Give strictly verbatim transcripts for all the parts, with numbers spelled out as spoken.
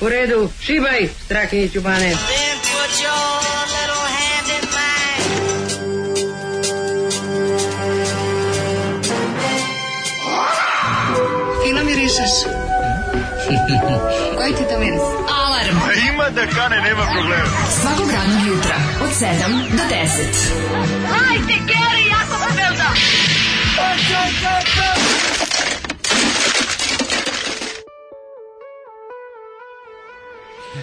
U redu, šibaj, Strahinjiću Bane. Then put your little hand in mine. Fino mirišeš. Koji ti to miris? Alarm. A ima da kane, nema problema. Svakog radnog jutra, od sedam do deset. Hajde, Geri, jako se velda.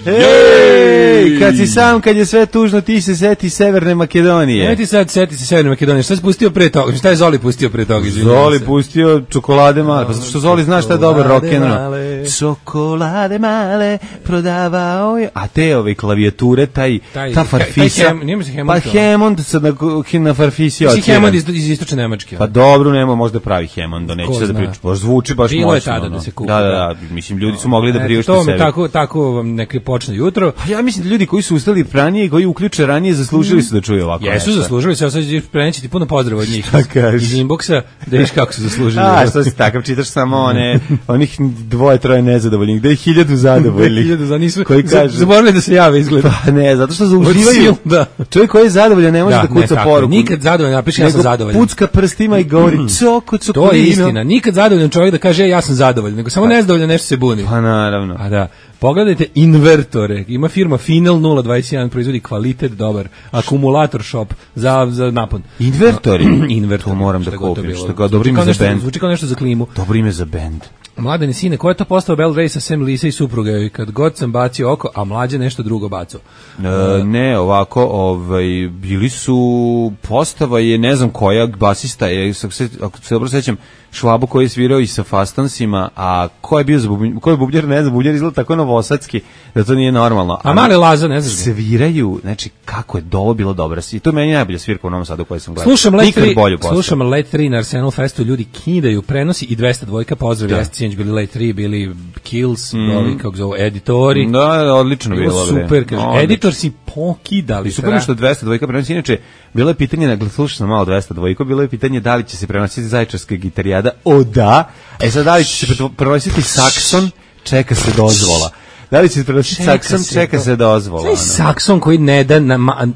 Ej, kad si sam, kad je sve tužno, ti se seti Severne Makedonije. Ne ti sad seti se Severne Makedonije. Šta si pustio pre toga? Šta je Zoli pustio pre toga? Zoli pustio čokolade male. Pa zato što Zoli zna šta je dobar rock'n'roll. Čokolade male prodavao je. A te ove klavijature, taj, taj ta farfisa. Taj, taj hem, pa Hammond sad na, na farfisi. Si Hammond iz, iz istočne Nemačke. Pa dobro, nema možda pravi Hammond, neće sad da priču. Baš zvuči baš bilo moćno. Je tada da se kupi. Da, da, da, mislim, ljudi su mogli da priušte sebi. To tako, tako vam neke počne jutro. Pa ja mislim da ljudi koji su ustali ranije i koji uključe ranije zaslužili su da čuju ovako. Jesu nešto. Zaslužili su, ja sad preneći ti puno pozdrava od njih. Iz inboxa, da viš kako su zaslužili. A, što si takav, čitaš samo one, onih dvoje, troje nezadovoljnih, da je hiljadu zadovoljnih. hiljadu za nisu, koji kaže, zaboravili da se jave izgleda. Pa ne, zato što zauživaju. Da. Čovjek koji je zadovoljan ne može da, da kuca ne, poruku. Nikad zadovoljan, napiši ja sam zadovoljan. Pucka prstima i govori coko, coko. To je istina, nikad zadovoljan čovjek da kaže ja sam zadovoljan, nego samo nezadovoljan nešto se buni. Pa naravno. A da. Pogledajte invertore. Ima firma Final nula dvadeset jedan, proizvodi kvalitet dobar. Akumulator shop za, za napon. Invertori? Invertori. To moram da kupim. Što kao dobro ime za bend. Zvuči kao nešto za klimu. Dobro ime za bend. Mladene sine, ko je to postao Bell Race sa sem Lisa i supruga? I kad god sam bacio oko, a mlađe nešto drugo bacio. E, ne, ovako, ovaj, bili su, postava je, ne znam koja, basista je, ako se dobro sećam, Švabo koji je svirao i sa Fastansima, a ko je bio za bubnjar, ko je bubnjar, ne znam, bubnjar izgleda tako novosadski, da to nije normalno. A, a mali Laza, ne znaš. Sviraju, znači, kako je dovo bilo dobro. I to je meni najbolja svirka u Novom Sadu koju sam gledao. Slušam Let tri, slušam Let tri na Arsenal Festu, ljudi kidaju, prenosi i dvesta dvojka, pozdrav, jeste sinoć bili Let tri, bili Kills, mm. ovi, kako zove, editori. Da, odlično bilo. Super, kaže, no, editor si pokidali. I super što dvesta dvojka prenosi, inače, bilo je pitanje, slušao sam malo dvesta dvojka, bilo je pitanje da li će se prenositi Zaječarska gitarijada. O da, e sad da li će se prenositi sakson, čeka se dozvola. Da li će se prenositi čeka sakson, se čeka do... se dozvola. Sve sakson koji ne da na... Ma...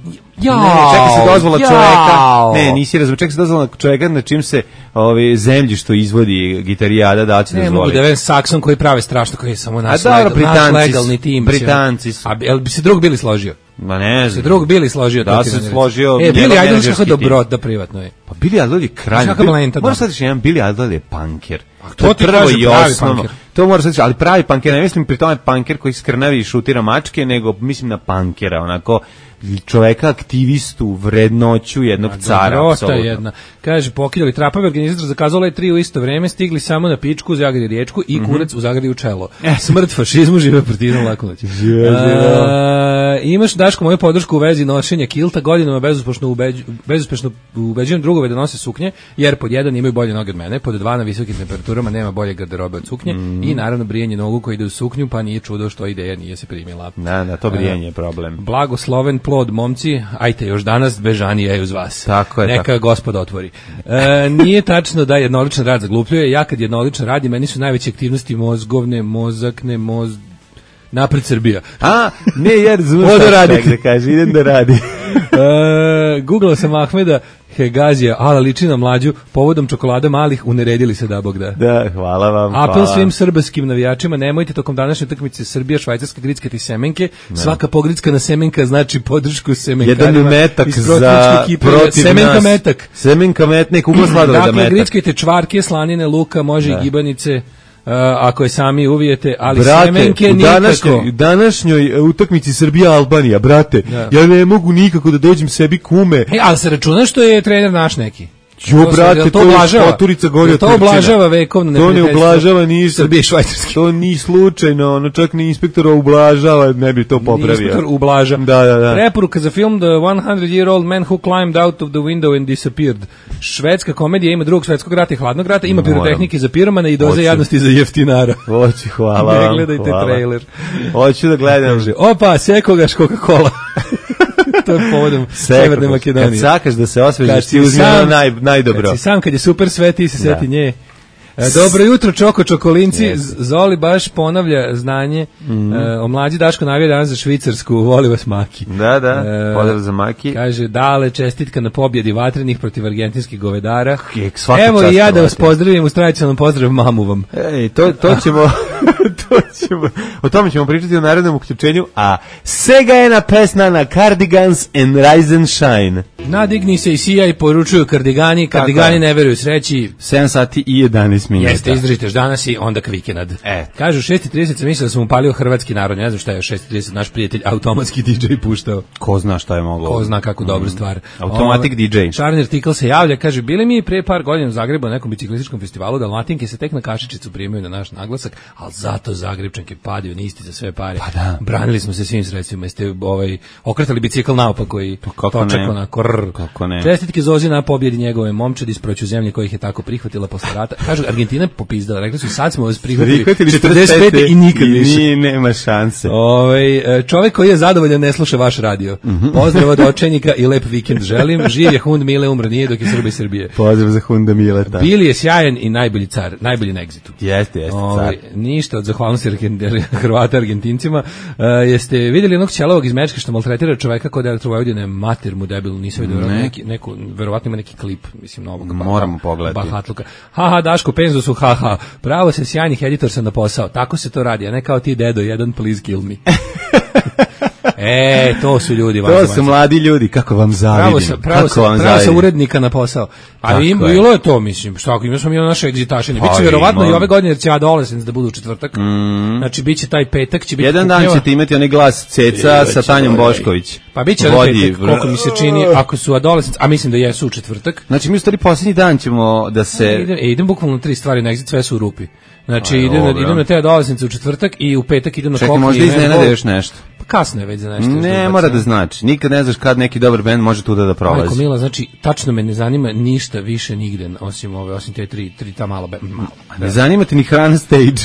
Jao, ne, čeka se dozvola jao. čoveka. Ne, nisi razumio, čeka se dozvola čoveka na čim se ovi zemlji što izvodi gitarijada da će dozvoliti. Ne mogu da velim sakson koji prave strašno, koji je samo naš, legal, naš legalni tim. Britanci su. A jel bi se drug bili složio? Ma ne znam. Se drug Bili složio. Da se složio. E, Billy Idol kako dobrot da privatno je. Pa Billy Idol je kralj. Mora sad reći, jedan Billy Idol je punker. To ti prvo i osnovno. To mora sad reći, ali pravi punker, ne mislim pri tome punker koji skrnavi i šutira mačke, nego mislim na punkera, onako čoveka aktivistu, vrednoću jednog a, cara. Dosta jedna. Kaže, pokidali trapave, organizator zakazao Let tri u isto vreme, stigli samo na pičku u Zagradi riječku i kurac mm-hmm. u Zagradi u čelo. Smrt fašizmu, žive partizan, lako noć. Imaš, Daško, moju podršku u vezi nošenja kilta, godinama bezuspešno, ubeđu, bezuspešno ubeđujem drugove da nose suknje, jer pod jedan imaju bolje noge od mene, pod dva na visokim temperaturama nema bolje garderobe od suknje mm. i naravno brijanje nogu koji ide u suknju, pa nije čudo što ideja nije se primila. Da, da, to brijanje je problem. Blagosloven plod, momci, ajte još danas, Bežanija je uz vas. Tako je. Neka tako. Gospod otvori. E, nije tačno da jednoličan rad zaglupljuje, ja kad jednoličan radi, meni su najveće aktivnosti mozgovne, mozakne, moz... Napred Srbija. A, ne, jer zvuš da kaže, idem da radi. e, Googlao sam Ahmeda Hegazija, ala liči na mlađu, povodom čokolada malih, uneredili se da Bog da. Da, hvala vam. Apel hvala. svim srbskim navijačima, nemojte tokom današnje utakmice Srbija, Švajcarska, grickati semenke, ne. Svaka pogrickana semenka znači podršku semenkarima. Jedan metak za protiv semenka nas. metak. Semenka metnik, ugla sladoleda dakle, metak. Dakle, grickajte čvarke, slanine, luka, može da. I gibanice. Uh, ako je sami uvijete, ali brate, semenke nikako. Današnjoj, današnjoj utakmici Srbija-Albanija, brate, da. Ja ne mogu nikako da dođem sebi kume. Hey, ali se računa što je trener naš neki? Jo, to brate, to, to je poturica golja. To oblažava vekovno to ne ublažava ni Srbije i Švajcarske. To ni slučajno, ono čak ni inspektora ublažava, ne bi to popravio. Inspektor ublaža. Da, da, da. Preporuka za film The one hundred year old man who climbed out of the window and disappeared. Švedska komedija ima drugog svetskog rata i hladnog rata, ima pirotehnike za piromana i doze jadnosti za jeftinara. Hoću, hvala. Ne gledajte hvala. Trailer. Hoću da gledam. Opa, sekogaš Coca-Cola. To je povodom Severne Makedonije. Kad sakaš da se osvežiš, ti uzmi ono naj, najdobro. Kad si sam, kad je super sve, ti se seti nje. E, dobro jutro, Čoko Čokolinci. Yes. Zoli baš ponavlja znanje. Mm. E, o mlađi Daško navija danas za Švicarsku. Voli vas Maki. Da, da, e, pozdrav za Maki. Kaže, dale, čestitka na pobjedi vatrenih protiv argentinskih govedara. Svaka Evo i ja da vas pozdravim uz tradicionalnom pozdrav mamu vam. Ej, to, to ćemo... to ćemo, o tome ćemo pričati u narednom uključenju, a Sega je na pesna na Cardigans and Rise and Shine. Nadigni se i sijaj, poručuju kardigani, kardigani ne veruju sreći. sedam sati i jedanaest minuta. Jeste, izdržite danas i onda kvikenad. E. Kažu šest i trideset sam mislio da sam upalio hrvatski narod, ne znam šta je šest i trideset naš prijatelj automatski D J puštao. Ko zna šta je moglo. Ko zna kako mm. dobra stvar. Automatic o, D J. Charner Tikl se javlja, kaže, bili mi pre par godina u Zagrebu na nekom biciklističkom festivalu, Dalmatinke se tek na kašičicu primaju na naš naglasak, ali zato Zagrebčanke padaju nisti za sve pare. Pa da. Branili smo se svim sredstvima, jeste ovaj, okretali bicikl naopako i točak onako rrr. Kako ne. Čestitke Zozi na pobjedi njegove momčadi s proću zemlje kojih je tako prihvatila posle rata. Kažu, Argentina je popizdala, rekli su sad smo vas prihvatili četrdeset pete i nikad više. I nema šanse. Ovaj čovjek koji je zadovoljan ne sluša vaš radio. Mm -hmm. Pozdrav od očajnika i lep vikend želim. Živ je Hund Mile, umro nije dok je Srbija i Srbije. Pozdrav za Hunda Mileta. Bili je sjajan i najbolji car, najbolji na egzitu. Jeste, jeste ovaj, car. Ništa od zahvalnosti Hrvata Argentincima. Uh, jeste vidjeli jednog ćelavog iz Mečke što maltretira čoveka kod Elektrovojvodine, mater mu debilu, nisam vidio ne. neki, neku, verovatno ima neki klip, mislim, novog. Moramo pogledati. Bahatluka. Haha, Daško, penzu su, haha. Pravo se sjajnih editor sam na posao. Tako se to radi, a ne kao ti dedo, jedan please kill me. E, to su ljudi. To su mladi ljudi, kako vam zavidim. Pravo sa, pravo sa, pravo sa urednika na posao. A im bilo je to, mislim, što ako imamo smo mi na naše egzitašine. Biće verovatno i ove godine jer će Adolescence da budu u četvrtak. Mm. Znači biće taj petak, će biti jedan dan ćete imati onaj glas Ceca sa Tanjom Bošković. Pa biće onaj petak, koliko mi se čini, ako su Adolescence, a mislim da jesu u četvrtak. Znači mi u stvari posljednji dan ćemo da se... E, idem, idem bukvalno tri stvari na exit, sve su u rupi. Znači idem na, idem na te Adolescence u četvrtak i u petak idem na Čekaj, možda iznenade još nešto. Pa kasno je već za nešto. Ne, mora da znači. Nikad ne znaš kad neki dobar bend može tu da da prolazi. Majko Mila, znači, tačno me ne zanima ništa više nigde, osim ove, osim te tri, tri ta mala benda. Ne zanima te ni Hrana Stage.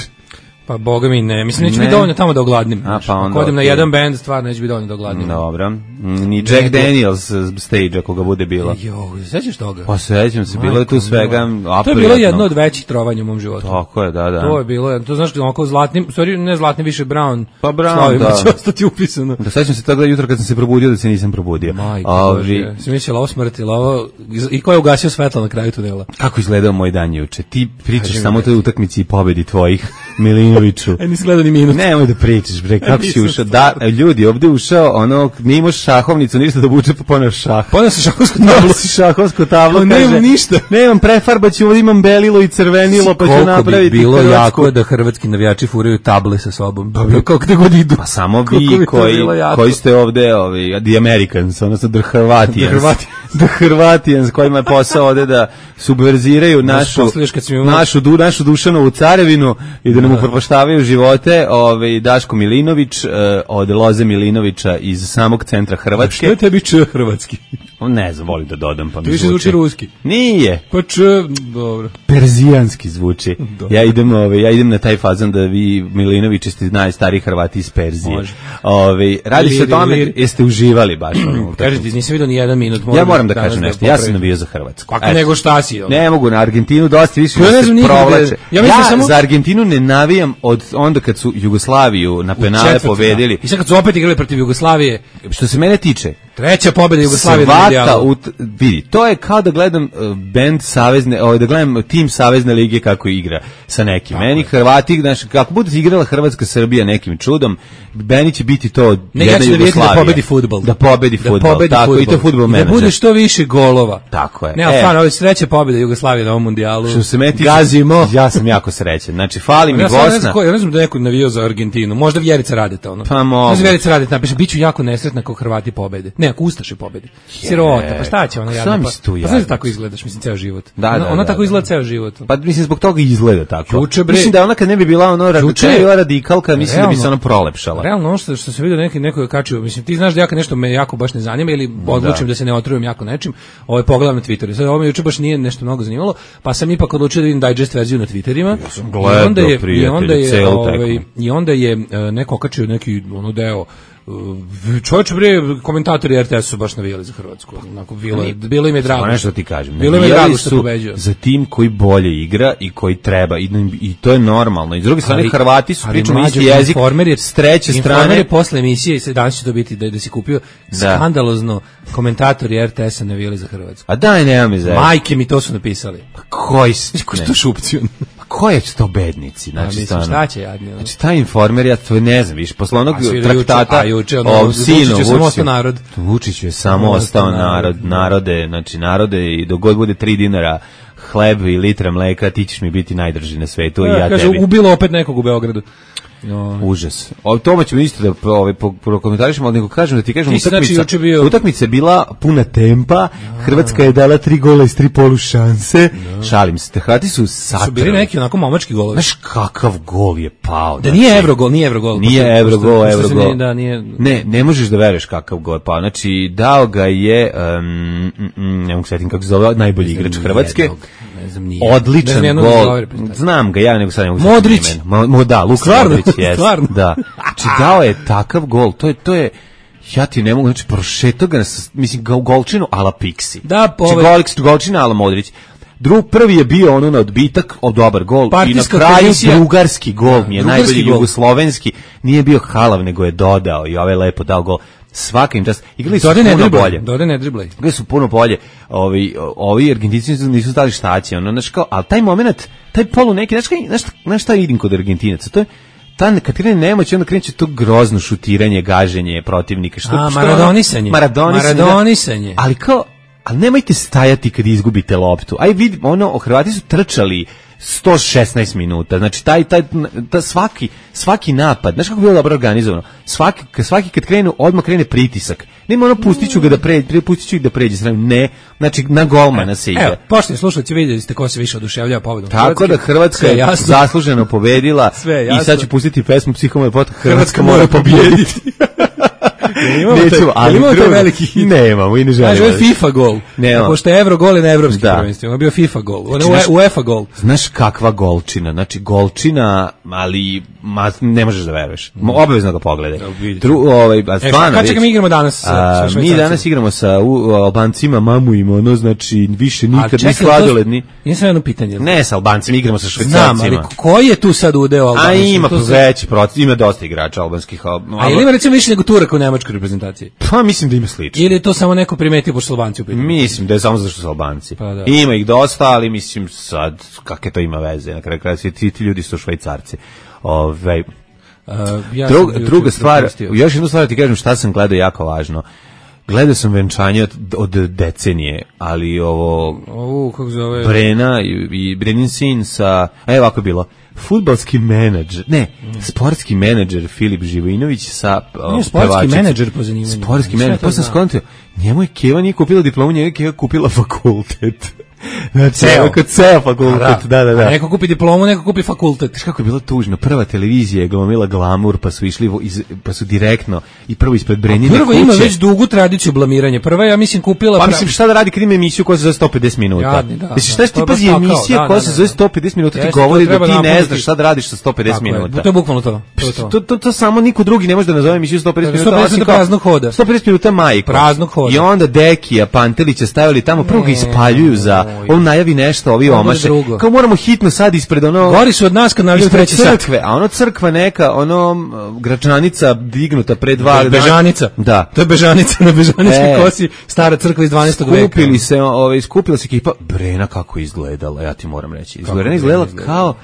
Pa boga mi ne, mislim neće biti dovoljno tamo da ogladnim. A pa onda. Ako odem na jedan bend, stvarno neće biti dovoljno da ogladnim. Dobro. Ni Jack Daniels stage ako ga bude bilo. Jo, sećaš toga? Pa sećam se, bilo je tu svega aprijatno. To je bilo jedno od većih trovanja u mom životu. Tako je, da, da. To je bilo, to znaš onako zlatnim, sorry, ne zlatnim, više brown. Pa brown, da. Će ostati upisano. Da sećam se toga jutro kad sam se probudio da se nisam probudio. Majko Bože, si mislila ovo smrti, ovo i ko je ugasio svetlo na kraju tunela? Kako izgledao moj dan juče? Ti pričaš samo o toj utakmici i pobedi tvojih Milinoviću. Ni minut. Nemoj da pričaš, bre, kako si ušao. Da, ljudi, ovde ušao, ono, nije imaš šahovnicu, ništa da buče, pa poneo šah. Poneo se šahovsku tablu. Poneo se šahovsku tablu, kaže. Nemam ništa. Nemam prefarbaću, ovdje imam belilo i crvenilo, pa ću napraviti bi bilo Hrvatsku. Jako da hrvatski navijači furaju table sa sobom. Pa, kako da god idu. Pa samo vi koji, koji ste ovde, ovi, the Americans, odnosno the Hrvatians. The Hrvatians, kojima je posao ovde da subverziraju našu, našu, du, našu Dušanovu carevinu i da nam upropaštavaju živote. Ove, Daško Milinović od Loze Milinovića iz samog centra Hrvatske. Što je tebi č hrvatski? Ne znam, volim da dodam, pa mi zvuči. zvuči ruski. Nije. Pa č, dobro. Perzijanski zvuči. Dobro. Ja idem, ove, ja idem na taj fazan da vi Milinovići ste najstariji Hrvati iz Perzije. Može. Ove, radi se o tome, jeste uživali baš. Kažete, nisam vidio ni jedan minut. Ja moram da kažem nešto, ja sam navio za Hrvatsku. Kako nego šta si? Ne mogu, na Argentinu dosta više ja se provlače. Ja, ja samo... za Argentinu ne navijam od onda kad su Jugoslaviju na penale pobedili. I sad kad su opet igrali protiv Jugoslavije. Što se mene tiče, treća pobjeda Jugoslavije na mundijalu. Vidi, to je kao da gledam uh, bend savezne, ovaj da gledam tim savezne lige kako igra sa nekim. Tako meni Hrvati, znači kako bude igrala Hrvatska Srbija nekim čudom, meni će biti to ne, jedna ja Jugoslavija. Da pobedi fudbal. Da pobedi fudbal. Da tako fudbal. I to fudbal menadžer. Da bude što više golova. Tako je. Ne, ali stvarno, ovo je treća pobjeda Jugoslavije na ovom mundijalu. Što se meti, gazimo. Ja sam jako srećan. Znači fali mi ja Bosna. Ne znam, ko, ja ne znam da neko navio za Argentinu. Možda Vjerica Radeta ono. Pa mogu. Možda Vjerica Radeta napiše biću jako nesretna ako Hrvati pobede. Ne, ako Ustaši pobede. Sirota, pa šta će ona jadna? Pa, pa znaš da tako izgledaš, mislim, ceo život. Da, ona, da, ona da, tako da. izgleda ceo život. Pa mislim, zbog toga izgleda tako. Juče, bre, mislim da ona kad ne bi bila ono radikalka, radikalka mislim realno, da bi se ona prolepšala. Realno, ono što, što se vidio neki, neko je kačio, mislim, ti znaš da ja kad nešto me jako baš ne zanima ili odlučim da, da se ne otrujem jako nečim, ovaj pogledam na Twitteru. Sad ovo me juče baš nije nešto mnogo zanimalo, pa sam ipak odlučio da vidim digest verziju na Twitterima. Ja sam gledao, i onda je, i onda je, ovaj, i onda je neko okačio neki ono deo Čovječe, bre, komentatori R T S su baš navijali za Hrvatsku. Onako, bilo, je, bilo im je drago. Samo nešto ti kažem. Bilo im je drago što pobeđuje. Za tim koji bolje igra i koji treba. I, i to je normalno. I s druge strane, Ali- Hrvati su ali pričamo mlađe, isti jezik. Informer je, S treće Informer strane... je posle emisije, i danas će to biti da, da si kupio skandalozno komentatori R T S-a navijali za Hrvatsku. A daj, nema mi za... Majke mi to su napisali. Koji s... Ko što šupci? Pa koji će to bednici? A Znači, mislim, stvarno. šta će jadni? ono? Znači, taj Informer, ja to ne znam, viš, posle onog A svi da traktata juče- a juče, ono, o Vučiću sinu, je samo Vučiću- ostao narod. Vučiću je samo Samo ostao ostao narod, narod, narode, znači narode i dok god bude tri dinara hleb i litra mleka, ti ćeš mi biti najdrži na svetu i ja kaže, tebi. ubilo opet nekog u Beogradu. No. Užas. O tome ćemo isto da ovaj prokomentarišemo, ali nego kažem da ti kažem Ti si, znači, utakmica. juče bio- Utakmica je bila puna tempa. Hrvatska je dala tri gola iz tri polu šanse. Šalim se. Hrvati su satrali. Su bili neki onako momački golovi. Znaš kakav gol je pao. Da znači, nije Evrogol, nije Evrogol. Nije Pošto- Evrogol, pošto- pošto se Evrogol. nije- Da, nije... Ne, ne možeš da veruješ kakav gol je pao. Znači, dao ga je, um, mm, mm, ne mogu setim kako se zove, najbolji igrač Hrvatske. Nijednog, ne znam, nije. Ne Odličan znam nijednog gol. za ove reprezentacije. Znam ga ja, nego sad ne mogu Modrić. setim imena. Mo, mo, da, Luka Stvarno? Modrić, jest. Stvarno? Da. Znači, dao je takav gol. To je, to je, ja ti ne mogu, znači, prošetao ga, na, s- mislim, ga u golčinu ala Pixi. Da, po Znači, ovaj- Golix, golčina ala Modrić. Drug, prvi je bio ono na odbitak, o dobar gol. Partijska I na kraju komisija. drugarski gol mi je, Drugarski najbolji gol. jugoslovenski. Nije bio halav, nego je dodao i ovaj lepo dao gol. Svaka im čast. Igrali su Dode ne puno driblaj, bolje. Dode ne driblaj. Gde su puno bolje. Ovi ovi Argentinci nisu- nisu stali štaci, ono znači kao, al taj momenat, taj polu neki, znači znaš šta, znaš šta vidim kod Argentinaca, to je ta kad krene nemoć, onda kreće to grozno šutiranje, gaženje protivnika, što A, što maradonisanje. Maradonisanje. da. Maradonisanje. Ali kao, ali nemojte stajati kad izgubite loptu. Aj vidi, ono, Hrvati su trčali sto šesnaest minuta. Znači taj taj ta svaki svaki napad, znaš kako je bilo dobro organizovano. Svaki kad svaki kad krenu, odmah krene pritisak. Nema ono pustiću ga da pređe, pustiću ih da pređe stranu. Ne, znači na golmana se ide. Evo, poštovani slušalci, vidjeli ste ko se više oduševljava pobedom. Tako da Hrvatska Sve je jasno. zasluženo pobedila Sve je i jasno. sad ću pustiti pesmu Psihomoj pot. Hrvatska mora pobijediti. Imamo taj, Nećemo, ali imamo taj drugo, veliki hit. nemamo i ne Znaš, želimo. ovo je FIFA gol. Nemamo. Pošto je Evro gol je na evropskim Da. prvenstvima. Ovo je bio FIFA gol. Ovo Znači, je znaš- UEFA gol. Znaš kakva golčina, znači golčina, ali ma, ne možeš da veruješ. Mo- Obavezno ga pogledaj. Da, vidjet ću. Dru, ovaj, a E, šta, stvarno, kad čekaj, vidiš, mi igramo danas sa, a, sa mi Švajcarcima? danas igramo sa u, Albancima, mamu im, ono, znači, više A nikad ni čekaj, sladoledni. to- Nisam jedno pitanje. Ne sa Albancima, igramo sa Znam, Švajcarcima. ali koji je tu sad udeo A Albanije? ima To se- veći proces, ima dosta igrača albanskih. al- A ili ima recimo više nego Turaka u nemačkoj reprezentaciji? Pa mislim da ima slično. Ili je to samo neko primetio pošto su Albanci u pitanju? Mislim da je samo zato što su Albanci. Pa da. Ima ih dosta, ali mislim sad, kakve to ima veze, na kraju kraja svi ti, ti ljudi su Švajcarci. Ove, Uh, ja Drug, sam druga juče stvar, propustio. još jednu stvar ti kažem šta sam gledao jako važno. Gledao sam venčanje od, od decenije, ali ovo Ovu, kako zove... Brena i, i Brenin sin sa, a evo ovako je bilo, fudbalski menadžer, ne, sportski menadžer Filip Živojinović sa o, Nije sportski pevačicom. menadžer po zanimanju. Sportski Šta menadžer, to pa sam zna? skontio, njemu je Keva nije kupila diplomu, njemu je Keva kupila fakultet. Znači, Ceo. onako ceo fakultet, da, da, da. A neko kupi diplomu, neko kupi fakultet. Znaš kako je bilo tužno, prva televizija je glumila glamur, pa su išli, vo- iz, pa su direktno i prvo ispred Brenine Prvo kuće. ima već dugu tradiciju blamiranja. Prva, ja mislim, kupila... Pa pra- mislim šta da radi kad ima emisiju koja se zove sto pedeset minuta. Jadni, da, Mislim šta da, ti to je pazi baš tako, emisija da, koja da, se da, zove da. sto pedeset minuta ti Jeste, govori to da treba ti ne napuniti. znaš šta da radiš sa sto pedeset Tako je, minuta. to je bukvalno to. To je to. To, to, to samo niko drugi ne može da nazove emisiju sto pedeset Sto minuta. pedeset osim minuta kao- praznog hoda. sto pedeset minuta majko. Praznog hoda. I onda Dekija, Pantelića stavili tamo, prvo ga ispaljuju za, on najavi nešto, ovi bude omaše. drugo. Kao moramo hitno sad ispred ono... Gori su od nas kad navljaju ispred treći sat. crkve, a ono crkva neka, ono m, gračanica dignuta pre dva dana. Bežanica. Da. To je Bežanica na Bežaničkoj E. kosi, stara crkva iz dvanaestog veka. Skupili se, ovaj skupila se ekipa. Brena kako je izgledala, ja ti moram reći. Izgleda Brena izgledala izgledala? kao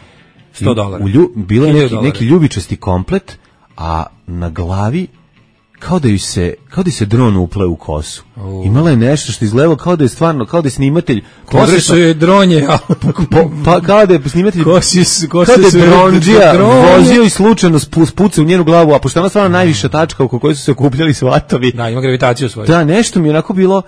sto dolara. U lju, bilo je hiljadu neki, dolara. neki ljubičasti komplet, a na glavi kao da ju se kao da ju se dron upleo u kosu. Imala je nešto što izgledalo kao da je stvarno, kao da je snimatelj Kosi su joj dronje, a po, pa kao da je snimatelj kosi su, kosi kao da su je joj dronđija dronje. vozio i slučajno spu- spucao u njenu glavu, a pošto je ona stvarno najviša tačka oko koje su se okupljali svatovi. Da, ima gravitaciju svoju. Da, nešto mi je onako bilo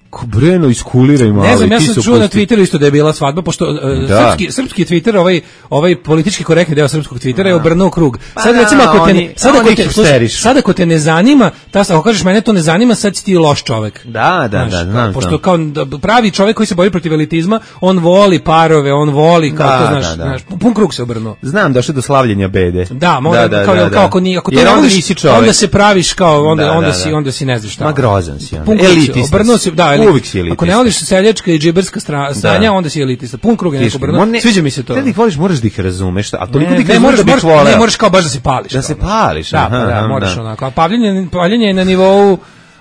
Ko Breno iskuliraj malo. Ne znam, i ja ti sam se čuo na opusti. Twitteru isto da je bila svadba, pošto uh, Da. srpski, srpski Twitter, ovaj, ovaj politički korektni deo srpskog Twittera je obrnuo krug. Pa Sad da, recimo, ako te, oni- sad, ako oni te, slušaj, hipsterišu. sad ako te ne zanima, ta, ako kažeš mene to ne zanima, sad si ti loš čovek. Da, da, Znaš, da, kao, znam, pošto znam. kao da, pravi čovek koji se bori protiv elitizma, on voli parove, on voli, kao Da, to, znaš, da, da. znaš, pun krug se obrnuo. Znam, došlo do slavljenja bede. Da, mora, kao, da, kao ako, ni, ako to Jer ne onda voliš, nisi čovek. onda se praviš kao, onda, Da, onda, da, si, da. onda si ne znaš šta. Ma grozan si onda. Pun krug se, Elitista obrnuo si. se, da, elitista. Uvijek si elitista. Ako ne voliš seljačka i džiberska stra- stanja, onda si elitista. Pun krug je neko Viš, obrnuo. mo- Sviđa mi se to. Kad ih voliš, moraš da ih razumeš, a toliko Ne, da ih ne, razumeš moraš, da bih moraš, voleo. ne, moraš kao baš da se pališ. Da kao, se znaš. pališ, Da, pa aha, da, aha, moraš da. onako. A paljenje, paljenje je na nivou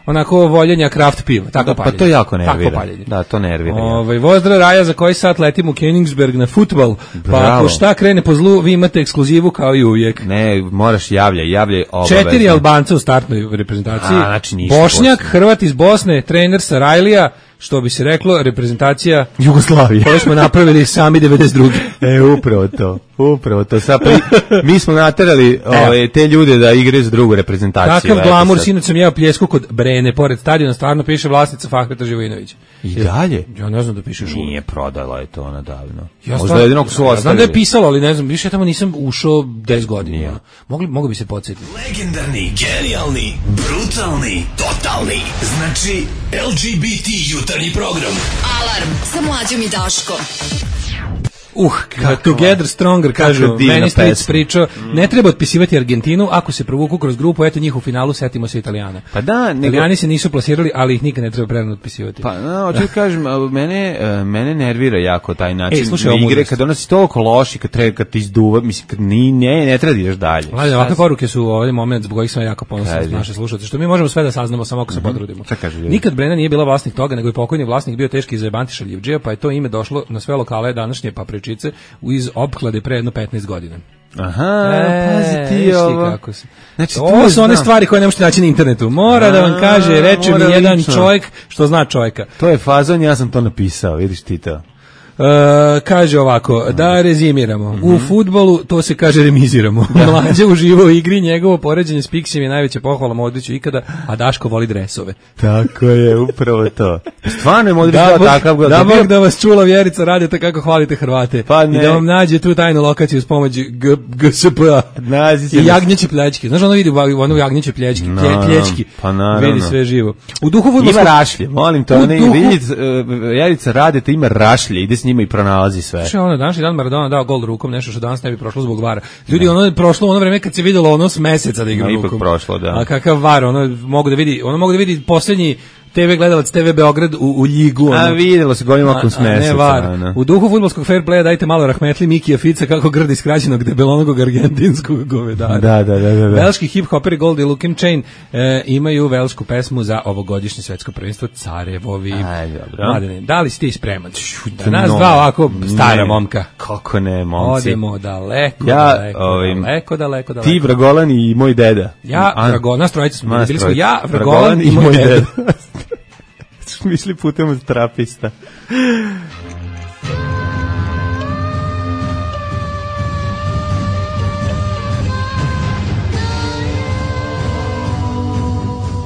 onako voljenja kraft piva. Tako Da, pa paljenje. to jako nervira. Tako paljenje. Da, to nervira. jako. Ovaj Vozdra Raja za koji sat letim u Königsberg na fudbal. Pa Bravo. ako šta krene po zlu, vi imate ekskluzivu kao i uvijek. Ne, moraš javljaj, javljaj obavezno. Četiri Albanca u startnoj reprezentaciji. A, znači ništa Bošnjak, posebno. Hrvat iz Bosne, trener Sarajlija, što bi se reklo, reprezentacija Jugoslavije. koju smo napravili sami devedeset druge E, upravo to, upravo to. Sad pri, mi smo naterali ove, te ljude da igraju za drugu reprezentaciju. Takav eto glamur, sad. sinoć sam jeo pljesku kod Brene, pored stadiona, stvarno piše vlasnica Fahreta Živojinović. I dalje? Ja ne znam da piše šulo. Nije prodala je to ona davno. Ja Možda stvarno- jedinog su ja ostavili. znam da je pisalo, ali ne znam, više ja tamo nisam ušao deset godina. Mogli, mogu bi se podsjetiti. Legendarni, genijalni, brutalni, totalni. Znači, L G B T jutarnji program. Alarm sa mlađom i Daškom. Uh, Together Stronger, kažu, divna meni Stric pesma. pričao, ne treba otpisivati Argentinu, ako se provuku kroz grupu, eto njih u finalu, setimo se Italijana. Pa da, nego... Italijani se nisu plasirali, ali ih nikad ne treba prerano otpisivati. Pa, no, hoću da kažem, a, mene, e, mene nervira jako taj način Ej, slušaj, ovo igre, mudrost. kad ona si toliko loš i kad, treba, kad ti izduva, mislim, kad ni, ne, ne treba da ideš dalje. Mlađe, ovakve poruke su ovaj moment zbog kojih sam jako ponosan Kaži. na naše slušalce, što mi možemo sve da saznamo samo ako se potrudimo. Šta kažu ljudi? Nikad Brena nije bila vlasnik toga, nego je pokojni vlasnik bio teški zajebanti šaljivdžija, pa je to ime došlo na sve lokale današnje papričice iz opklade pre jedno petnaest godina. Aha, E, pazi ti viš ovo. kako se. Znači, To tu su one znam. stvari koje ne možete naći na internetu. Mora da vam A, kaže, reče mi mora jedan lično. čovjek što zna čovjeka. To je fazon, ja sam to napisao, vidiš ti to. E, kaže ovako, da rezimiramo. U fudbalu to se kaže remiziramo. Mlađe uživa u igri, njegovo poređenje s Pixijem je najveća pohvala Modriću ikada, a Daško voli dresove. Tako je, upravo to. Stvarno je Modrić Da, bio Bog, takav. da, Bog da vas čula Vjerica radite kako hvalite Hrvate. Pa I ne. da vam nađe tu tajnu lokaciju s pomoći G- GSP-a. Nazi se I na- jagnjeće plječke. Znaš ono vidi u ono jagnjeće plječke, plje, Naravno, plječki. pa naravno. Vidi sve živo. U duhu Ima fudbalskog rašlje, molim to, U ne, duhu- vidite, Jerica radite, ima rašlje, ide s njima i pronalazi sve. Što je ono današnji dan Maradona dao gol rukom, nešto što danas ne bi prošlo zbog vara. Ljudi, ono je prošlo ono vreme kad se videlo ono s meseca da igra No, ipak rukom. prošlo, da. A kakav var, ono mogu da vidi, ono mogu da vidi poslednji te ve gledalac te ve Beograd u, u ljigu. A ono. vidjelo se golim okom s A- a ne meseca. var. ono. U duhu fudbalskog fair playa dajte malo rahmetli Mikija Fica kako grdi skraćenog debelonog argentinskog govedara. Da, da, da, da, da. Velški hip-hoperi Gold i Lukin Chain e, imaju velšku pesmu za ovogodišnje svetsko prvenstvo Carevovi. Aj, dobro. Mladene, da li ste i spreman? Da No, nas dva ovako stara ne, momka. Kako ne, momci. Odemo daleko, Ja, daleko, ovim, daleko, daleko, daleko. Ti, Vragolan i moj deda. Ja, A- Vragolan, nas trojica smo bili, nas bili smo trojica. ja, Vragolan i moj deda. Smo išli putem od trapista.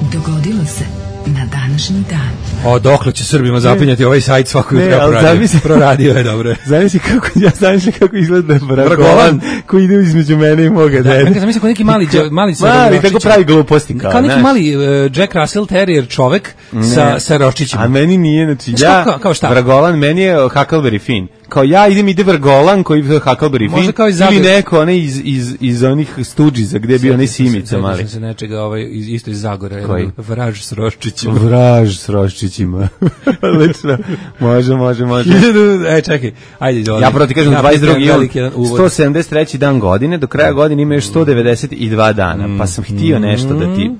Dogodilo se na današnji dan. O, dokle će Srbima zapinjati ovaj sajt svako Ne, jutro ali proradio. zamisli- Proradio je, dobro je. Zamisli kako, ja zamisli kako izgleda Vragolan Vragolan. koji ide između mene i moga Da, dede. ja zamislim kao neki mali, dže- mali sa Mali, roščićem. tako pravi gluposti kao, Kao neki znaš. mali uh, Jack Russell Terrier čovek sa, sa roščićima. A meni nije, znači, Znaš ja, kao- kao šta? Vragolan, meni je Huckleberry Finn. Kao ja idem, ide Vragolan koji je Huckleberry Možda Finn, kao iz ili Zagreba. neko onaj iz, iz, iz onih Stuđiza gde je bio onaj Simica mali. Sjećam se nečega, ovaj, iz, isto iz Zagora. Koji? jedan Vraž s roščićima. Vraž s roščićima. Lično. Može, može, može. e, čekaj, ajde, izvoli. Ja prvo ti kažem, Napravi dvadeset drugi jedan jul, veliki jedan uvod. sto sedamdeset treći dan godine, do kraja godine ima još sto devedeset dva dana, pa sam htio nešto da ti...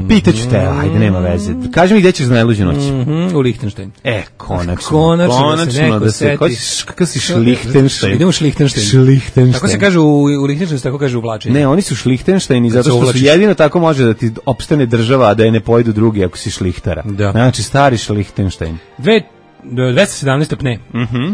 Pitaću te, ajde, nema veze. Kaži mi gde ćeš za najluđu noć. Mhm, u Lichtenstein. E, konačno. Konačno da se neko da se, seti. ko si- kakav si Šlihtenštajn? Idemo u Šlihtenštajn. Šlihtenštajn. Tako se kaže u, u Lichtensteinu, tako kaže uvlačenje. Ne, oni su Šlihtenštajni zato se što su uvlačiš. jedino tako može da ti opstane država, a da je ne pojedu drugi ako si šlihtara. Da. Znači, stari Šlihtenštajn. Dve, dvesta sedamnaest pne. Mhm.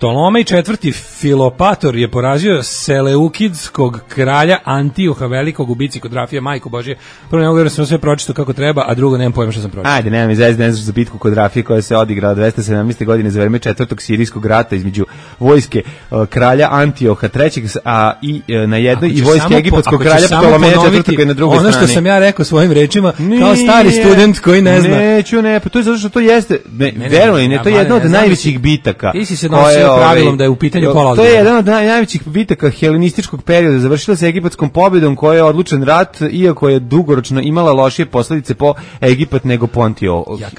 Ptolomej četvrti Filopator je porazio Seleukidskog kralja Antioha Velikog u bici kod Rafija, majko Božje. Prvo ne mogu da sam sve pročitao kako treba, a drugo nemam pojma što sam pročitao. Ajde, nemam izvesti, ne znaš za bitku kod Rafije koja se odigrala dvesta sedamnaeste. godine za vreme četvrtog sirijskog rata između vojske uh, kralja Antioha trećeg, a i uh, na jednoj i vojske egipatskog kralja Ptolomeja četvrtog koji je na drugoj ono strani. Ono što sam ja rekao svojim rečima, kao stari student koji ne zna. Neću, ne, pa to je zato što to jeste, ne, ne, verujem, ne, to je jedna od najvećih bitaka. Ti si se nosio pravilom da je u pitanju pola. To je jedan od najvećih bitaka helenističkog perioda. Završila se egipatskom pobjedom koja je odlučen rat, iako je dugoročno imala lošije posljedice po Egipat nego po Antio. Ja,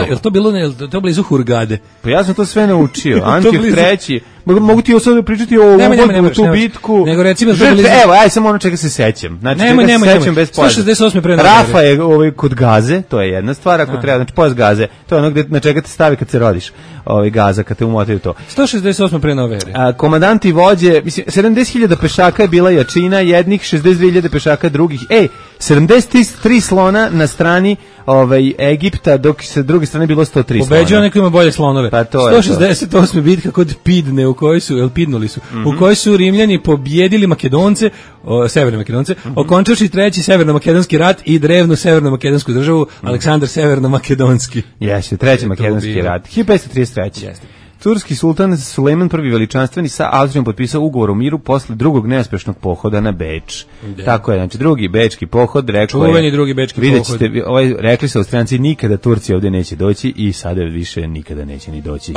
je to bilo ne, to blizu Hurgade? Pa ja sam to sve naučio. Antioh treći. Mogu ti sada pričati o uvodu, tu bitku. Nego recimo žrtve, evo, aj samo ono čega se sećam. Znači, nemoj, čega nemoj, se sećam bez pojave. sto šezdeset osme pre Rafa je ovaj, kod Gaze, to je jedna stvar, ako treba, znači pojas Gaze, to je ono gde, na čega te stavi kad se rodiš, ovaj, Gaza, kad te umotaju to. sto šezdeset osme pre nove ere. A, komandanti vođe, mislim, sedamdeset hiljada pešaka je bila jačina jednih, šezdeset dve hiljade pešaka drugih. Ej, sedamdeset tri slona na strani ovaj, Egipta, dok sa druge strane bilo sto tri slona. Pobeđuje neko ima bolje slonove. Pa to sto šezdeset osme bitka kod Pidne, u kojoj su, el Pidnuli su, mm-hmm. u kojoj su Rimljani pobjedili Makedonce, o, severne Makedonce, mm-hmm. okončavši treći severno-makedonski rat i drevnu severno-makedonsku državu, mm-hmm. Aleksandar severno-makedonski. Jeste, treći makedonski rat. hiljadu petsto trideset treći. Jeste. Turski sultan Sulejman prvi veličanstveni sa Austrijom potpisao ugovor o miru posle drugog neuspešnog pohoda na Beč. De. Tako je, znači drugi bečki pohod, rekao je. Čuveni drugi bečki vidjet pohod. Ćete, ovaj, rekli su Austrijanci nikada Turci ovdje neće doći i sada više nikada neće ni doći.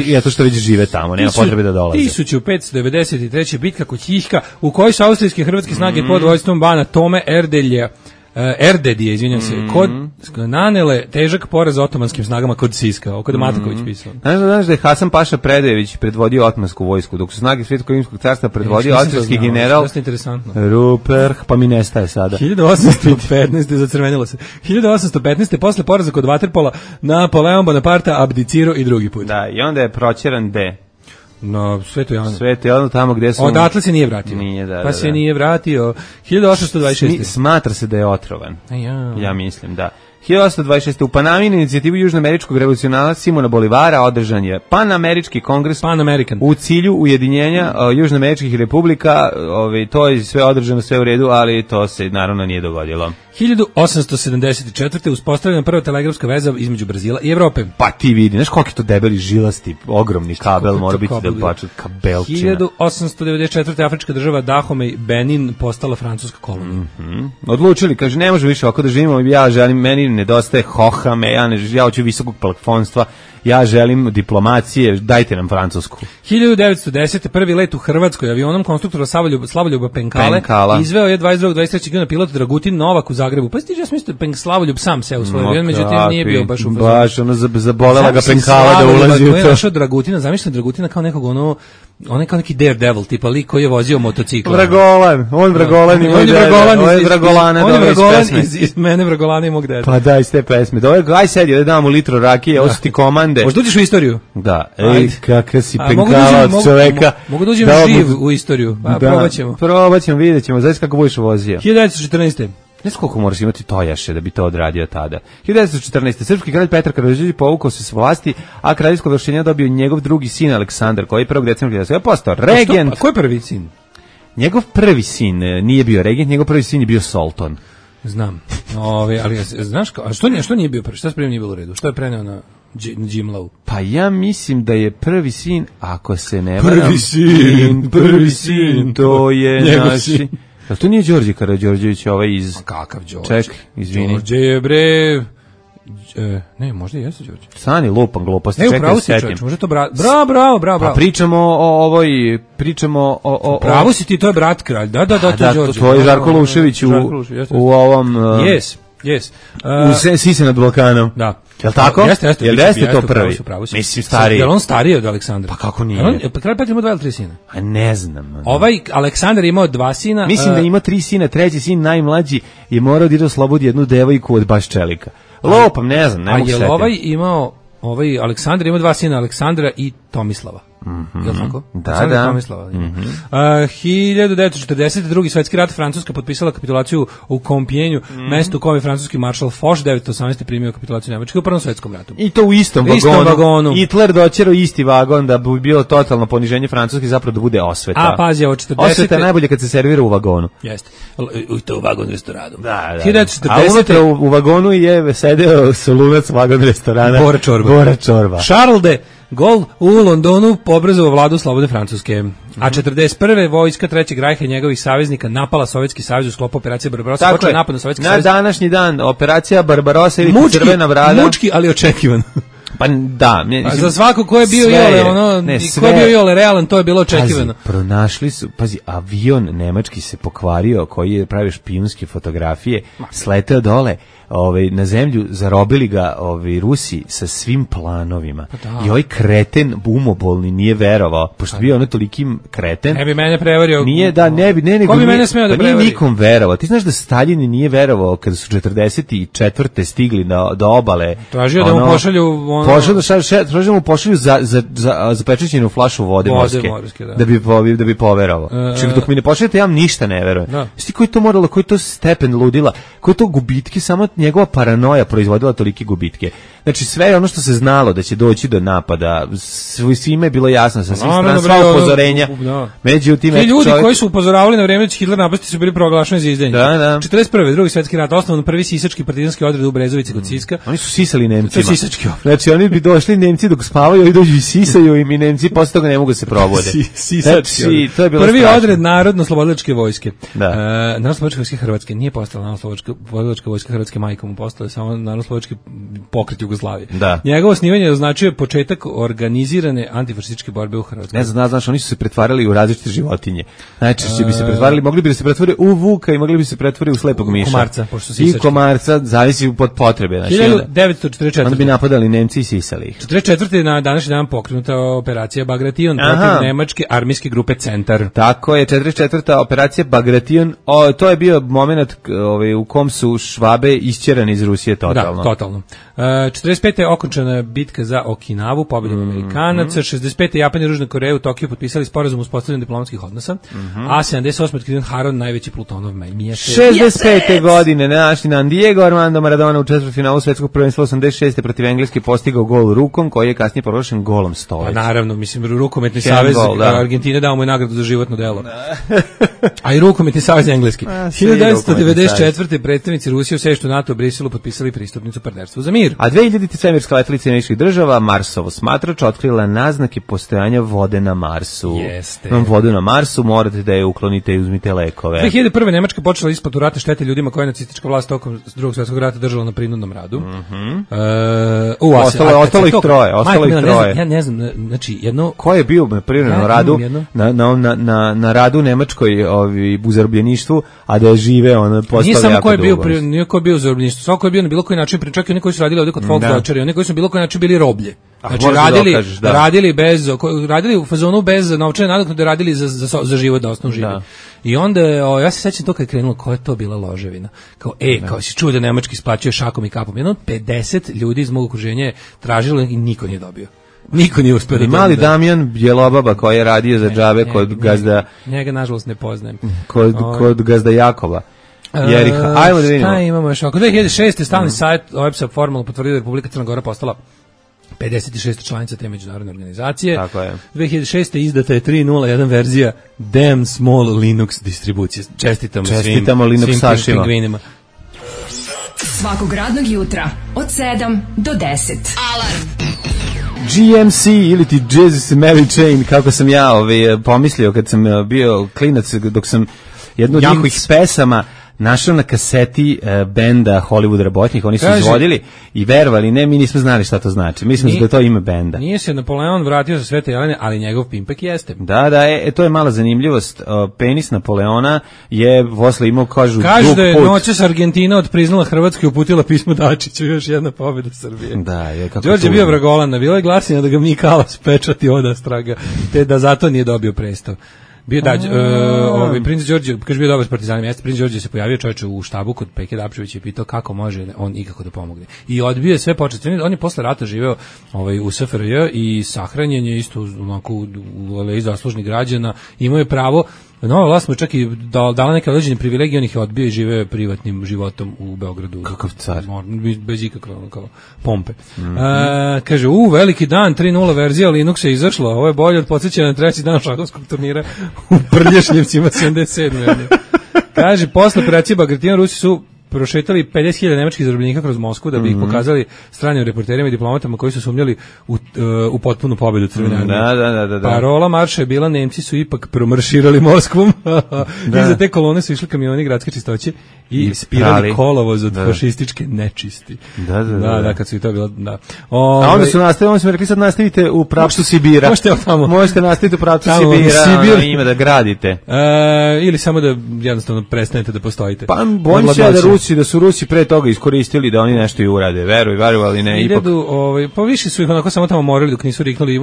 Ja to što već žive tamo, nema potrebe da dolaze. tisuću petsto devedeset treće bitka kod Ćihka, u kojoj su austrijske hrvatske snage mm. pod vojstvom bana Tome Erdelja Uh, Erdedije, izvinjam se, mm-hmm. kod nanele težak poraz otomanskim snagama kod Siska, oko da Mataković pisao. Znaš, znaš da je Hasan Paša Predejević predvodio otomansku vojsku, dok su snage Svetskog rimskog carstva predvodio austrijski general Ruperh, pa mi nestaje sada. hiljadu osamsto petnaeste zacrvenilo se. hiljadu osamsto petnaeste posle poraza kod Waterpola Napoleon Bonaparte abdicirao i drugi put. Da, i onda je proćeran de No, Sveto Jovanu. Sveto Jovanu tamo gde su... Odatle se nije vratio. Nije, da, pa da, se da. nije vratio. hiljadu osamsto dvadeset šeste. Smatra se da je otrovan. Ja, ja mislim, da. hiljadu osamsto dvadeset šeste. U Panami na inicijativu južnoameričkog revolucionara Simona Bolivara održan je Panamerički kongres Pan American. U cilju ujedinjenja uh, južnoameričkih republika. Ovaj, to je sve održano, sve u redu, ali to se naravno nije dogodilo. hiljadu osamsto sedamdeset četvrte. uspostavljena prva telegrafska veza između Brazila i Evrope. Pa ti vidi, znaš koliko je to debeli žilasti, ogromni kabel, mora biti da baču kabelčina. hiljadu osamsto devedeset četvrte. afrička država Dahomey Benin postala francuska kolonija. Mm-hmm. Odlučili, kaže, ne može više ovako da živimo, ja želim, meni nedostaje hohame, ja, ne, ja hoću visokog plafonstva, ja želim diplomacije, dajte nam francusku. hiljadu devetsto desete. prvi let u Hrvatskoj avionom konstruktora Slavoljuba, Slavoljuba Penkale Penkala. izveo je dvadeset drugog dvadeset trećeg juna pilot Dragutin Novak u Zagrebu. Pa stiže, ja sam mislio Penk Slavoljub sam se u svoj avion, međutim nije bio baš u baš ono zabolela ga Penkala da ulazi u to. Je našao Dragutina, zamišljam Dragutina kao nekog ono, on je kao neki daredevil, tipa lik koji je vozio motocikl. Vragolan, on Vragolan ima ideje. On je Vragolana, on je Vragolan iz, iz mene Vragolana i mog deda. Pa daj iz te pesme. Dobro, aj sedi, da damo litro rakije, osjeti komande. Možda uđeš u istoriju? Da, ej, kakav si Penkala od čoveka. Mogu da uđem živ u istoriju, pa probat ćemo. Probat ćemo, vidjet ćemo, znaš kako budeš vozio. hiljadu devetsto četrnaeste. Ne znam koliko moraš imati tojaše da bi to odradio tada. hiljadu devetsto četrnaeste. Srpski kralj Petar Karađorđević povukao se s vlasti, a kraljevsko ovlašćenje dobio njegov drugi sin Aleksandar, koji je prvog decembra hiljadu devetsto postao regent. A ko je prvi sin? Njegov prvi sin nije bio regent, njegov prvi sin je bio sultan. Znam. Ove, ali znaš kao, a što nije, što nije bio prvi? Šta spremno nije bilo u redu? Što je preneo na Jimlau? Pa ja mislim da je prvi sin, ako se ne varam... Prvi sin, prvi sin, to je naši... A to nije Đorđe Karađorđević, ovaj iz... A kakav Đorđe? Ček, izvini. Đorđe je bre... E, ne, možda i jeste Đorđe. Sani lupan gluposti, čekaj, upravo si čovječ, možda to brat... Bravo, bravo, bravo, bravo. Pa pričamo o ovoj, pričamo o... o, o pravo si ti, to je brat kralj, da, da, da, to je Đorđe. To je Žarko Lušević u, u ovom... Yes, yes. Uh, u Sise nad Balkanom. Da. Jel tako? Jeste, jeste. Jel jeste to prvi? Mislim, stariji. Jel on stariji od Aleksandra? Pa kako nije? Pa kralj Petar imao dva ili tri sina? A ne znam. Ovaj Aleksandar imao dva sina. Mislim da ima tri sina, treći sin, najmlađi, je morao da ide oslobodi jednu devojku od baš čelika. Lopam, ne znam, ne mogu setiti. A je ovaj imao, ovaj Aleksandar imao dva sina, Aleksandra i Tomislava. Mm-hmm. Je li tako? Da, Aleksandar da. Tomislava. Mm-hmm. Uh, hiljadu devetsto četrdesete. drugi svetski rat, Francuska potpisala kapitulaciju u Compiègneu, mm-hmm. mesto u kome je francuski maršal Foch devetsto osamnaeste primio kapitulaciju Nemačke u Prvom svetskom ratu. I to u istom vagonu. Istom vagonu. Hitler doćerao isti vagon da bi bilo totalno poniženje Francuske, zapravo da bude osveta. A, pazi, ovo četrdesete. Osveta je najbolje kad se servira u vagonu. Jeste. U to u vagon restoranu. Da, da. hiljadu devetsto četrdesete. A unutra u, u vagonu je sedeo solunac vagon restorana. Bora Čorba. Bora Čorba. Charles de Gaulle u Londonu poobrazovao vladu slobodne Francuske. A četrdeset prve vojska Trećeg rajha i njegovih saveznika napala Sovjetski savez u sklopu operacije Barbarossa. Počeo napad na Sovjetski na savez. Na današnji dan operacija Barbarossa ili mučki, Crvena brada. Mučki, ali očekivan. Pa da, mislim, pa za svako ko je bio iole ono, ne, ko je bio iole realan, to je bilo očekivano. Pazi, pronašli su, pazi, avion nemački se pokvario koji je pravio špijunske fotografije, sleteo dole, ovaj na zemlju, zarobili ga ovaj Rusi sa svim planovima. Pa i ovaj kreten umobolni nije verovao, pošto bio ono tolikim kreten. Ne bi mene prevario. Nije da ne bi ne nego. Ko bi mene smeo da prevari? Nije nikom verovao. Ti znaš da Staljin nije verovao kada su četrdeset četvrte stigli do, do obale. Tražio ono, da mu pošalju ono... Pošalju da šalju, tražio mu pošalju za za za zapečaćenu flašu vode, vode morske. morske da. da bi da bi poverovao. Uh, Čim dok mi ne pošaljete ja vam ništa ne verujem. No. Sti koji to moralo, koji to stepen ludila, koji to gubitki, samo njegova paranoja proizvodila tolike gubitke. Znači sve je ono što se znalo da će doći do napada, svime je bilo jasno sa svih strana, sva upozorenja. No. Međutim, ti ljudi čovjek... koji su upozoravali na vreme da će Hitler napasti su bili proglašeni za izdajnike. Da, da. četrdeset prve. drugi svetski rat, osnovan prvi sisački partizanski odred u Brezovici kod Siska. Oni su sisali Nemcima. To je sisački odred. Znači oni bi došli Nemci dok spavaju i dođu i sisaju im i Nemci posle toga ne mogu se probode. Sisački znači, to je bilo prvi strašno. odred narodno-slobodilačke vojske. Da. E, narodno-slobodilačke vojske Hrvatske nije postala narodno-slobodilačka vojska Hrvatske majkom, postala je samo narodno-slobodilački pokret Jugoslavije. Da. Njegovo osnivanje označuje početak organizirane antifašističke borbe u Hrvatskoj. Ne znam, znaš, oni su se pretvarali u različite životinje. Najčešće bi se pretvarali, mogli bi da se pretvore u vuka i mogli bi se pretvoriti u slepog miša. Komarca, pošto I komarca, zavisi od potrebe. Znači, hiljadu devetsto četrdeset četvrte. Onda bi napadali Nemci i sisali ih. četrdeset četvrte. na današnji dan pokrenuta operacija Bagration protiv nemačke armijske grupe Centar. Tako je, četrdeset četvrta operacija Bagration, o, to je bio moment ovaj, u kom su Švabe isćerani iz Rusije totalno. Da, totalno. Uh, četrdeset pete. okončana bitka za Okinavu, pobjedom mm, Amerikanaca. Mm. šezdeset pete. Japan i Južna Koreja u Tokiju potpisali sporazum o uspostavljanju diplomatskih odnosa. Mm-hmm. A sedamdeset osme. otkriven Haron, najveći Plutonov mjesec. šezdeset pete. godine na današnji dan Diego Armando Maradona u četvrtfinalu svetskog prvenstva osamdeset šeste. protiv Engleske postigao gol rukom, koji je kasnije proglašen golom stoljeća. Pa naravno, mislim, rukometni savez Argentine dao mu je nagradu za životno delo. A i rukometni savez engleski. hiljadu devetsto devedeset četvrte. predstavnici Rusije u sedištu NATO u Briselu potpisali pristupnicu partnerstvu za mir. A dve hiljadite. svemirska letelica Američkih država Marsovo smatrač otkrila naznake postojanja vode na Marsu. Jeste. Imam vodu na Marsu, morate da je uklonite i uzmite lekove. dve hiljade prve. Nemačka počela isplatu ratne štete ljudima koje je nacistička vlast tokom Drugog svjetskog rata držala na prinudnom radu. Mhm. Uh, u, ostalo, ostalo ih troje, ostalo ih troje. Ja ne znam, znači jedno ko je bio na privremenom radu na, na, na, na, na radu u Nemačkoj ovi u zarobljeništvu, a da žive on postao. Nije samo ko je bio, pri, nije ko je bio u zarobljeništvu, svako je bio na bilo koji način, čak i oni koji su radili ovdje kod Volkswagen, oni koji su bilo koji način bili roblje. Znači radili, dokažeš, da. radili bez, radili u fazonu bez novčane nadoknade, radili za, za, za život, da osnovno žive. Da. I onda, o, ja se sećam to kad je krenulo, koja je to bila loževina. Kao, e, da. kao si čuo da nemački isplaćuje šakom i kapom. Jedno pedeset ljudi iz mog okruženja je tražilo i niko nije dobio. Niko nije uspio da mali da... Damjan Bjelobaba koji je radio za džabe kod njega, gazda... Njega, nažalost, ne poznajem. Kod, o, kod gazda Jakova. Jeriha. Ajmo da vidimo. Šta imamo još? Oko dve hiljade šeste. stalni mm. sajt O E B S-a formalno potvrdio da Republika Crna Gora postala pedeset šesta članica te međunarodne organizacije. Tako je. dve hiljade šeste. izdata je tri nula jedan verzija Damn Small Linux distribucije. Čestitamo, Čestitamo svim, Linux svim pingvinima. Svakog radnog jutra od sedam do deset. Alarm. G M C ili ti Jesus Mary Chain, kako sam ja ovaj, pomislio kad sam bio klinac, dok sam jednu od njihovih pesama našao na kaseti uh, benda Hollywood Rabotnik, oni su Kaži, izvodili i verovali, ne, mi nismo znali šta to znači. Mislim da je to ime benda. Nije se Napoleon vratio sa Svete Jelene, ali njegov pimpek jeste. Da, da, e, to je mala zanimljivost. Uh, penis Napoleona je posle imao, kažu, Kažu da je noćas Argentina odpriznala Hrvatsku i uputila pismo Dačiću, još jedna pobjeda Srbije. Da, je kako Đorđe je bio vragolan, bilo je glasina da ga mi Kalas pečati odastraga, te da zato nije dobio prestav. Bio da, uh, ovaj princ Đorđe, kaže bio dobar s partizanima, jeste princ Đorđe se pojavio čoveče u štabu kod Peke Dapčevića i pitao kako može on ikako da pomogne. I odbio je sve početne, on je posle rata živeo ovaj u S F R J i sahranjen je isto onako u aleji zaslužnih građana, imao je pravo. Nova vlast mu čak i dala neke određene privilegije, on ih je odbio i živeo privatnim životom u Beogradu. Kakav car. Bez ikakve kao pompe. Mm-hmm. A, kaže, u, veliki dan, tri nula verzija Linuxa je izašla, ovo je bolje od podsjećanja na treći dan šahovskog turnira u Prljašnjevcima sedamdeset sedme. Kaže, posle operacije Bagration Rusi su prošetali pedeset hiljada nemačkih zarobljenika kroz Moskvu da bi ih pokazali stranim reporterima i diplomatama koji su sumnjali u, uh, u potpunu pobedu Crvene armije. Da, da, da, da. Parola marša je bila Nemci su ipak promarširali Moskvom. Da. Iza te kolone su išli kamioni gradske čistoće i, I spirali kolovoz od da. fašističke nečisti. Da, da, da. Da, da, kad su i to bilo, da. O, A onda su nastavili, onda smo rekli sad nastavite u pravcu Sibira. Možete tamo. Možete nastaviti u pravcu tamo, Sibira, Sibir. ono, ima da gradite. E, ili samo da jednostavno prestanete da postojite. Pa bojim se da Rusi, da su Rusi pre toga iskoristili da oni nešto i urade. Veruj, veruj, ali ne ipak. Idu, ovaj, pa više su ih onako samo tamo morali dok nisu riknuli.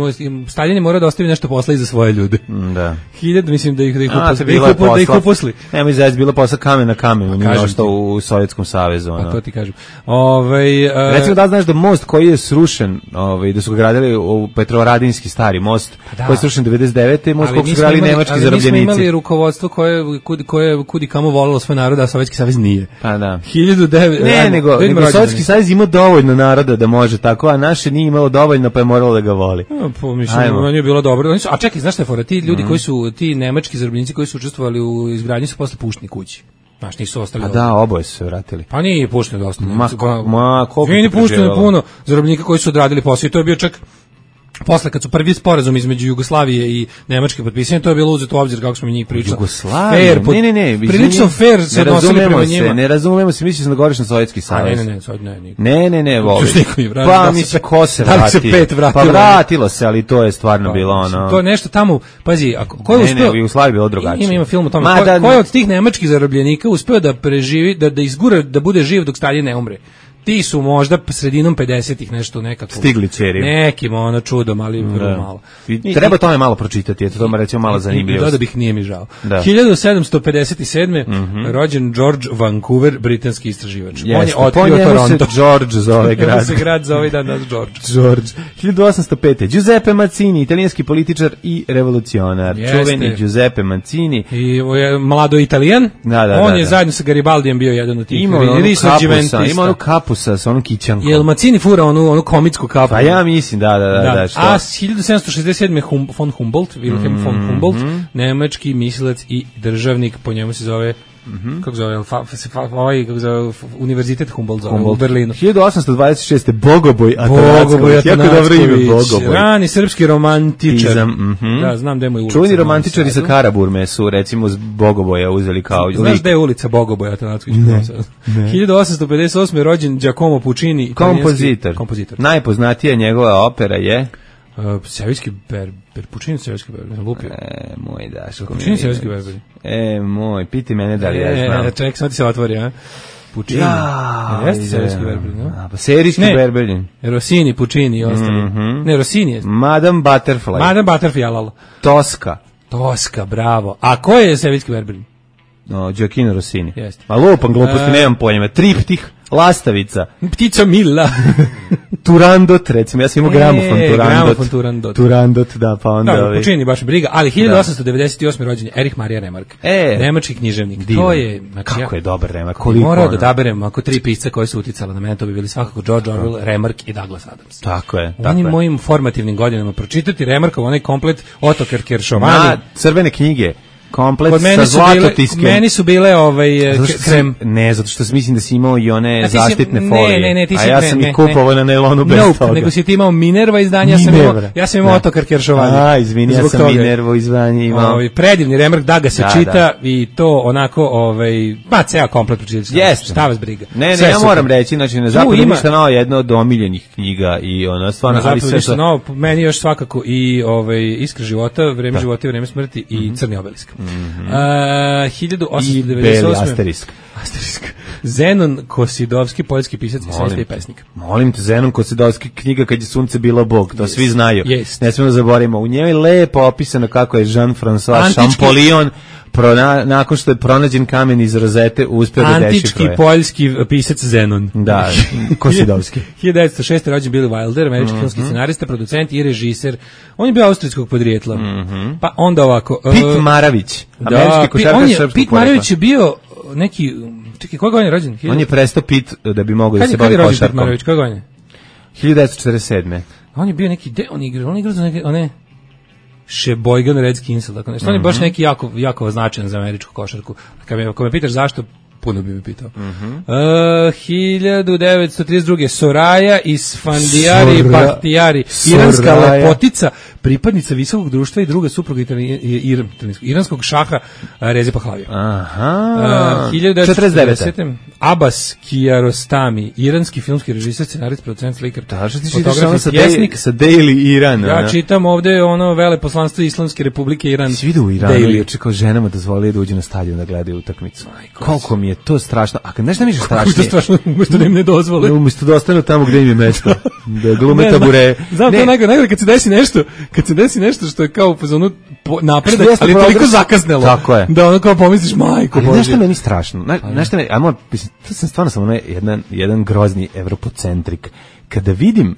Stalin je morao da ostavi nešto posla i za svoje ljude. Da. Hiljadu, mislim da ih da ih A, uposli. Da ih, upo, da ih uposli. Nemoj zajedz, bilo posla kamen na kamenu, nije ošto u Sovjetskom savezu. A to ti kažem. Ovaj uh, recimo da znaš da most koji je srušen, ovaj da su ga gradili u Petrovaradinski stari most, da. koji je srušen devedeset devete. most koji su gradili nemački zarobljenici. Ali mi smo imali rukovodstvo koje kudi koje kudi kamo volelo svoj narod, a Sovjetski savez nije. Pa da. hiljadu devetsto Ne, nego, nego Sovjetski savez ima dovoljno naroda da može tako, a naše nije imalo dovoljno, pa je moralo da ga voli. No, po mislim, meni je bilo dobro. Oni su, a čekaj, znaš šta je fora? Ti ljudi mm. koji su, ti nemački zarobljenici koji su učestvovali u izgradnji su posle pušteni kući. Znaš, nisu ostali. A da, oboje su se vratili. Pa nije pušteno dosta. Ma, ma koliko nije pušteno puno zarobljenika koji su odradili posao i to je bio čak posle kad su prvi sporazum između Jugoslavije i Nemačke potpisani, to je bilo uzeto u obzir kako smo mi njih pričali. Jugoslavije? Fair, ne, ne, ne. Prilično fair se odnosili prema njima. Ne razumemo se, misliš da govoriš na Sovjetski savez. Ne, ne, ne, ne. Ne, ne, ne, voli. Pa, pa mi se ko se vratio. Pa vratilo se, ali to je stvarno bilo ono. To je nešto tamo, pazi, ako ko je uspeo. Ne, ne, u Jugoslaviji bilo drugačije. Ima ima film o tome. Ko je od tih nemačkih zarobljenika uspeo da preživi, da da izgura, da bude živ dok Stalin ne umre. Ti su možda sredinom pedesetih nešto nekako stigli ćeri. Nekim ono čudom, ali vrlo da. malo. I, treba tome malo pročitati, eto to me recimo malo zanimljivo. Da da bih nije mi žao. Da. hiljadu sedamsto pedeset sedme Mm-hmm. rođen George Vancouver, britanski istraživač. Yes, on je otkrio Toronto. Se George zove grad. se grad zove danas George. George. hiljadu osamsto pete Giuseppe Mazzini, italijanski političar i revolucionar. Jeste. Čuveni Giuseppe Mazzini. I je mlado Italijan. Da, da, on da, je da. zajedno sa Garibaldijem bio jedan od tih. Ima onu kapusa sa onom kićankom. Jel Mazzini fura onu, onu komicku kapu? Pa ja mislim, da, da, da. da. da što? A hiljadu sedamsto šezdeset sedme hum, von Humboldt, Wilhelm mm-hmm. von Humboldt, nemački mislilac i državnik, po njemu se zove Mm-hmm. kako zove, fa, fa, ovaj, kako zove, Univerzitet Humboldt zove, Humboldt. U Berlinu. hiljadu osamsto dvadeset šeste Bogoboj Atanacković, jako dobro ime Bogoboj. Rani srpski romantičar. Izam, mm-hmm. Da, znam da je moj ulica. Čuveni romantičari sa Karaburme su, recimo, z Bogoboja uzeli kao... Znaš da je ulica Bogoboj Atanacković? Ne, ne. hiljadu osamsto pedeset osme rođen Giacomo Puccini, kompozitor. kompozitor. Najpoznatija njegova opera je... Uh, Sevijski berber, Puccini Sevijski berber, lupio. E, moj Daško. Puccini Sevijski berber. E, moj, piti mene da li e, ja znam. E, ček, sad ti se otvori, a? Puccini. Ja, jeste Sevijski berber, no? A, pa serijski berber. Rossini, Puccini i ostali. Mm-hmm. Ne, Rossini je. Madame Butterfly. Madame Butterfly, lalo. Toska. Toska, bravo. A ko je Sevijski berber? No, Gioacchino Rossini. Jeste. Ma lupam gluposti, nemam pojma. Triptih. Lastavica. Ptica Milla. Turandot, recimo, ja sam imao gramofon e, Turandot. Gramofon Turandot. Turandot, da, pa onda... Da, Puccini baš briga, ali hiljadu osamsto devedeset osme rođen je Erich Maria Remarque. E, nemački književnik. Divan. To je... Znači, kako ja, je dobar Remarque, koliko morao ono. da odaberem ako tri pisca koji su uticala na mene, to bi bili svakako George Orwell, Remarque i Douglas Adams. Tako je, u tako onim je. mojim formativnim godinama pročitati Remarqueov, onaj komplet Ottokar Keršovani. Na crvene knjige. Komplet Kod sa zlatotiskem. Meni su bile ovaj krem. Ne, zato što mislim da si imao i one si, zaštitne ne, folije. Ne, ne, ti si, a ja ne, sam ne, ih kupovao na nailonu bez nope, toga. Nego si ti imao Minerva izdanje, ja sam imao, ja sam imao Ottokar Keršovani. A, izvini, ja sam Minervo izdanje imao. Ovaj predivni Remarque, da ga se da, čita da. I to onako, ovaj, pa ceo komplet pročitati. Yes. Šta vas briga. Ne, ne, Sve ja moram reći, znači na zapadu ništa novo, jedno od omiljenih knjiga i ona stvarno, ali sve što novo, meni još svakako i ovaj Iskra života, Vreme života i vreme smrti i Crni obelisk. hiljadu osamsto devedeset osme Asterisk. Asterisk. Zenon Kosidovski, poljski pisac i svesti pesnik. Molim te, Zenon Kosidovski, knjiga Kad je sunce bilo Bog, to yes. svi znaju. Yes. Ne smemo da zaboravimo. U njoj je lepo opisano kako je Jean-François Antički... Champollion Prona, nakon što je pronađen kamen iz rozete uspeo da dešifruje. Antički poljski pisac Zenon. Da, Kosidovski. hiljadu devetsto šeste. rođen Billy Wilder, američki mm-hmm. filmski scenarista, producent i režiser. On je bio austrijskog podrijetla. Mm-hmm. Pa onda ovako... Pit uh, Maravić, američki košarkaš srpskog Pit Maravić je bio neki... Čekaj, koja godina je rođen? On je prestao Pit da bi mogao da se bavi košarkom. Kad je rođen Pit Maravić, koja godina? hiljadu devetsto četrdeset sedme. On je bio neki... De, on je igrao, on je igrao za neke... One, Sheboygan Redskins, tako nešto. On je baš neki jako, jako značajan za američku košarku. Kad me, kad me pitaš zašto, puno bi me pitao. Mm-hmm. Uh, hiljadu devetsto trideset druge. Soraja Isfandijari Sora, Bahtijari, iranska Soraja. Lepotica, pripadnica visokog društva i druga supruga ir, iranskog šaha Reze Pahlavija. Aha. Uh, hiljadu devetsto četrdesete. Abbas Kiarostami, iranski filmski režiser, scenarist, producent, slikar, fotograf i pjesnik. Sa Daily Iran. Ja ne? Čitam ovde ono veleposlanstvo Islamske republike Iran. Svi idu u Iranu, Daily. Kao ženama dozvoli da uđu na stadion da gledaju utakmicu. Koliko mi je to strašno. A kad nešto mi je strašnije? Kako je to strašno? Umesto da im ne dozvole. Umesto da ostanu tamo gde im je mesto. Da glume tabure. Znam, to najgore, najgore kad se desi nešto, kad se desi nešto što je kao u fazonu napredak, ali je toliko zakasnelo. Tako je. Da ono kao pomisliš, majko Bože. Nešto meni strašno. Nešto meni, ajmo, to sam stvarno samo jedan, jedan grozni evropocentrik. Kada vidim,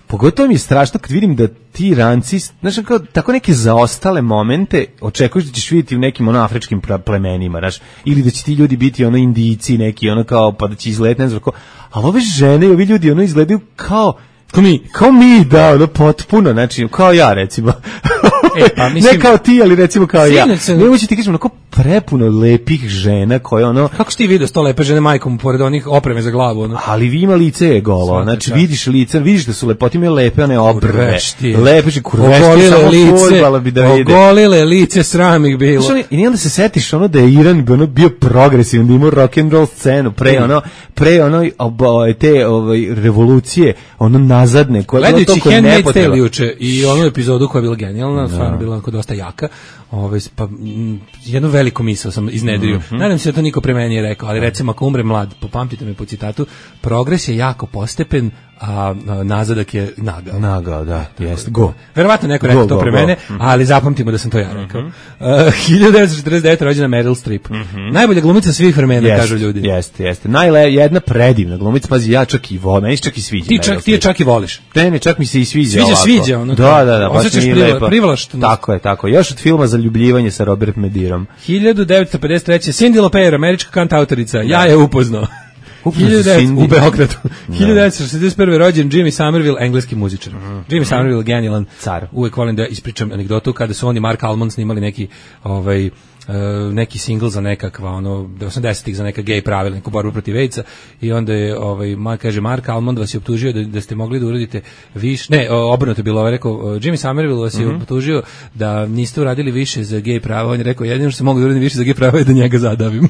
pogotovo mi je strašno kad vidim da ti ranci, znaš, kao, tako neke zaostale momente očekuješ da ćeš vidjeti u nekim ono afričkim plemenima, znaš, ili da će ti ljudi biti ono Indijci neki, ono kao, pa da će izgledati, ne znam, kao, ali ove žene i ovi ljudi ono izgledaju kao, kao mi, kao mi, da, ono potpuno, znači, kao ja, recimo. E, pa, mislim, ne kao ti, ali recimo kao ja. Sam... Ne ući ti kažem, onako prepuno lepih žena koje ono... Kako si ti vidio sto lepe žene majkom pored onih opreme za glavu? Ono? Ali vi ima lice je golo, Svaki znači čas. Vidiš lice, vidiš da su lepote, imaju lepe one obrve. Lepe, kurvešti, samo fudbala bi da vide. Ogolile lice, sram ih bilo. Znači, i onda se setiš ono da je Iran ono, bio progresivan, da imao rock and roll scenu, pre ono, pre ono, te ovaj, revolucije, ono nazadne, koje je bilo to koje ne potreba. Gledajući Handmaid's Tale juče i onu epizodu koja je bila genijalna, stvarno bila onako dosta jaka, ovaj, pa m, jednu veliku misao sam iznedrio. Mm-hmm. Nadam se da to niko pre meni je rekao, ali recimo ako umre mlad, popamtite me po citatu, progres je jako postepen, a, a nazadak je nagao. Nagao, da, jest. Go. Verovatno neko rekao to pre go, mene, go. Ali zapamtimo da sam to ja rekao. Mm-hmm. Uh, hiljadu devetsto četrdeset devete. rođena Meryl Streep. Mm-hmm. Najbolja glumica svih vremena, jest, kažu ljudi. Jeste, jeste. Najle, jedna predivna glumica, pazi, ja čak i volim, meni čak i sviđa. Ti, čak, ti je čak i voliš. Ne, ne, čak mi se i sviđa. Sviđa, ovako. sviđa. Ono, da, da, da. Osjećaš privlašteno. Tako je, tako. Još od filma Zaljubljivanje sa Robert Medirom. hiljadu devetsto pedeset treće. Cindy Lauper, američka kantautorica. Ja je upoznao. U Beogradu. hiljadu devetsto šezdeset prve. rođen Jimmy Somerville, engleski muzičar. Mm. Jimmy Somerville, genijalan. Car. Uvek volim da ispričam anegdotu kada su oni Mark Almond snimali neki ovaj Uh, neki singl za nekakva ono osamdesetih za neka gej pravila, neku borbu protiv AIDS-a i onda je ovaj ma kaže Mark Almond vas je optužio da, da ste mogli da uradite više, ne, obrnuto je bilo, ovaj rekao Jimmy Somerville vas je mm-hmm. optužio da niste uradili više za gej prava, on je rekao jedino što se mogu da uradim više za gej prava je da njega zadavim.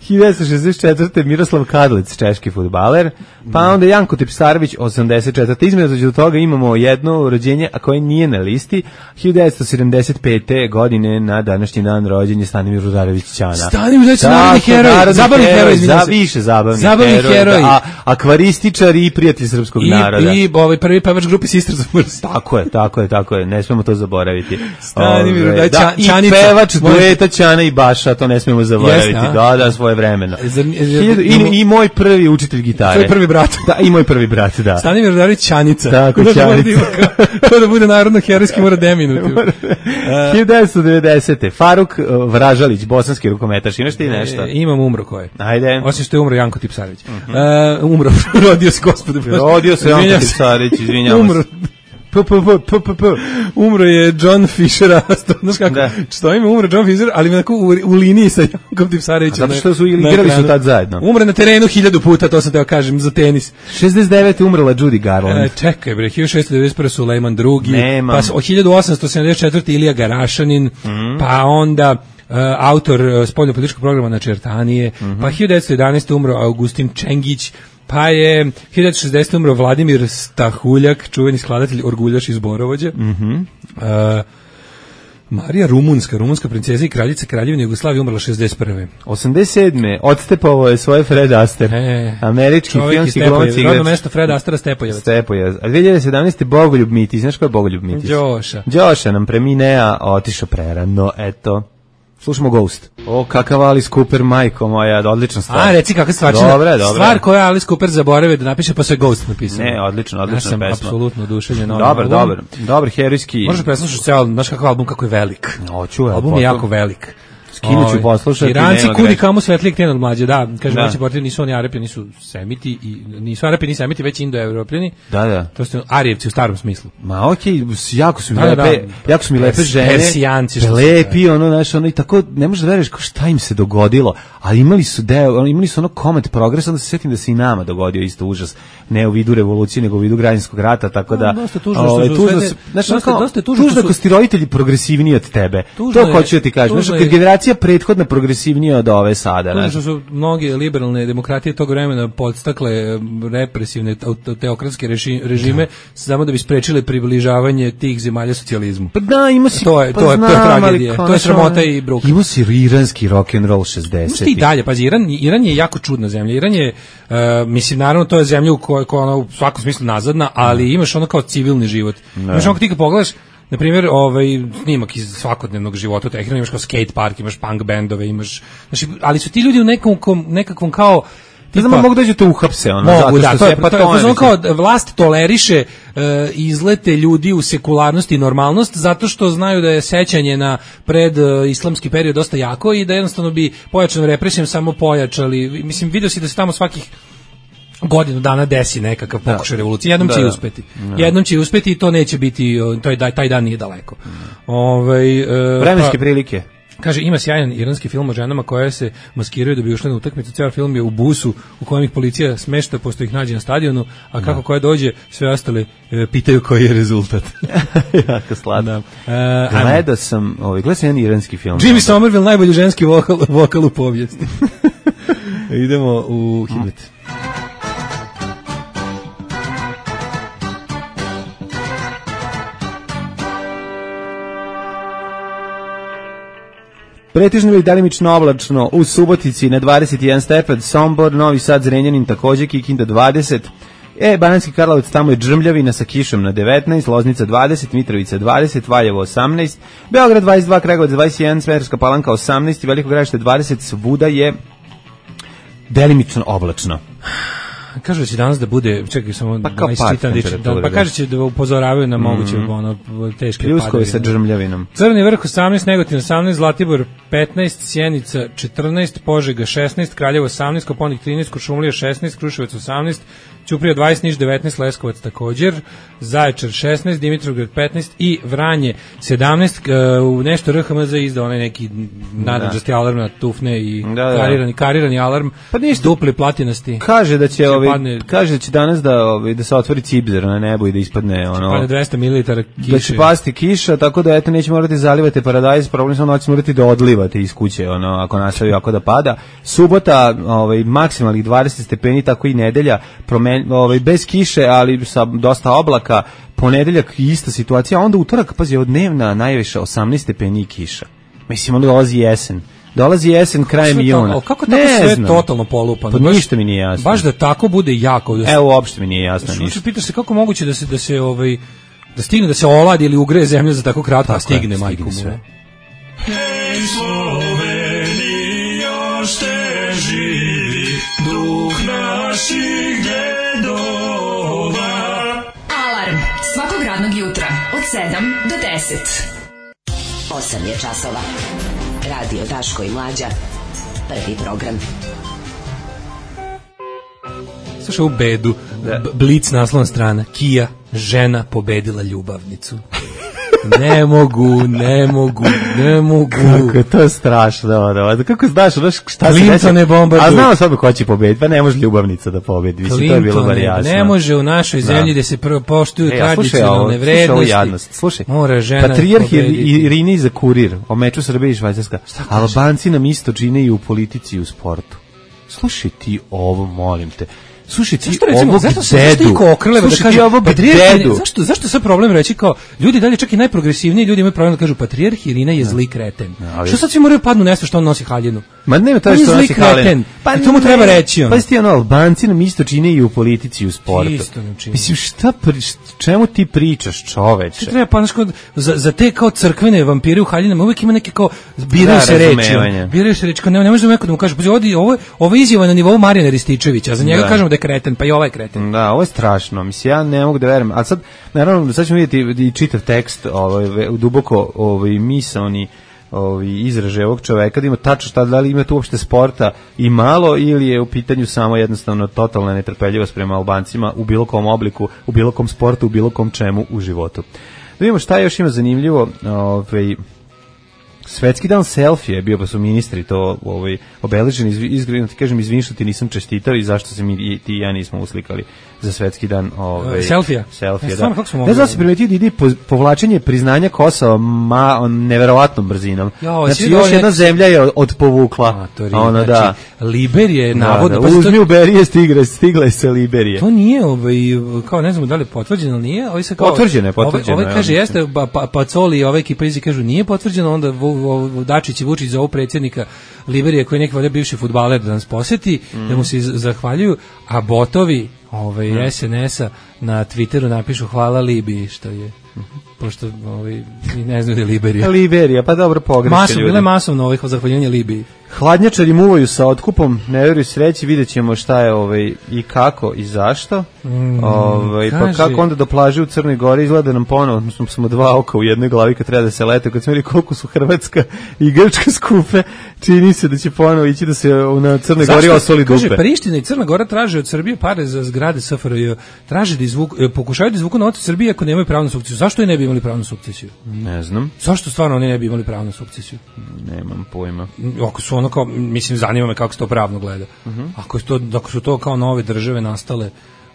hiljadu devetsto šezdeset četvrte. Miroslav Kadlec, češki fudbaler, pa onda Janko Tipsarević, osamdeset četvrte. Između toga imamo jedno rođenje, a koje nije na listi, hiljadu devetsto sedamdeset pete. godine na današnji dan rođenja Stanimir Rudarević Ćana. Stanimir Rudarević, narodni heroj, zabavni heroj, za više zabavni, zabavni heroj, heroj. A, akvarističar i prijatelj srpskog I, naroda. I ovaj prvi pevač grupe Sisters of Mercy. Tako je, tako je, tako je, ne smemo to zaboraviti. Stanimir Rudarević, da, Ćanica. I pevač dueta Ćana i Baša, to ne smemo zaboraviti. Yes, da, da, svoje vremena. I, i moj prvi učitelj gitare. Tvoj prvi brat. Da, i moj prvi brat, da. Stanimir Rudarević Ćanica. Tako, Ćanica. To da bude narodno herojski mora deminutiv. hiljadu devetsto devedesete. Faruk Vražalić, bosanski rukometaš. Imaš ti nešto? E, imam umro ko je. Ajde. Osim što je umro Janko Tipsarević. Uh-huh. uh, umro, rodio se gospode. Rodio se Janko Tipsarević, izvinjavam umro. P, p, p, p, p. Umro je John Fisher, znaš kako, što ime umro John Fisher, ali onako u, u liniji sa Jankom Tipsarevićem. Zato što su igrali su tad zajedno. Umre na terenu hiljadu puta, to sam teo kažem, za tenis. šezdeset devete. umrla Judy Garland. E, čekaj bre, hiljadu šesto devedeset prve. Sulejman drugi. Nemam. Pa hiljadu osamsto sedamdeset četvrte. Ilija Garašanin, mm. pa onda uh, autor uh, spoljnopolitičkog programa na Čertanije, mm-hmm. pa hiljadu devetsto jedanaeste. umro Augustin Čengić, pa je hiljadu devetsto šezdesete. umro Vladimir Stahuljak, čuveni skladatelj orguljaš iz Borovođa. Mhm. Uh, Marija Rumunska, rumunska princeza i kraljica Kraljevine Jugoslavije, umrla šezdeset prve. osamdeset sedme Odstepovao je svoje Fred Astaire. E, Američki filmski glumac i rodno mesto Freda Astera Stepojevac. Stepojevac. A dve hiljade sedamnaeste Bogoljub Mitić, znaš ko je Bogoljub Mitić? Đoša. Đoša nam preminea, otišao prerano, eto. Slušamo Ghost. O, kakav Alice Cooper, majko moja, odlična stvar. A, reci kakva stvarčina. Dobre, dobre. Stvar koja Alice Cooper zaboravio da napiše, pa se Ghost napisao. Ne, odlično, odlična pesma. Ja sam pesma. apsolutno oduševljen. Dobar, dobar. Dobar herojski. Možeš preslušati ceo, znaš kakav album, kako je velik. Hoću, album je jako velik. Skinuću poslušati. Iranci kudi kamo svetlijeg tijena od mlađe, da. Kaže, da. Moći portir nisu oni Arapi, nisu Semiti, i, nisu Arapi, ni Semiti, već Indo-Evropljani. Da, da. To su Arijevci u starom smislu. Ma okej, okay, jako su mi da, lepe, da. jako su mi lepe žene. Persijanci. Lepi, ono, znaš, ono, i tako, ne možeš da veruješ šta im se dogodilo, ali imali su deo, imali su ono Comet Progress, onda se sjetim da se i nama dogodio isto užas, ne u vidu revolucije, nego u vidu građanskog rata, tako da, dosta tužno, ovaj, što tužno, sve, znaš, dosta, ono, dosta tužno, tužno su, ako su ti roditelji progresivniji od tebe, to je, hoću da ti kažem, znaš, kad generacija prethodna progresivnija od ove sada. Tužno što su mnoge liberalne demokratije tog vremena podstakle represivne teokratske režime da. Samo da bi sprečile približavanje tih zemalja socijalizmu. Pa da, ima si, to je, pa to je, znam, to je tragedija, to je sramota i bruk. Ima si iranski rock'n'roll šezdeset. I dalje, pazi, Iran, Iran je jako čudna zemlja. Iran je, uh, mislim, naravno, to je zemlja u kojoj koja ona u svakom smislu nazadna, ali imaš ono kao civilni život. Ne. Imaš ono kad ti kad pogledaš, na primjer, ovaj snimak iz svakodnevnog života u Teheranu, imaš kao skate park, imaš punk bendove, imaš, znači, ali su ti ljudi u nekom nekakvom kao ne znam, mogu da ćete uhapse, ono, mogu, zato što da, se, pa to je, to je, to je kao vlast toleriše uh, izlete ljudi u sekularnost i normalnost, zato što znaju da je sećanje na pred uh, islamski period dosta jako i da jednostavno bi pojačanom represijom samo pojačali, mislim, vidio si da se tamo svakih godinu dana desi nekakav pokušaj revolucije. Jednom da, će da. uspeti. Da. Jednom će uspeti i to neće biti, to je, taj dan nije daleko. Mm. Ovaj, uh, vremenske pa, prilike. Kaže, ima sjajan iranski film o ženama koje se maskiraju da bi ušle na utakmicu. Ceo film je u busu u kojem ih policija smešta pošto ih nađe na stadionu, a kako da. koja dođe, sve ostale e, pitaju koji je rezultat. Jako slatno. Da. Uh, Gledao sam, ovaj, gledao sam jedan iranski film. Jimmy Somerville, najbolji ženski vokal, vokal u povijesti. Idemo u Hibet. Pretežno ili delimično oblačno, u Subotici na dvadeset jedan stepen, Sombor, Novi Sad, Zrenjanin takođe, Kikinda dvadeset, e, Banatski Karlovac, tamo je džrmljavina sa kišom na devetnaest, Loznica dvadeset, Mitrovica dvadeset, Valjevo osamnaest, Beograd dvadeset dva, Kragujevac dvadeset jedan, Smederevska Palanka osamnaest i Veliko Gradište dvadeset, svuda je delimično oblačno. Kaže da će danas da bude, čekaj samo pa kao čitam, da, pa kaže će da upozoravaju na moguće mm. ono teške padavine. Pljuskovi sa džrmljavinom. Crni vrh osamnaest, Negotin osamnaest, Zlatibor petnaest, Sjenica četrnaest, Požega šesnaest, Kraljevo osamnaest, Koponik trinaest, Kuršumlija šesnaest, Kruševac osamnaest, Ćuprija dvadeset, Niš devetnaest, Leskovac također, Zaječar šesnaest, Dimitrovgrad petnaest i Vranje sedamnaest. U nešto R H M Z izdao onaj neki nadređasti alarm na tufne i da, da. karirani, karirani alarm, pa dupli platinasti. Kaže da će ovi, padne, kaže da će danas da ovi, da se otvori cibzer na nebu i da ispadne ono. Padne dvesta mililitara kiše. Da će pasti kiša, tako da eto neće morati zalivati paradajz, problem samo noć morati da odlivate iz kuće, ono ako nastavi ako da pada. Subota, ovaj maksimalnih dvadeset stepeni, tako i nedelja, promen, ovaj bez kiše, ali sa dosta oblaka. Ponedeljak ista situacija, a onda utorak, pazi, od dnevna najviše osamnaest stepeni i kiša. Mislim, onda dolazi jesen. Dolazi jesen krajem juna. Kako tako ne sve znam. Totalno polupano? Pa ništa mi nije jasno. Baš da tako bude jako. Da se, evo, uopšte mi nije jasno ništa. Što pitaš se kako moguće da se, da se, ovaj, da stigne, da se oladi ili ugreje zemlja za tako kratko, a stigne, je, majku sve. Hej, Slovenija, šte živi, duh naših dedova. Alarm svakog radnog jutra od sedam do deset. osam je časova. Radio Daško i Mlađa. Prvi program. Slušaj u bedu. B- Blic naslovna strana. Kija, žena pobedila ljubavnicu. Ne mogu, ne mogu, ne mogu. Kako je to strašno, da, da. Kako znaš, znaš šta se desi? A znamo sad ko će pobediti, pa ne može ljubavnica da pobedi. Mislim, to je bilo bar jasno. Ne može u našoj zemlji da, da se prvo poštuju e, tradicionalne vrednosti. Slušaj, mora žena Patrijarh Irini za Kurir o meču Srbije i Švajcarska. Albanci nam isto čine i u politici i u sportu. slušaj ti ovo, molim te. Slušaj ti zašto recimo, ovog zašto, dedu. Zašto iko okreleva da kaže ovog patrijarh, dedu. zašto, zašto sad problem reći kao, ljudi dalje čak i najprogresivniji ljudi imaju problem da kažu patrijarh Irina je zli kreten. Ali... Što sad svi moraju padnu nešto što on nosi haljinu? Ma nema to On je što zli nosi haljinu. kreten. Pa I to mu treba reći on. Pa ti ono, Albanci nam isto čine i u politici i u sportu. Isto nam čine. Mislim, šta, pri, čemu ti pričaš, čoveče? Ti treba pa znaš, za, za te kao crkvene vampire u haljinama uvijek ima neke kao biraju Da, se reči. razumevanje. Biraju se reči, kao ne, ne možemo neko da mu kaže, pa ovdje, ovo, ovo je izjava na nivou Marijana Rističevića, a za njega Da. kažemo da je kreten, pa i ovaj kreten. Da, ovo je strašno. Mislim, ja ne mogu da verujem. A sad, naravno, sad ćemo vidjeti i čitav tekst, ovaj, duboko ovaj, misaoni ovaj, izraže ovog čoveka, da ima tačno šta, da li ima tu uopšte sporta i malo, ili je u pitanju samo jednostavno totalna netrpeljivost prema Albancima u bilo kom obliku, u bilo kom sportu, u bilo kom čemu u životu. Da vidimo šta još ima zanimljivo. Ovaj, Svetski dan selfie je bio, pa su ministri to ovaj, obeleženi, izgledno ti kažem, izvin što ti nisam čestitao i zašto se mi i ti i ja nismo uslikali za svetski dan ovaj, selfija. Selfija, Ja, da. stvarno, kako smo Ne mogli znam da se primetio da ide po, povlačenje priznanja Kosova ma, on, neverovatnom brzinom. Jo, znači, svi još dole- jedna zemlja je od, odpovukla. A, to je, ono, znači, da. Liberije, Da, navodno, da, pa uzmi to- u Berije, stigla, stigla je sa Liberije. To nije, ovaj, kao ne znamo da li je potvrđeno ili nije, ovaj se kao Potvrđeno je, potvrđeno Ovaj, je, ovaj kaže ja jeste pa, pa, Pacoli i ova ekipa izi kažu nije potvrđeno, onda Vu- Vu- Dačić i Vučić za ovog predsjednika Liberije koji je neki valjda bivši fudbaler da nas poseti, Mm. da mu se iz- zahvaljuju, a botovi ovaj S N S-a na Twitteru napišu hvala Libiji što je pošto ovaj i ne znaju da je Liberija. Liberija, pa dobro pogreše Masovno, ljudi. bile masovno ovih zahvaljivanja Libiji. Hladnjačari muvaju sa otkupom, ne veruju sreći, vidjet ćemo šta je ovaj, i kako i zašto. Mm, ovaj, pa kaže- kako onda do plaže u Crnoj Gori izgleda nam ponovo, smo, smo dva oka u jednoj glavi kad treba da se lete, kad smo vidjeli koliko su Hrvatska i Grčka skupe, čini se da će ponovo ići da se na Crnoj Gori osoli dupe. Kaže, Priština i Crna Gora traže od Srbije pare za zgrade S F R J. Traže da izvuku, e, pokušaju da izvuku novac od Srbije ako nemaju pravnu sukcesiju. Zašto i ne bi imali pravnu sukcesiju? Ne znam, Zašto stvarno oni ne bi imali pravnu sukcesiju? nemam pojma. Ako su ono kao, mislim, zanima me kako se to pravno gleda. Mhm. Ako, su to, ako su to kao nove države nastale,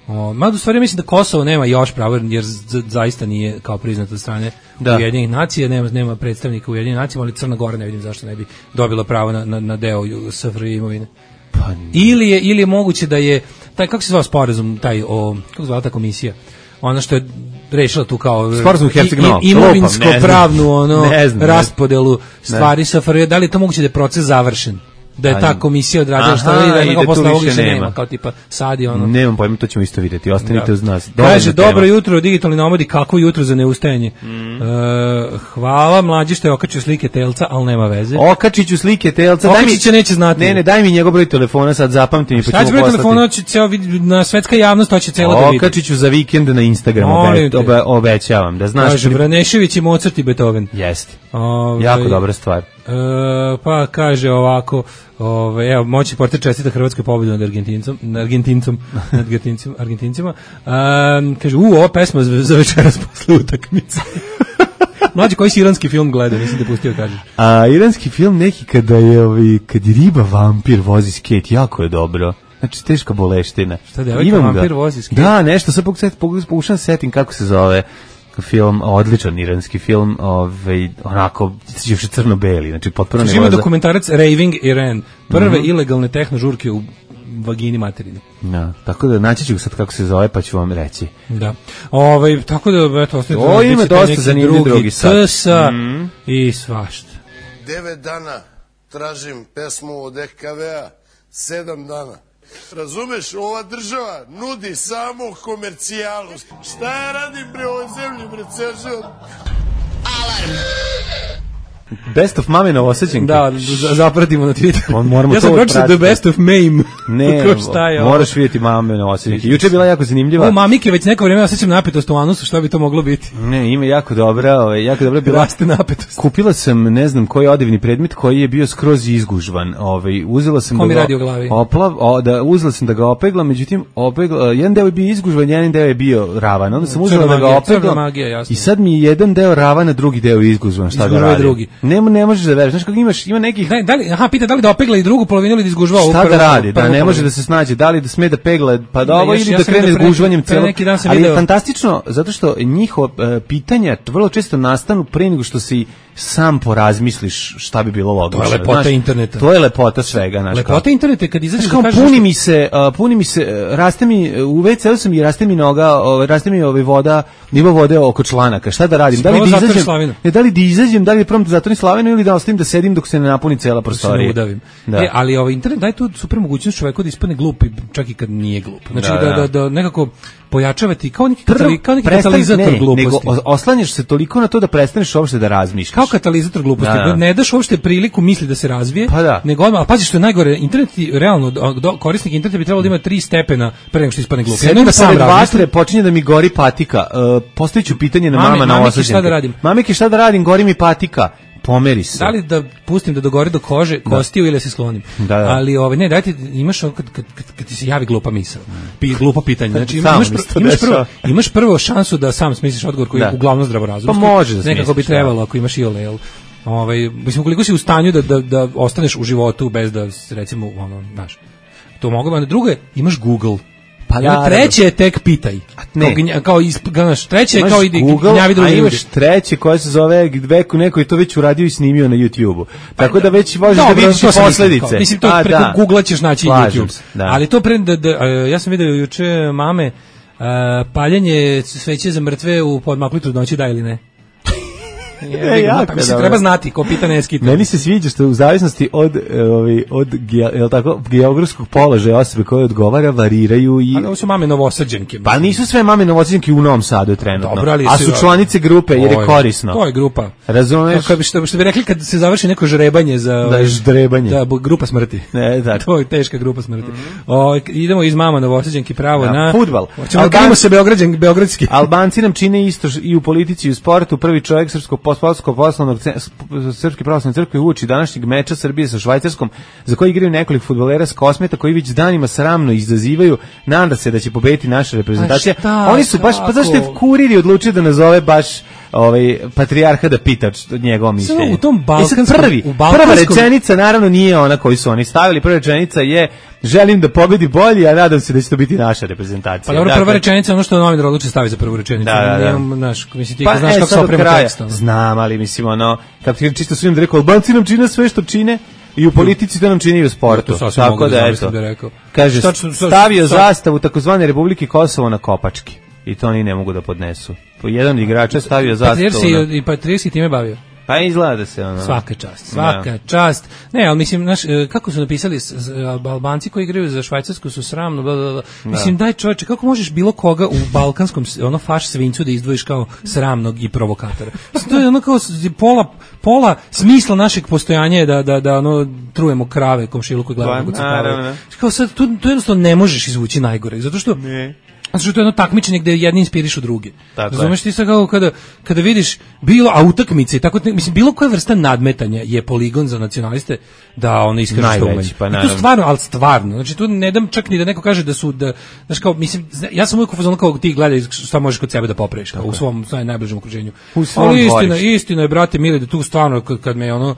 o, mada u stvari mislim da Kosovo nema još pravo, jer z- zaista nije kao priznato od strane Da. Ujedinjenih nacija, nema, nema predstavnika u Ujedinjenih nacija, ali Crna Gora ne vidim zašto ne bi dobila pravo na, na, na deo S F R J imovine. Pa Ili je, ili je moguće da je, taj, kako se zvao sporazum, taj, o, kako se zvala ta komisija? Ona što je rešila tu kao Sporazum Herceg-Novi, i- i- imovinsko lupam, ne znam. pravnu ono Ne znam, ne znam. raspodelu stvari S F R J, da li je to moguće da je proces završen? Da je A, ta komisija odradila aha, što je, da i je da tu posle ovog više više nema. nema. Kao tipa sad je ono. Nemam pojma, to ćemo isto vidjeti, ostanite Da. uz nas. Kaže, Dovoljna dobro tema. jutro, digitalni nomadi, kako jutro za neustajanje. Mm. E, hvala, mlađi što je okačio slike telca, ali nema veze. Okačiću slike telca. daj mi- Okačić će neće znati. Ne, ne, daj mi njegov broj telefona, sad zapamti mi, pa Sad ćemo će broj poslati. telefona, će ceo vid- na svetska javnost, to će celo da vidi. Okačiću za vikend na Instagramu, Molim obe, te. obe, obećavam, da znaš. Kaže, Vranešević i Mozart i Beethoven. Jeste, Ovaj, jako dobra stvar. E, pa kaže ovako, ovaj evo moći portir čestita Hrvatskoj pobedu nad Argentincom, nad Argentincom, nad Argentincima, Argentincima. Um, kaže u ova pesma za, za večeras posle utakmice. Mlađi koji si iranski film gleda, mislim da pustio kažeš. A iranski film neki kada je, ovi, kad je riba vampir vozi skate, jako je dobro. Znači, teška boleština. Šta, devojka Imam ga. vampir vozi skate? Da, nešto, sad pokušam, pokušam setim kako se zove film, odličan iranski film, ovaj, onako, još crno-beli, znači potpuno Znači, ne ima voza. dokumentarac Raving Iran, prve Mhm. ilegalne tehno žurke u vagini materini. Da, tako da naći ću sad kako se zove, pa ću vam reći. Da. Ovaj tako da eto ostaje. O, ima dosta zanimljiv drugi sat. T S A Mhm. i svašta. Devet dana tražim pesmu od E K V-a, sedam dana. Razumeš, ova država nudi samo komercijalu. Šta ja radim bre ovoj zemlji, bre, ceo život? Alarm. Best of mame Novosađenke. Da, za- zapratimo na Twitteru. On moramo ja sam to pročitao The pratiti. Best of Mame. Ne, Ko šta je ovo? moraš vidjeti mame Novosađenke. Juče je bila jako zanimljiva. O, mamike, već neko vrijeme osjećam napetost u anusu, šta bi to moglo biti? Ne, ima jako dobra, ovaj, jako dobra bila. Raste napetost. Kupila sam, ne znam, koji odivni predmet koji je bio skroz izgužvan. Ovaj, uzela sam Ko da mi ga radi u glavi? Oplav, o, da uzela sam da ga opeglam, međutim opegla, jedan deo je bio izgužvan, jedan deo je bio ravan. Onda sam uzela Crna da ga magija, crna opeglam. magija, jasno. I sad mi je jedan deo ravan, a drugi deo je izgužvan. Šta da Izgužva je radim? drugi. Ne, ne možeš da veruješ. Znaš kako imaš, ima nekih... Da, da li, aha, pita da li da opegla i drugu polovinu ili da izgužva ovu prvu. Šta da radi, prvu, da ne prvu, može prvu. da se snađe, da li da sme da pegla, pa da ovo još, ili ja da sam krene vidio s pre- gužvanjem pre celo. neki dan sam Ali je video- fantastično, zato što njihova e, pitanja vrlo često nastanu pre nego što si sam porazmisliš šta bi bilo logično. To je lepota znaš. interneta. To je lepota svega, znaš. Lepota kao. interneta je kad izađeš Znaš, kao da kažeš puni nešto- mi se, uh, puni mi se, uh, raste mi, u ve ce u sam i raste mi noga, uh, raste mi ovaj voda, nivo vode oko članaka. Šta da radim? Da li Prvo da zatvori izađem? slavinu. Ne, da li da izađem, da li prvo da zatvorim slavinu ili da ostavim da sedim dok se ne napuni cela se ne prostorija. udavim. Da. E, ali ovaj internet daje tu super mogućnost čoveku da ispadne glup, i čak i kad nije glup. Znači Da, da, da, da. da, nekako pojačavati kao neki, Prvo, katali, kao neki prestani- katalizator ne, gluposti. nego o- oslanjaš se toliko na to da prestaneš uopšte da razmišljaš. Kao katalizator gluposti. Da, da. Ne daš uopšte priliku misli da se razvije, Pa da. nego odmah, a pazi što je najgore, internet ti, realno, do, do- korisnik interneta bi trebalo da ima tri stepena pre nego što ispadne glup. Jedno Sedim da sam pored razmisli. vatre, počinje da mi gori patika. Uh, postavit ću pitanje na Mame- mama na mamiki, osađenke. šta da radim? Mamiki, šta da radim? Gori mi patika. Pomeri se. Da li da pustim da dogori do kože, kostiju ili da se sklonim. Da, da. Ali ovaj ne, dajte imaš ono kad, kad, kad, kad ti se javi glupa misao. Pi glupo pitanje. Znači Samo imaš mi pr- se to imaš prvo dešava. imaš prvo šansu da sam smisliš odgovor koji Da. je uglavnom zdravorazumski. Pa može da nekako bi smisliš, da. trebalo ako imaš iole, jel? Ovaj mislim koliko si u stanju da da da ostaneš u životu bez da recimo ono, znaš. To mogu, a drugo je imaš Google. Pa I onda naravno. treće je tek pitaj. ne. Kao, gnja- kao isp, znaš, treće je Imaš kao idi Google, gnjavi druge a ljude. imaš treće koje se zove veku neko je to već uradio i snimio na YouTubeu. Tako da već možeš da Dobro, vidiš to sam posledice. mislio, kao, mislim, to A, preko da. Google-a ćeš naći Slažem YouTube. se, da. Ali to pre, da, da, a, ja sam vidio juče mame, a, paljenje sveće za mrtve u podmakli trudnoći, da ili ne? E, Je, jako mislim, dobro. treba znati, ko pita ne skita. Meni se sviđa što u zavisnosti od e, ovaj od ge- jel tako geografskog položaja osobe koje odgovara variraju i Ali ovo su mame novosađenke. pa nisu sve mame novosađenke u Novom Sadu trenutno. Dobro, ali a su- su članice grupe jer To je korisno. To je grupa. Razumeš? Kako bi, što, što bi rekli kad se završi neko žrebanje za... Da je ždrebanje. Da, bu- grupa smrti. Ne, da. To je teška grupa smrti. O, idemo iz mama novosađenke pravo Da, na... fudbal. Hoćemo da Alban- krenemo se Beograđan, beogradski. Albanci nam čine isto š- i u politici i u sportu. Prvi čovjek srpskog poslovskog poslovnog ce- sp- srpske pravoslavne crkve uoči današnjeg meča Srbije sa Švajcarskom, za koji igraju nekoliko fudbalera s Kosmeta koji već danima sramno izazivaju. Nada se da će pobediti naša reprezentacija. A šta, Oni su baš, pa zašto je kako? Kuriri odlučio da nazove baš ovaj patrijarha da pita č- njegovo mišljenje. u tom E sad balkanskom- prvi, u balkanskom- prva rečenica naravno nije ona koju su oni stavili. Prva rečenica je želim da pobedi bolji, a nadam se da će to biti naša reprezentacija. Pa dobro, Dakle, prva rečenica je ono što novinar odluči stavi za prvu rečenicu. Da, da, da. Nemam, znaš, mislim, ti Pa, znaš e, kako se sad do oprema kraja. tekst. ono. Znam, ali mislim, ono, kako ti čisto svim da rekao, Albanci nam čine sve što čine, i u politici to nam čini i u sportu. To sasvim mogu Tako da da, zamislim eto, da je rekao. kaže, Šta ću- šta- stavio šta- zastavu takozvane Republike Kosovo na kopački. I to oni ne mogu da podnesu. Po jedan igrač je stavio Patrijar zastavu se na... i, i Patrijar se i time bavio. Pa izgleda da se, ono... Svaka čast, svaka čast. Ne, ali mislim, znaš, e, kako su napisali, s- s- Albanci koji igraju za Švajcarsku su sramno, bla, bla, bla. Mislim, daj čoveče, kako možeš bilo koga u balkanskom, s- ono, faš svincu da izdvojiš kao sramnog i provokatora? Mislim, to je ono kao s- pola, pola smisla našeg postojanja je da, da, da ono, trujemo krave, komšiluku i gledamo Pa, kako se naravno. krave. Kao sad, tu, tu jednostavno ne možeš izvući najgore, zato što... Ne. Zato što to je jedno takmičenje gde jedni inspirišu druge. Tako je. Razumeš ti sad kako kada, kada vidiš bilo, a utakmice, tako, mislim, bilo koja vrsta nadmetanja je poligon za nacionaliste da ono iskaže što Najveći, umeju. pa I to naravno. stvarno, ali stvarno. Znači tu ne dam čak ni da neko kaže da su, da, znaš kao, mislim, zna- ja sam uvijek u fazonu kao ti gledaj šta možeš kod sebe da popraviš, kao, u svom naj, najbližem okruženju. U svom Ali istina, dvorištu. istina je, brate mili, da tu stvarno, kad, kad me ono,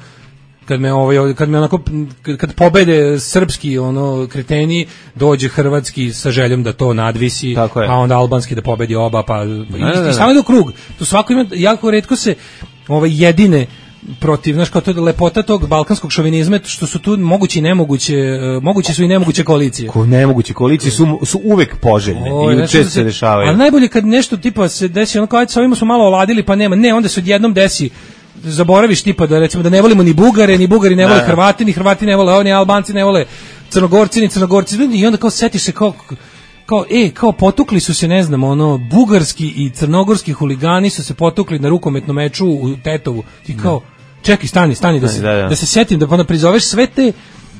kad me ovaj kad me onako kad- kad pobede srpski ono kreteni dođe hrvatski sa željom da to nadvisi, Tako je. a onda albanski da pobedi oba, pa da, i, da. i stalno ide u krug. Tu svako ima, jako retko se ovaj jedine protiv, znaš, kao to je lepota tog balkanskog šovinizma, što su tu moguće i nemoguće, e, moguće su i nemoguće koalicije. Ko nemoguće koalicije su, su uvek poželjne O, i znači često da se dešavaju. Ali najbolje kad nešto tipa se desi, ono kao ajde sa ovima smo malo oladili pa nema, ne, onda se odjednom desi zaboraviš tipa da recimo da ne volimo ni Bugare, ni Bugari ne vole Da. Hrvati, ni Hrvati ne vole ovo, ni Albanci ne vole Crnogorci, ni Crnogorci, i onda kao setiš se kao kao e, kao potukli su se, ne znam, ono, bugarski i crnogorski huligani su se potukli na rukometnom meču u Tetovu. Ti kao, čekaj, stani, stani da se, Da, da. da se setim, da onda prizoveš sve te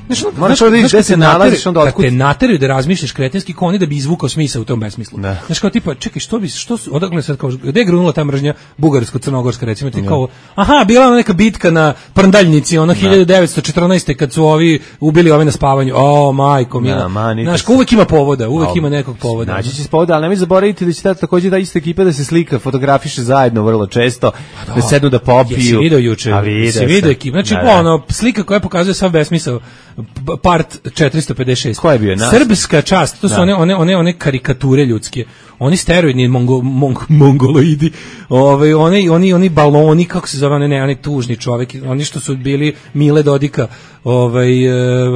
Znaš, ono, Moraš znaš, da vidiš znaš, gde se kad te nalaziš, nateraju- onda kad otkud. te nateraju da razmišljaš kretenski kao oni da bi izvukao smisao u tom besmislu. Da. Znaš, kao tipa, čekaj, što bi, što su, odakle sad kao, gde je grunula ta mržnja bugarsko-crnogorska, recimo, ti kao, aha, bila ona neka bitka na Prndaljnici, ono hiljadu devetsto četrnaeste kad su ovi ubili ove na spavanju, o, majko, mila. Da, manite Znaš, se. kao uvek ima povoda, uvek Al, ima nekog povoda. Naći će se povoda, ali nemoj zaboraviti da će ta, takođe ta ista ekipa da se slika, fotografiše zajedno vrlo često, da, sednu da popiju. Jesi video juče? A vidio Jesi sam. video ekipu? Znači, Da, da. ono, slika koja pokazuje sav besmisao, p- part četiristo pedeset šest. Ko je bio? Nas? Srpska čast, to su Da. one, one, one, one karikature ljudske. Oni steroidni mongo, mong, mongoloidi, ovaj, oni, oni, oni baloni, kako se zove, oni, ne, oni tužni čovek, oni što su bili Mile Dodika, ovaj,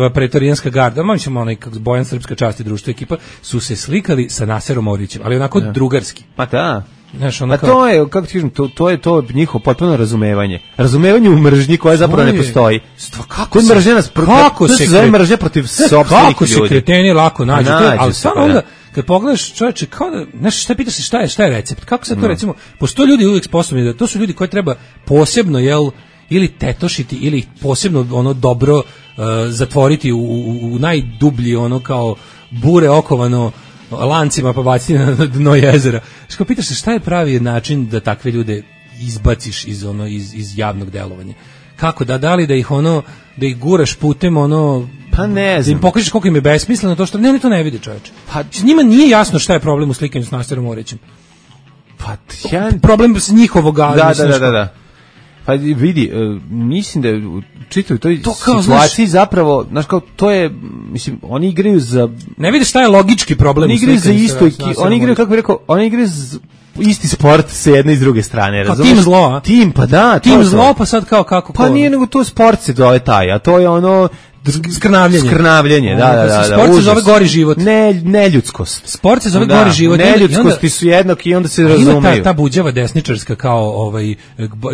e, pretorijanska garda, malo ćemo onaj, kako Bojan Srpska čast i društvo ekipa, su se slikali sa Naserom Orićem, ali onako drugarski. Pa da. Znaš, ono Pa kao- to je, kako ti kažem, to, to je to njihovo potpuno razumevanje. Razumevanje u mržnji koja zapravo ne To je- postoji. Stva, kako Kod se- mržnja nas pro- kako to se se zove kre- mržnja protiv Sve, sopstvenih kako se ljudi. kreteni lako nađu, Pa to je- nađu ali se, stvarno pa da. onda kad pogledaš čoveče, kao da, znaš, šta pitaš se šta je, šta je recept? Kako se to recimo, postoje ljudi uvijek sposobni da to su ljudi koje treba posebno, jel, ili tetošiti ili ih posebno ono dobro uh, zatvoriti u, u, u najdublji ono kao bure okovano lancima pa baciti na dno jezera. Što pitaš se šta je pravi način da takve ljude izbaciš iz ono iz, iz javnog delovanja? Kako da da li da ih ono da ih guraš putem ono Pa ne da im znam. pokažeš koliko im je besmisleno to što ne oni to ne vide, čoveče. Pa- Njima nije jasno šta je problem u slikanju s Naserom Orićem. Pa ja... Problem s njihovog Da, da, mislim, da, što- da, da. Pa vidi, e, mislim da je u čitavoj toj To kao, situaciji zapravo, znaš kao, to je, mislim, oni igraju za... Ne vidiš šta je logički problem Oni u igraju za slikanju isto, sa eki- Naserom oni igraju, Orićem. kako bih rekao, oni igraju za isti sport sa jedne i s druge strane, Kao razumeš? tim zlo, a? Tim, pa da, to Tim je to. zlo, pa sad kao kako Pa ko- nije nego to sport se zove taj, a to je ono skrnavljenje. Skrnavljenje, da, da, da, da. Sport se užas. zove gori život. Ne, neljudskost. Sport se zove Da, gori život. I onda- i onda- Neljudskosti su jednaki i onda se A ima razumeju. ta, ta buđava desničarska kao ovaj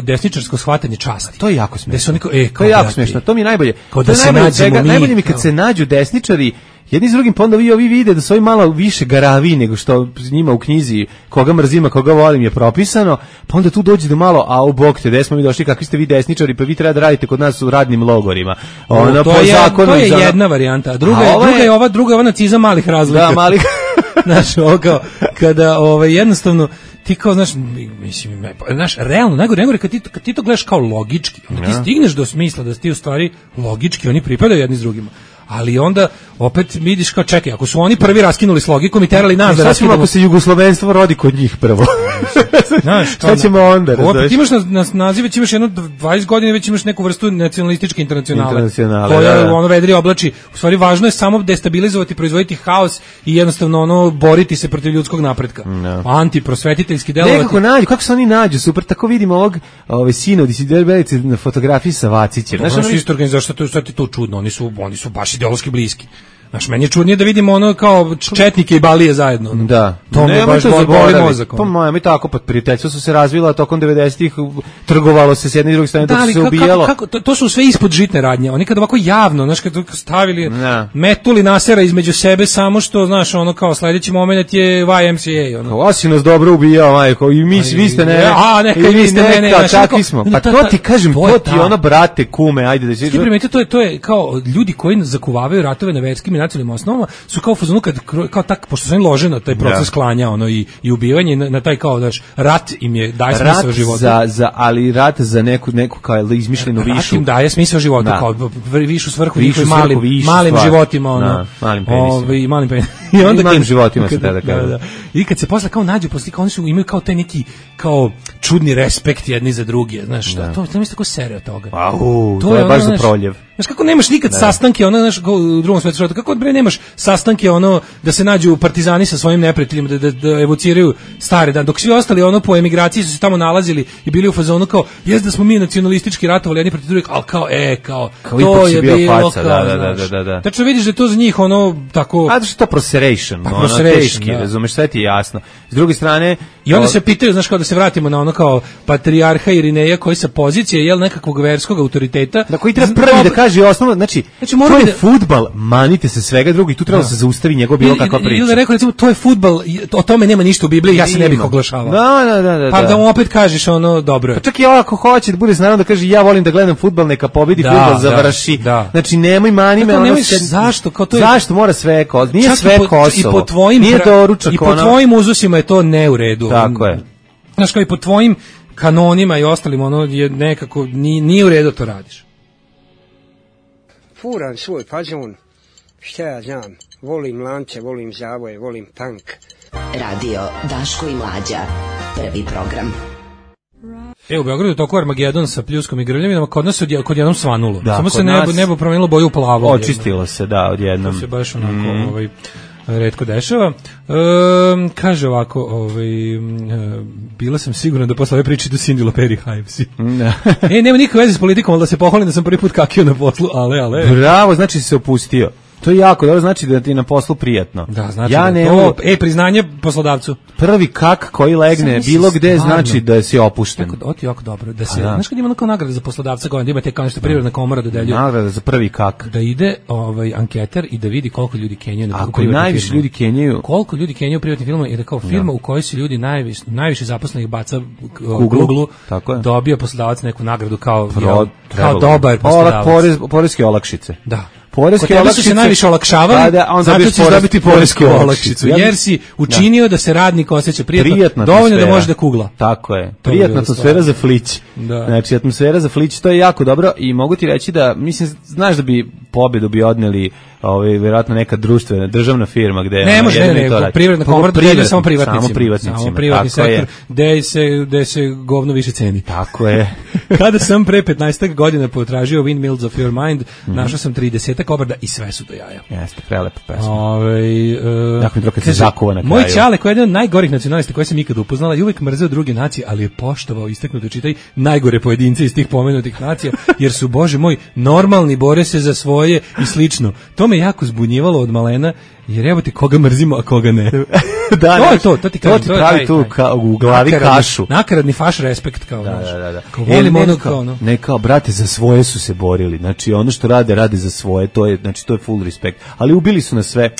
desničarsko shvatanje časti. To je jako Da smešno. su oni kao, e, To kao je jako brate, smešno. To mi je najbolje. kao To da je se najbolje od nađemo svega. mi, Najbolje mi kad kao- se nađu desničari jedni s drugim, pa onda vi ovi vide da su ovi malo više garavi nego što njima u knjizi koga mrzima, koga volim je propisano, pa onda tu dođe do malo, a u bok te, gde smo mi došli, kakvi ste vi desničari, pa vi treba da radite kod nas u radnim logorima. Ono, to po je, zakonu to je za- jedna varijanta, a druga, A je, ova je- druga je ova, druga je ova nacizam malih razlika. Da, mali... Znaš, ovo kao, kada ovaj, jednostavno ti kao, znaš, mislim, ne, pa, znaš, realno, najgore, najgore, kad ti, to- kad ti to gledaš kao logički, onda ti stigneš do smisla da su ti u stvari logički, oni pripadaju jedni s drugima. Ali onda opet vidiš kao čekaj, ako su oni prvi raskinuli s logikom i terali nas da Šta ćemo raskinemo. ako se jugoslovenstvo rodi kod njih prvo? Znaš, Šta ćemo onda? Opet razumeš? imaš na, na naziv, već imaš jedno dvadeset godina, već imaš neku vrstu nacionalističke internacionale. Internacionale, koja da, da. ono vedri oblači. U stvari važno je samo destabilizovati, proizvoditi haos i jednostavno ono boriti se protiv ljudskog napretka. Antiprosvetiteljski delovati. Nekako nađu, kako se oni nađu, super, tako vidimo ovog ove, sina od Disiderbelice na fotografiji sa Vacićem. Znaš, Znaš, ono ono, isto organizacija, što je, što je to čudno, oni su, oni su baš ideološki bliski. Znaš, meni je čudnije da vidimo ono kao četnike i balije zajedno. ono. da. To me Nemoj baš to boli, boli zaboraviti. mozak. ono. Pa moja, i tako, pa prijateljstvo su se razvila tokom devedesetih, trgovalo se s jedne i druge strane, Da, dok ali se kako, ubijalo. kako, to, to su sve ispod žitne radnje. Oni kad ovako javno, znaš, kad stavili, Da. metuli Nasera između sebe, samo što, znaš, ono kao sledeći moment je Y M C A. Ono. Ovo si nas dobro ubijao, majko, i mi, vi ste ne, A, neka, i i vi ste ne, ne, neka, znaš, kakvi onako- smo. no, Pa ta- to ta- ti kažem, to je to ti ta- ono, brate, kume, ajde da Ti si... primetite, to je to je kao ljudi koji zakuvavaju ratove na verskim i nacionalnim osnovama su kao u fazonu kad kro- kao tak pošto su oni lože na taj proces Da. klanja ono i i ubijanje na, na taj kao daš rat im je daje Rat smisao životu. za, za, ali rat za neku, neku kao izmišljenu Rat višu. im daje smisao života Da. kao v- višu svrhu Višu njihovim svrhu, malim višu malim stvar. životima ono. Da, malim penisima. Ovaj, i malim penisima. I onda malim kad- životima se kad- tada kaže. da, da. I kad se posle kao nađu posle kao oni su imaju kao taj neki kao čudni respekt jedni za druge, znaš, da. to to mi se tako sere od toga. Au, to je ono, baš za znaš, proljev. Znaš kako nemaš nikad sastanke, ono, znaš, kao u drugom svetskom ratu, kako bre nemaš sastanke, ono, da se nađu partizani sa svojim neprijateljima, da, da, da evociraju stare dan, dok svi ostali, ono, po emigraciji su se tamo nalazili i bili u fazonu kao, jes da smo mi nacionalistički ratovali jedni protiv drugih, ali kao, e, kao, Kao to ipak si je bio bilo, faca, kao, da, da, da, znaš. da, da. Tačno vidiš da je to za njih, ono, tako... A da što to proseration, Pa ono, proseration, teški, da. razumeš, sve ti je jasno. S druge strane... I onda o, se pitaju, znaš, kao da se vratimo na ono kao patrijarha Irineja koji sa pozicije, jel, nekakvog verskog autoriteta... Da koji treba z- prvi da ob- kaže osnovno, znači, Znači, mora to bi je da- fudbal, manite se se svega drugo i tu treba da se zaustavi njegov bilo kakva priča. Ili da rekao, recimo, to je fudbal, o tome nema ništa u Bibliji, ja se ne bih oglašavao. Da, da, da, da. Pa da mu opet kažeš ono, dobro. Pa čak i ako hoće da bude naravno da kaže ja volim da gledam fudbal, neka pobedi da, fudbal da, završi. Da. Znači nemoj mani me, ono se, zašto, kao to je, zašto mora sve Kosovo? Nije čak sve i po, Kosovo. I po tvojim nije doručak, i po ono... tvojim uzusima je to ne u redu. Tako je. Znaš, kao i po tvojim kanonima i ostalim, ono je nekako nije, nije u redu to radiš. Furan svoj fazon, šta ja znam, volim lance, volim zavoje, volim tank. Radio Daško i Mlađa, prvi program. E, u Beogradu je toko Armagedon sa pljuskom i grvljavinama, kod nas je kod jednom svanulo. Da, samo se nebo, nas... nebo promenilo boju u plavo. Očistilo se, da, odjednom. To se baš onako mm. ovaj, retko dešava. E, kaže ovako, ovaj, e, bila sam sigurna da posle ove priče do Cindy Loperi Hivesi. e, nema nikakve veze s politikom, ali da se pohvalim da sam prvi put kakio na poslu, ale, ale. Bravo, znači si se opustio. To je jako dobro, znači da ti je na poslu prijatno. Da, znači ja da ne, to, e, priznanje poslodavcu. Prvi kak koji legne bilo gde stvarno, znači da si opušten. Tako, to je jako dobro. Da se, znaš kad ima onako nagrada za poslodavca, da imate kao nešto privredna komora dodeljuje. Nagrada za prvi kak. Da ide ovaj anketar i da vidi koliko ljudi kenjaju na privatnim firmama. Ako najviše ljudi kenjaju. Koliko ljudi kenjaju u privatnim firmama i da kao firma da. U kojoj su ljudi najviše, najviše zaposlenih baca Google, Google tako je. Dobio poslodavac neku nagradu kao, Pro, jel, kao dobar poslodavac. Porez, poreske olakšice. Da. Poreske olakšice se najviše olakšavali, da, onda zato ćeš dobiti poresku olakšicu, ja, jer si učinio da, da se radnik osjeća prijatno, prijatna dovoljno atmosfera. Da može da kugla. Tako je, prijatna atmosfera za flić. Da. Znači, atmosfera za flić, to je jako dobro i mogu ti reći da, mislim, znaš da bi pobedu bi odneli ovaj vjerovatno neka društvena državna firma gde ne može ne, ne, ne privredna komora dodeljuje samo privatnicima samo privatnicima samo privatni sektor gde se gde se govno više ceni tako je. Kada sam pre petnaestak godina potražio Windmills of Your Mind mm-hmm. našao sam tridesetak obrada i sve su do jaja. Jeste prelepa pesma. Ovaj uh, dakle dok se zakuva na kraju. Moj ćale koji je jedan od najgorih nacionalista koje sam ikad upoznala i uvek mrzeo druge nacije, ali je poštovao istaknuto čitaj najgore pojedince iz tih pomenutih nacija jer su bože moj normalni, bore se za svoje i slično. To me jako zbunjivalo od malena, jer evo ti koga mrzimo, a koga ne. da, to je to, to ti kažem. To ti pravi taj, tu ka, u glavi nakaradni, kašu. Nakaradni faš respekt kao, da, naš. Da, da, da. Kao volim ono kao ono. Ne kao, brate, za svoje su se borili. Znači, ono što rade, rade za svoje. To je, znači, to je full respekt. Ali ubili su nas sve.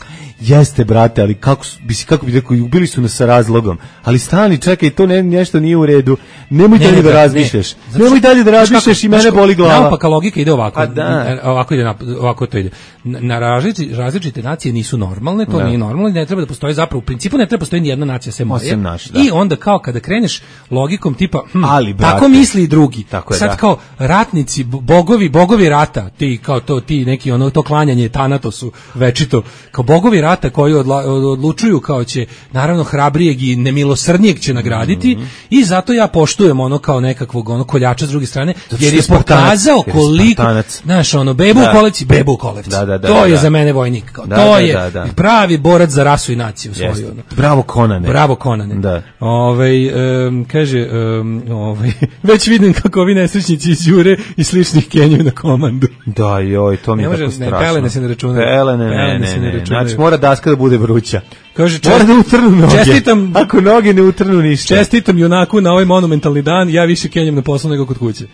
Jeste, brate, ali kako, bi si, kako bi rekao, ubili su nas sa razlogom. Ali stani, čekaj, to ne, nešto nije u redu. Nemoj ne, dalje da razmišljaš. Ne. Nemoj dalje da razmišljaš i mene boli glava. Naopaka logika ide ovako. A da. Ovako ide, ovako to ide. Na različite, različite nacije nisu normalne, to da. Nije normalno i ne treba da postoji zapravo, u principu ne treba postoji ni jedna nacija sem moje. Naš, da. I onda kao kada kreneš logikom tipa, hm, ali, brate, tako misli i drugi. Tako je, sad da. Kao ratnici, bogovi, bogovi rata, ti kao to, ti neki ono, to klanjanje Tanatosu večito, kao bogovi rata koji odla, odlučuju kao će, naravno hrabrijeg i nemilosrdnijeg će nagraditi mm-hmm. i zato ja poštujem ono kao nekakvog ono koljača s druge strane, jer je pokazao koliko, znaš, ono, bebu da. U kolevci, bebu u kolevci. Da, da, da, to da, je da. Za mene vojnik. Kao, da, to da, je da, da. pravi borac za rasu i naciju svoju. Ono. Bravo Konane. Bravo Konane. Da. Ovaj um, kaže um, ovaj već vidim kako ovi nesrećnici iz Jure i sličnih kenjaju na komandu. Da, joj, to mi je tako strašno. Ne, pelene se ne računaju. Pelene, ne, ne, ne, ne. Znači mora daska da bude vruća. Kaže, čest, mora da utrnu noge. Čestitam, ako noge ne utrnu ništa. Čestitam junaku na ovaj monumentalni dan, ja više kenjam na poslu nego kod kuće.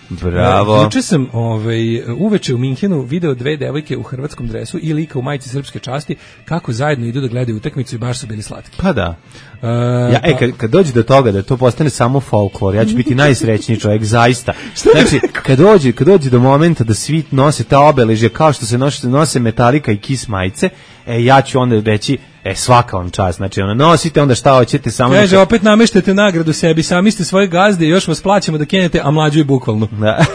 Bravo. Juče sam ovaj, uveče u Minhenu video dve devojke u hrvatskom dresu i lika u majici srpske časti kako zajedno idu da gledaju utakmicu i baš su bili slatki. Pa da. Uh, ja, e, kad, kad dođe do toga da to postane samo folklor, ja ću biti najsrećniji čovjek, zaista. Znači, kad dođe, kad dođe do momenta da svi nose ta obeležja kao što se nose, nose Metallica i Kiss majice, e, ja ću onda reći, e, svaka vam čast, znači, ono, nosite, onda šta hoćete, samo... Kaže, da... opet nameštate nagradu sebi, sami ste svoje gazde i još vas plaćamo da kenete, a mlađu i bukvalno. Da.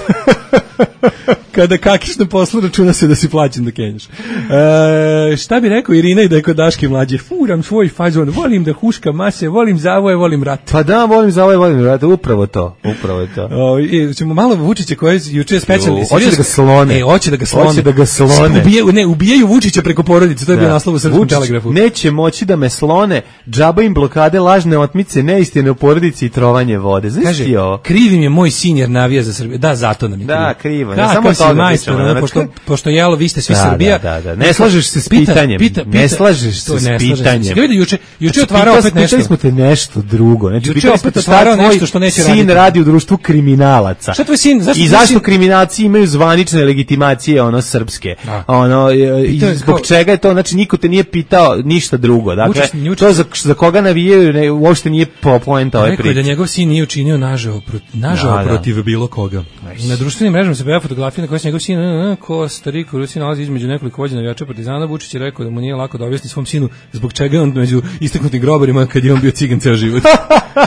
Kada kakiš na poslu, računa se da si plaćen da kenješ. E, šta bi rekao Irina i da je kod Daške Mlađe? Furam svoj fazon, volim da huška mase, volim zavoje, volim rat. Pa da, volim zavoje, volim rat, upravo to, upravo je to. O, i, ćemo malo Vučića koje je juče specijalni. Hoće da ga slone. E, hoće da ga slone. Hoće da ga slone. Ubijaju, ne, ubijaju Vučića preko porodice, to je da. Bio naslov u Srpskom telegrafu. Neće moći da me slone, džaba im blokade, lažne otmice, neistine u porodici i trovanje vode. Znaš ti ovo? Krivim je moj sin jer navija za Srbiju. Da, zato nam je kriv. Da, krivo. Kakav samo toga majstor, pričamo, ono, znači, pošto, pošto jelo, vi ste svi Da, Srbija. da, da, da. Ne slažeš se s Pita, pitanjem. pita, Ne pita. slažeš se To s ne slažem pitanjem. se. Vidi, juče, juče Znači, otvarao pitao- opet nešto. Pitali smo te nešto drugo. Znači, Juče pitali opet smo te šta otvarao tvoj nešto što neće sin raditi. radi u društvu kriminalaca. Šta tvoj sin- zašto I tvoj zašto sin- kriminalci imaju zvanične legitimacije, ono, srpske. Da. Ono, e, i Pitao je zbog kao- čega je to, znači, niko te nije pitao ništa drugo. Dakle, Vučić- Vučić- to za, za koga navijaju, ne, uopšte nije po poenta ove Rekao je da priče. njegov sin nije učinio nažao, proti, nažao Da, da. protiv bilo koga. Na društvenim mrežama se pojavila fotografija na kojoj se njegov sin uh, uh, ko Stariko u Rusiji nalazi između nekoliko vođa navijača Partizana. Vučić je rekao da mu nije lako da objasni svom sinu zbog čega je on među istaknutim grobarima kad je on bio cigan ceo život.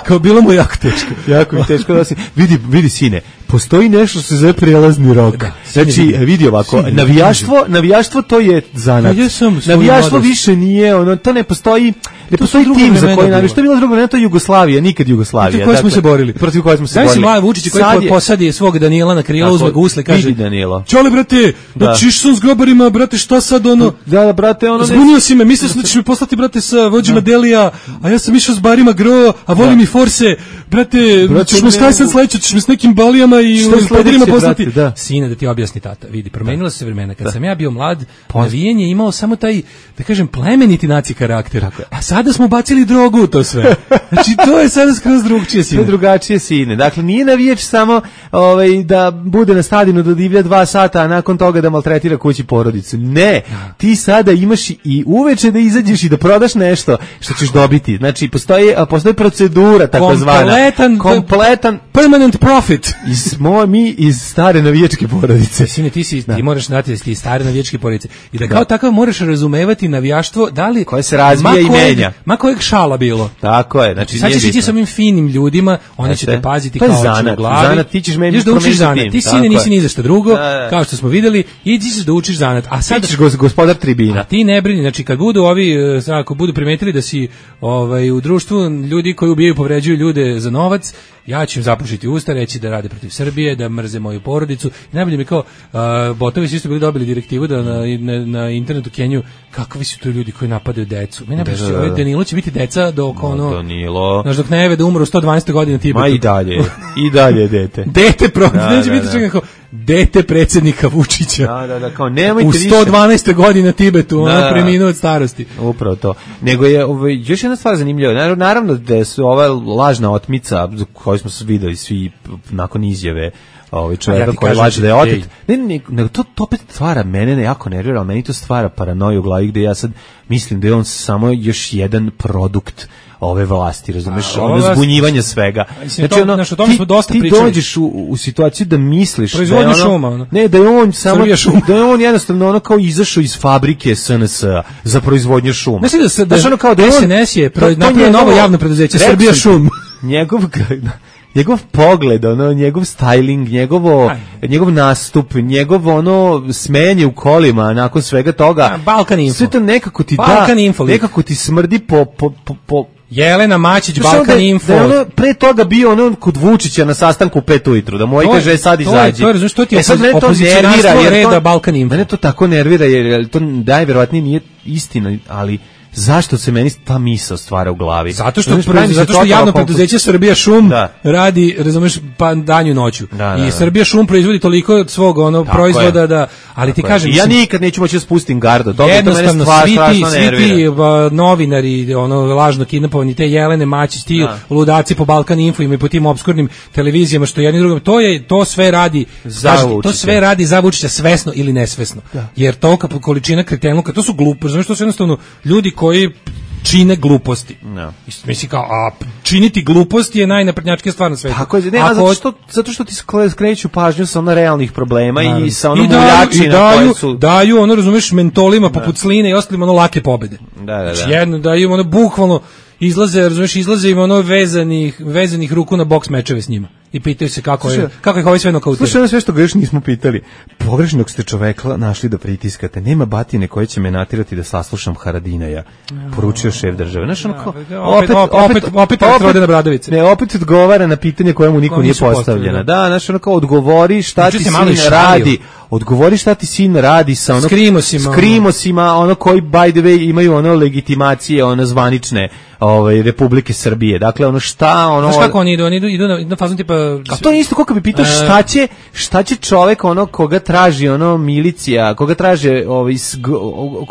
Kao bilo mu jako teško. Jako mi teško da si... Vidi, vidi sine, postoji nešto što se zove prijelazni rok. Da, sine, Znači, vidi. vidi ovako, Sine, navijaštvo, navijaštvo to je zanat. Pa ja sam svoju Navijaštvo mladost. više nije, ono, to ne postoji, ne postoji druga tim za vremena koji bila. navijaš. To je bila druga vremena, to je Jugoslavija, nikad Jugoslavija. Protiv koje smo Dakle, se borili. Protiv koje smo se Znaš si borili. mlad Vučić koji Sad je- posadi svog Danijela na krilo, Tako, uzme ga usle, kaže vidi Danilo. Čale, brate, Da. da čiš sam s grobarima, brate, šta sad ono? Da, da, brate, ono... ne- Zbunio si me, mislio sam da ćeš mi poslati, brate, sa vođima Delija, a ja sam išao s barima Gro, a volim i Forse, brate, Brate, ćeš me ne šta je sad mogu. sledeće, ćeš me s nekim balijama i Šta je u padirima sledeće, poslati. brate, da. Sine, da ti objasni tata, vidi, promenila su se vremena. Kad sam ja bio mlad, navijenje je imao samo taj, da kažem, plemeniti naci karakter, a sada smo bacili drogu u to sve. Znači, to je sada skroz drugčije, To sine. je drugačije sine. Dakle, nije navijač samo ovaj, da bude na stadionu do divlja dva sata, a nakon toga da maltretira kući porodicu. Ne, ti sada imaš i uveče da izađeš i da prodaš nešto što ćeš dobiti. Znači, postoji, a, postoji procedura takozvana. Kompletan, Kompletan permanent profit. iz mo, mi iz stare navijačke porodice. Sine, ti si, ti moraš znati da si ti stare navijačke porodice. I da kao takav moraš razumevati navijaštvo, da li... Koje se razvija ma i kojeg- menja. Ma kojeg šala bilo. Tako je, znači Sad nije ćeš ići bitno. sa ovim finim ljudima, oni će Jeste. te paziti To je kao oči u zanat, glavi. zanat, ti ćeš meni Ideš da učiš promeniti zanat. tim, Ti tako sine je. nisi ni za šta drugo, Da, da. kao što smo videli, idi ćeš da učiš zanat. A sad Ti ćeš gos- gospodar tribina. A ti ne brini, znači kad budu ovi, e, sad ako budu primetili da si ovaj, u društvu ljudi koji ubijaju i povređuju ljude za novac, ja ću im zapušiti usta, reći da rade protiv Srbije, da mrze moju porodicu. I najbolje mi kao, a, botovi su isto bili dobili direktivu da na, na, na internetu Kenju, kakvi su to ljudi koji napadaju decu. Meni najbolje Da, što da, da. ovaj Danilo će biti deca dok ono... Danilo. Znaš, dok ne da umru u sto dvanaeste godine Tibetu. Ma i dalje, i dalje je dete. Dete pro, Da, neće da, biti da. čega kao dete predsjednika Vučića. Da, da, da, kao nemojte U više. sto dvanaeste godine Tibetu, Da, ona da. preminuo od starosti. Upravo to. Nego je ovaj, još jedna stvar zanimljiva. Naravno, naravno da su ova lažna otmica koju smo videli svi nakon izjave ovaj Ja čovjeka ti koji kažem, laže da je otet. ej. Ne, ne, nego to, to opet stvara mene ne jako nervira, ali meni to stvara paranoju u glavi gde ja sad mislim da je on samo još jedan produkt ove vlasti, razumeš, A, ova ono vlast- zbunjivanje svega. Mislim, to- znaš, o tome ti, smo dosta ti pričali. dođeš u, u situaciju da misliš da je Proizvodnja ono, šuma, ono. ne, da je on samo, Srbija šuma. da je on jednostavno ono kao izašao iz fabrike S N S-a za proizvodnju šuma. Mislim da se da, Znaš, ono kao da je on- S N S je to- pro- to napravio njegovo- novo javno preduzeće Rekao Srbija sam ti, šum. Njegov njegov pogled, ono, njegov styling, njegovo, njegov nastup, njegovo ono smejanje u kolima nakon svega toga. A, Balkan Info. Sve to nekako ti Balkan da, Info lik. nekako ti smrdi po, po, po, po Jelena Mačić, Znaš, ono Balkan da je- Info. Da je ono pre toga bio ono kod Vučića na sastanku u pet ujutru, da mu ovaj To je- kaže sad to je- izađi. to je, razumiješ, to ti je E sad mene to opozicionarstvo nervira, jer to- reda Balkan Info. Mene to tako nervira, jer, jer to najverovatnije nije istina, ali zašto se meni ta misao stvara u glavi? Zato što Znaš, pravi mi se zato što totalno javno konfuz- preduzeće Srbija šum Da. radi, razumeš, pa danju i noću. Da, da, I da. Srbija šum proizvodi toliko od svog ono Tako proizvoda je. da, ali ti Tako je. kažem, I ja mislim, nikad neću moći da spustim gardu. To, to mene jednostavno stvar, svi ti, strašno svi nervira. ti ba, novinari, ono lažno kidnapovani, te Jelene Mačić, ti Da. ludaci po Balkan Info i po tim obskurnim televizijama što jedni drugom, to je to sve radi Za kažete, to Vučića. sve radi za Vučića svesno ili nesvesno. Jer tolika količina kretenluka, to su glupi, znači to su jednostavno ljudi koji čine gluposti. No. Mislim kao, a činiti gluposti je najnaprednjačkija stvar na svetu. Tako je, ne, a Ako- zato što, zato što ti skle- skreću pažnju sa ono realnih problema i sa ono I daju, i muljačina daju, koje su... daju, ono, razumeš, mentolima poput Sline i ostalim ono lake pobede. Da, da, da. Znači, jedno, daju im ono bukvalno izlaze, razumeš, izlaze im ono vezanih, vezanih ruku na boks mečeve s njima. I pitaju se kako je, Slušaj, kako ih ovaj sve nokautiraju. Slušaj, ono sve što ga još nismo pitali. Pogrešnog ste čoveka našli da pritiskate. Nema batine koje će me natirati da saslušam Haradinaja. Poručio šef države. Znaš, ono kao, opet- opet- opet Rodena Obradovića. Ne, opet odgovara na pitanje koje mu niko Koje nije nisu postavljeno. postavljeno. Da, znaš, ono kao odgovori šta Juče ti se malo sin i šalio. radi odgovori šta ti sin radi sa ono Skrimosima, skrimosima, ono koji by the way imaju ono legitimacije, ono zvanične, ovaj Republike Srbije. Dakle, ono šta, ono znaš kako oni idu, oni idu, idu na, na fazon tipa... A to je isto kako bi pitao šta će, šta će čovek ono koga traži ono milicija, koga traže ovaj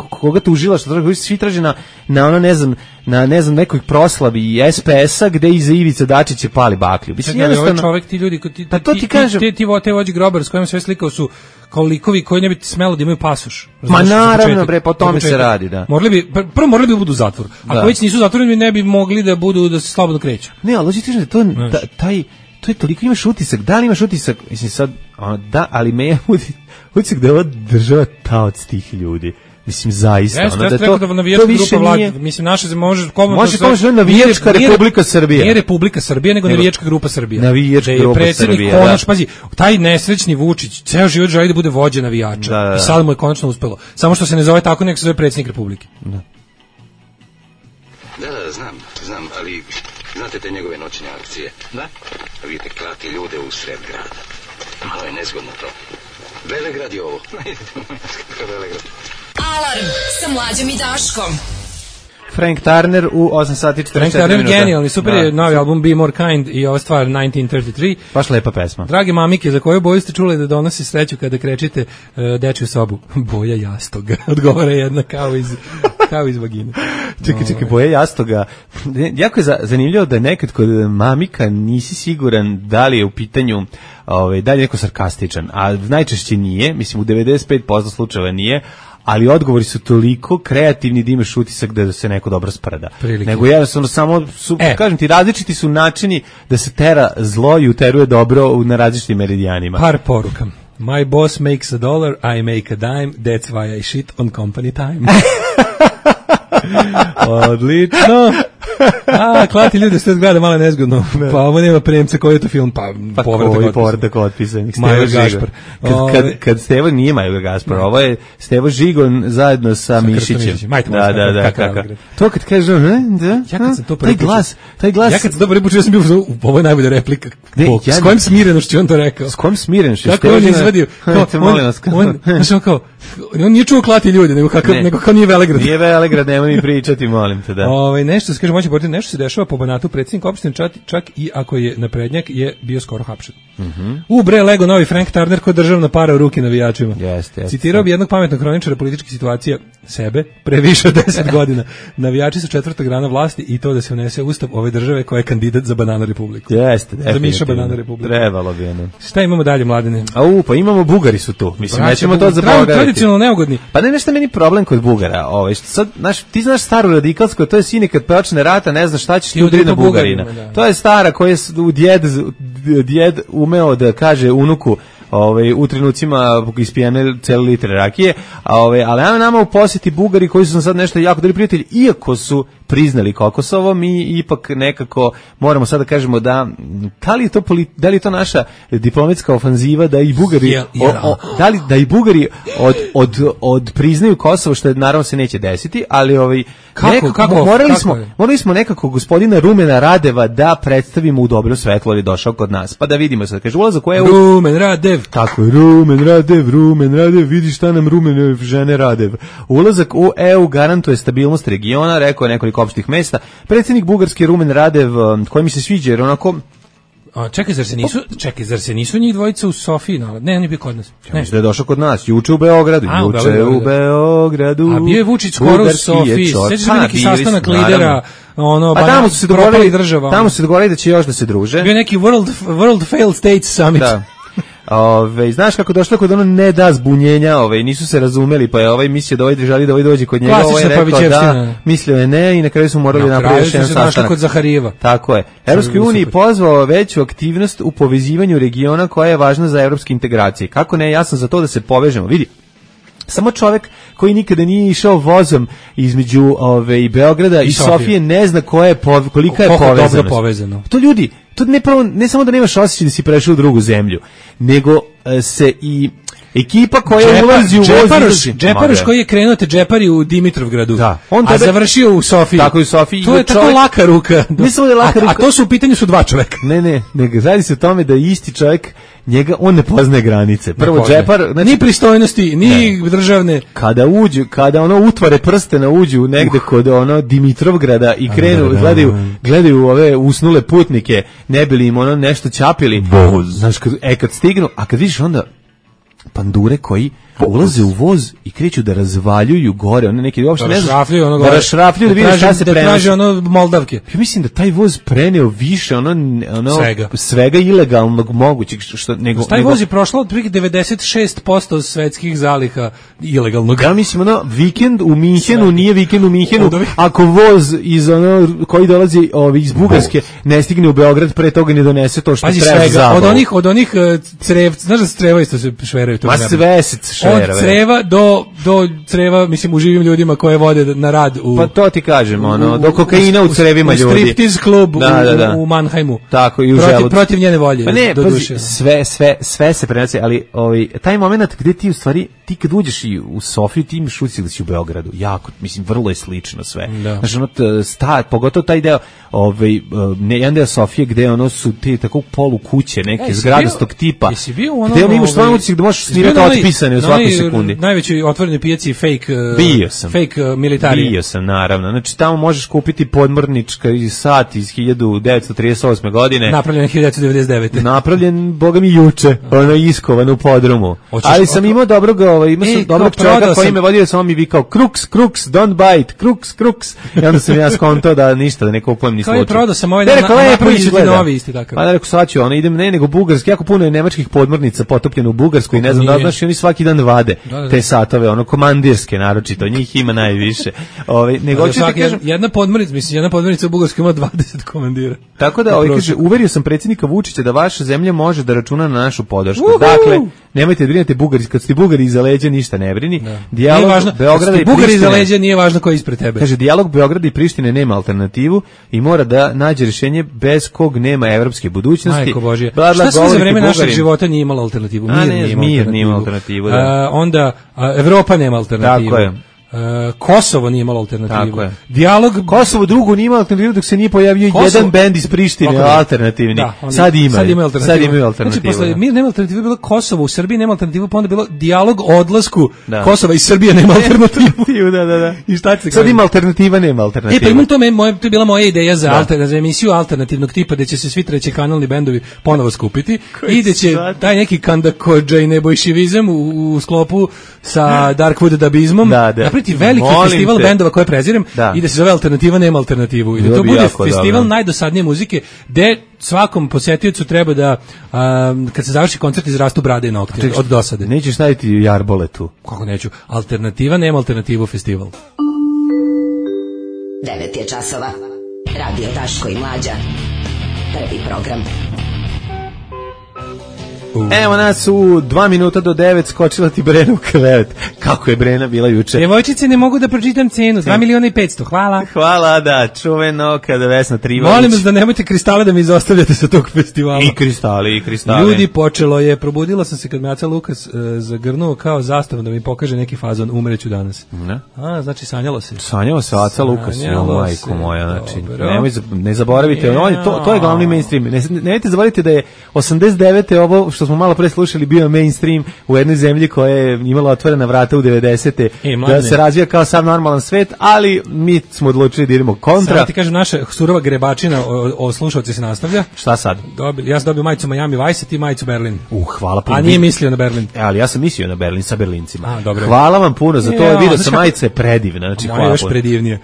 koga tužila, što traži, svi traže na na ono ne znam, na ne znam nekoj proslavi S P S-a gde iza Ivica Dačića pali baklju. Mislim jednostavno ovaj čovek, ti ljudi, ti, pa to ti, ti kažem, ti ti te vođe grobar s kojim sve slikao su kao likovi koji ne bi smelo da imaju pasoš. Ma naravno, bre, po tome se radi, da. Morali bi, prvo morali bi budu u zatvoru. Ako da. Već nisu zatvoreni, ne bi mogli da budu, da se slobodno kreću. Ne, ali hoćeš da to, da, taj, to je toliko, imaš utisak, da li imaš utisak, mislim sad, da, ali me je utisak da je ova država taoc tih ljudi. Mislim, zaista. Jeste, ono, da to, da to više grupa nije... Mislim, naša se može... Može kao što je navijačka Republika Srbija. Nije Republika Srbija, nego navijačka grupa Srbija. Navijačka grupa Srbija, konač, da. Pazi, taj nesrećni Vučić, ceo život želi da bude vođa navijača. Da, da. I sad mu je konačno uspelo. Samo što se ne zove tako, nek se zove predsjednik Republike. Da. Da, da, znam, znam, ali znate te njegove noćne akcije? Da. Vidite, klati ljude u sred grada. Malo je nezgodno to. Velegrad je ovo. Velegrad. Alarm sa Mlađom i Daškom. Frank Turner u osam sati četrdeset četiri Frank minuta. Turner genijalni, super je novi album Be More Kind i ova stvar devetnaest trideset tri. Baš lepa pesma. Drage mamike, za koju boju ste čuli da donosi sreću kada krečite uh, dečju sobu? Boja jastoga, odgovara jedna kao iz, kao iz vagine. Čekaj, čekaj, boja jastoga. Jako je zanimljivo da nekad kod mamika nisi siguran da li je u pitanju, ovaj, da li je neko sarkastičan, a najčešće nije, mislim u devedeset pet posto slučajeva nije, ali odgovori su toliko kreativni da imaš utisak da se neko dobro sprda. Prilike. Nego jednostavno samo su, e. kažem ti, različiti su načini da se tera zlo i uteruje dobro na različitim meridijanima. Par poruka. My boss makes a dollar, I make a dime, that's why I shit on company time. Odlično. A, klati ljudi sve gleda malo nezgodno. Ne. Pa ovo nema premca, koji je to film? Pa, pa povratak povratak otpisanih. Major Gašpar. Kad, kad, kad Stevo nije Major Gašpar, ovo je Stevo Žigon zajedno sa, sa Mišićem. Majte, da, da, da, kakav. To kad kaže, da, ja kad sam to taj glas, taj glas. Ja kad sam to prvi put čuo, sam bio, ovo je najbolja replika. Ne, ja s kojim smirenošću on to rekao? S kojim smirenošću? Kako on izvadio? On, on, kao, on nije čuo klati ljudi, nego kako, nego kao nije Velegrad. Nije Velegrad, nemoj mi pričati, molim te, da. Ovaj nešto se kaže, moći portir, nešto se dešava po Banatu, predsjednik opštine čak, čak i ako je naprednjak je bio skoro hapšen. Mhm. U bre Lego novi Frank Turner ko državna para u ruke navijačima. Jeste, jeste. Citirao bi jednog pametnog kroničara političkih situacija sebe pre više od deset godina. Navijači su četvrta grana vlasti i to da se unese ustav ove države koja je kandidat za Banana Republiku. Jeste, za Miša Banana Republiku. Trebalo bi ono. Šta imamo dalje, Mladene? A u, pa imamo Bugari su tu. Mislim, Braća, nećemo to zaboraviti. Tradicionalno neugodni. Pa ne, nešto meni problem kod Bugara. Ovaj, sad, znaš, ti znaš staru radikalsku, to je sine kad počne rata, ne znaš šta ćeš ti udri na Bugarina. Da. To je stara koja je u djed, djed umeo da kaže unuku, ovaj, u trenucima ispijene cijeli litre rakije, a ovaj, ali nama, nama u posjeti Bugari koji su sad nešto jako dobri prijatelji, iako su priznali Kokosovo, mi ipak nekako moramo sad da kažemo da da li je to, da li je to naša diplomatska ofanziva da i Bugari yeah, yeah. O, o, da li da i Bugari od, od, od priznaju Kosovo, što je, naravno se neće desiti, ali ovaj kako, nekako, kako, morali kako smo morali smo nekako gospodina Rumena Radeva da predstavimo u dobro svetlo, ali došao kod nas, pa da vidimo sad, kaže ulazak u E U. Rumen Radev, tako je, Rumen Radev, Rumen Radev, vidi šta nam Rumen žene Radev. Ulazak u E U garantuje stabilnost regiona, rekao je nekoliko opštih mesta. Predsjednik bugarski Rumen Radev, koji mi se sviđa, jer onako... A čekaj, zar se nisu, čekaj, zar se nisu njih dvojica u Sofiji? Ne, ne, on je bio kod nas. Ne, mislim da je došao kod nas, juče u Beogradu, A, juče u Beogradu. u Beogradu. A bio je Vučić skoro u Sofiji, sećaš se neki sastanak lidera, ono, pa tamo su se dogovorili država. Tamo su se dogovorili da će još da se druže. Bio neki World, World Failed States Summit. Da. Ove, znaš kako došlo kod ono ne da zbunjenja, ove, nisu se razumeli, pa je ovaj mislio da ovaj želi da ovaj dođe kod njega, ovaj je rekao da, mislio je ne i na kraju su morali napraviti još jedan sastanak. Kod Zaharijeva. Tako je. Evropskoj uniji pozvao veću aktivnost u povezivanju regiona koja je važna za evropske integracije. Kako ne, ja sam za to da se povežemo. Vidi, samo čovjek koji nikada nije išao vozom između ove, Beograda i, i Sofije ne zna koja je pov, kolika je povezanost. Povezano. To ljudi, to ne, pravo, ne samo da nemaš osjećaj da si prešao u drugu zemlju, nego e, se i Ekipa koja Džepa- ulazi u voz Džeparoš, izlazi. Džeparoš Ma, koji je krenuo te džepari u Dimitrovgradu, Da. On a tebe- završio u Sofiji. Tako je u Sofiji. To je Čovjek- tako laka ruka. Ne samo da je laka a, a ruka. to su u pitanju su dva čoveka. Ne, ne, nego radi se o tome da isti čovjek, njega, on ne poznaje granice. Prvo, Ne poznaje. džepar, znači, ni pristojnosti, ni državne. kada uđu, kada ono utvare prstena uđu negde kod ono Dimitrovgrada i krenu, gledaju, gledaju ove usnule putnike, ne bili im ono nešto ćapili. Znaš, kad, e, kad stignu, a kad vidiš onda pandure koji ulaze u voz i kreću da razvaljuju gore, one neki uopšte Da ne znam, rašrafljuju ono da gore. rašrafljuju, da vide traže- šta se da prenosi. traže ono Moldavke. Ja mislim da taj voz preneo više ono, ono Svega. svega ilegalnog mogućeg što, što nego Taj nego, voz je prošlo otprilike devedeset šest posto svetskih zaliha ilegalnog. ja mislim ono vikend u Minhenu nije vikend u Minhenu Od ovih- ako voz iz ono koji dolazi ovi iz Bugarske ne stigne u Beograd pre toga ne donese to što Pazi treba za svega, zabavu. od onih od onih uh, crev, znaš da creva isto se šveraju to. Ma sve se šveruje. Od creva do do creva, mislim u živim ljudima koje vode na rad u Pa to ti kažem, ono, do kokaina u crevima u ljudi. striptiz klub Da, u, da, da. u Mannheimu. Tako i u protiv, želucu. protiv njene volje. Pa ne, do pazi, duše. sve, sve, sve se prenosi, ali ovaj, taj moment gde ti u stvari, ti kad uđeš i u Sofiju, ti imaš ucik da si u Beogradu. Jako, mislim, vrlo je slično sve. Da. Znači, ono, t- sta, pogotovo taj deo, ovaj, ne, jedan deo Sofije gde ono su ti tako polu kuće, neke E, jesi zgradastog bio- tipa. jesi bio u onom, Gde ono imaš ovaj, stvarno ucik da možeš jesi snimati bio na onoj- otpisane u na svakoj onoj sekundi. Najvećoj otvorenoj pijaci fake uh, Bio sam. fake uh, militari. Bio sam, naravno. Znači, tamo možeš kupiti podmornička sat iz hiljadu devetsto trideset osme godine. Napravljen hiljadu devetsto devedeset devete. Napravljen, boga mi, juče, ono iskovan u podrumu. Hoćeš- Ali sam imao dobrog, ovaj, imao E, sam kao dobrog čovjeka prodao koji sam- me vodio, samo mi vikao, kruks, kruks, don't bite, kruks, kruks. I onda sam ja skontao da ništa, da ne kupujem ni Kao je slučaj. prodao sam ovaj Ne, dan, rekao, a lepo napravit ću ti izgleda. novi isti takav. Pa da, rekao, sad ću, ono, idem, ne, nego bugarski, jako puno je nemačkih podmornica potopljeno u Bugarskoj, ne znam da li nije. znaš, i oni svaki dan vade Da, da. te satove, ono, komandirske naročito, njih ima najviše. Ovaj, nego Ali hoću ti svaki- kažem, jedna podmornica, mislim, jedna podmornica u Bugarskoj ima dvadeset komandira. tako da, ovaj kaže, uverio sam predsjednika Vučića da vaša zemlja može da računa na našu podršku. Dakle, nemojte da brinete Bugari, kad ste Bugari iza leđa ništa ne brini. Nije Dijalog važno, Beograda kad i ti Bugari iza Prištine. leđa, nije važno ko je ispred tebe. Kaže, dijalog Beograda i Prištine nema alternativu i mora da nađe rješenje bez kog nema evropske budućnosti. Majko Božje. Bla, bla, Šta sve za govorite vreme našeg Bugarin. života nije imalo alternativu? A, Mir ne, nije imao mir nije alternativu. imao alternativu, da. A, onda, a, Evropa nema alternativu. Tako je. A, Kosovo nije imalo alternativu. Tako je. Dijalog Kosovo drugo nije imalo alternativu dok se nije pojavio Kosovo- jedan bend iz Prištine, Tako je. alternativni. Da, oni- sad imaju. Sad imaju alternativu. Sad imaju alternativu. Znači, posle da. mir nema alternativu, bilo Kosovo, u Srbiji nema alternativu, pa onda bilo dijalog o odlasku Da. Kosova i Srbije nema alternativu. da, da, da. I šta se Sad kaže? ima alternativa, nema E, alternativa. pa imam to, me, moje, to je bila moja ideja za, Da. alter, za emisiju alternativnog tipa, gde će se svi trećekanalni bendovi ponovo skupiti i gde će sad? taj neki kandakodža i nebojšivizam u, u sklopu sa Darkwood dabizmom Da, da. napraviti veliki Molim festival te. bendova koje prezirem Da. i da se zove Alternativa nema alternativu. I da Bilo to bi bude jako festival dobro. najdosadnije muzike gde svakom posjetiocu treba da um, kad se završi koncert izrastu brade i nokti od dosade. Nećeš staviti jarbole tu. Kako neću? Alternativa nema alternativu festival. devet je časova. Radio Daško i Mlađa. Prvi program. Evo nas u dva minuta do devet skočila ti Brena u krevet. Kako je Brena bila juče? Djevojčice, ne mogu da pročitam cenu. dva miliona i petsto, hvala. Hvala, da, čuveno kada Vesna Trivalić. Molim vas da nemojte kristale da mi izostavljate sa tog festivala. I kristali, i kristali. Ljudi, počelo je, probudila sam se kad me Aca Lukas uh, zagrnuo kao zastavu da mi pokaže neki fazon, umreću danas. Ne? A, znači sanjalo se. Sanjao se Aca Lukas, jo, Sanjalo majko se, moja, znači, dobro. nemoj, za- ne zaboravite, on je, to, to je glavni mainstream, ne, nemojte zaboraviti da je osamdeset devete ovo što smo malo pre slušali bio mainstream u jednoj zemlji koja je imala otvorena vrata u devedesete E, mladine. da se razvija kao sam normalan svet, ali mi smo odlučili da idemo kontra. Samo ti kažem, naša surova grebačina o, o slušalci se nastavlja. Šta sad? Dobili, ja sam dobio majicu Miami Vice, a ti majicu Berlin. Uh, hvala puno. A nije mislio na Berlin. E, ali ja sam mislio na Berlin sa Berlincima. A, dobro. Hvala vam puno za to, Ja, video znaš sam kako- majica je predivna, znači Moja je hvala još puno. predivnije.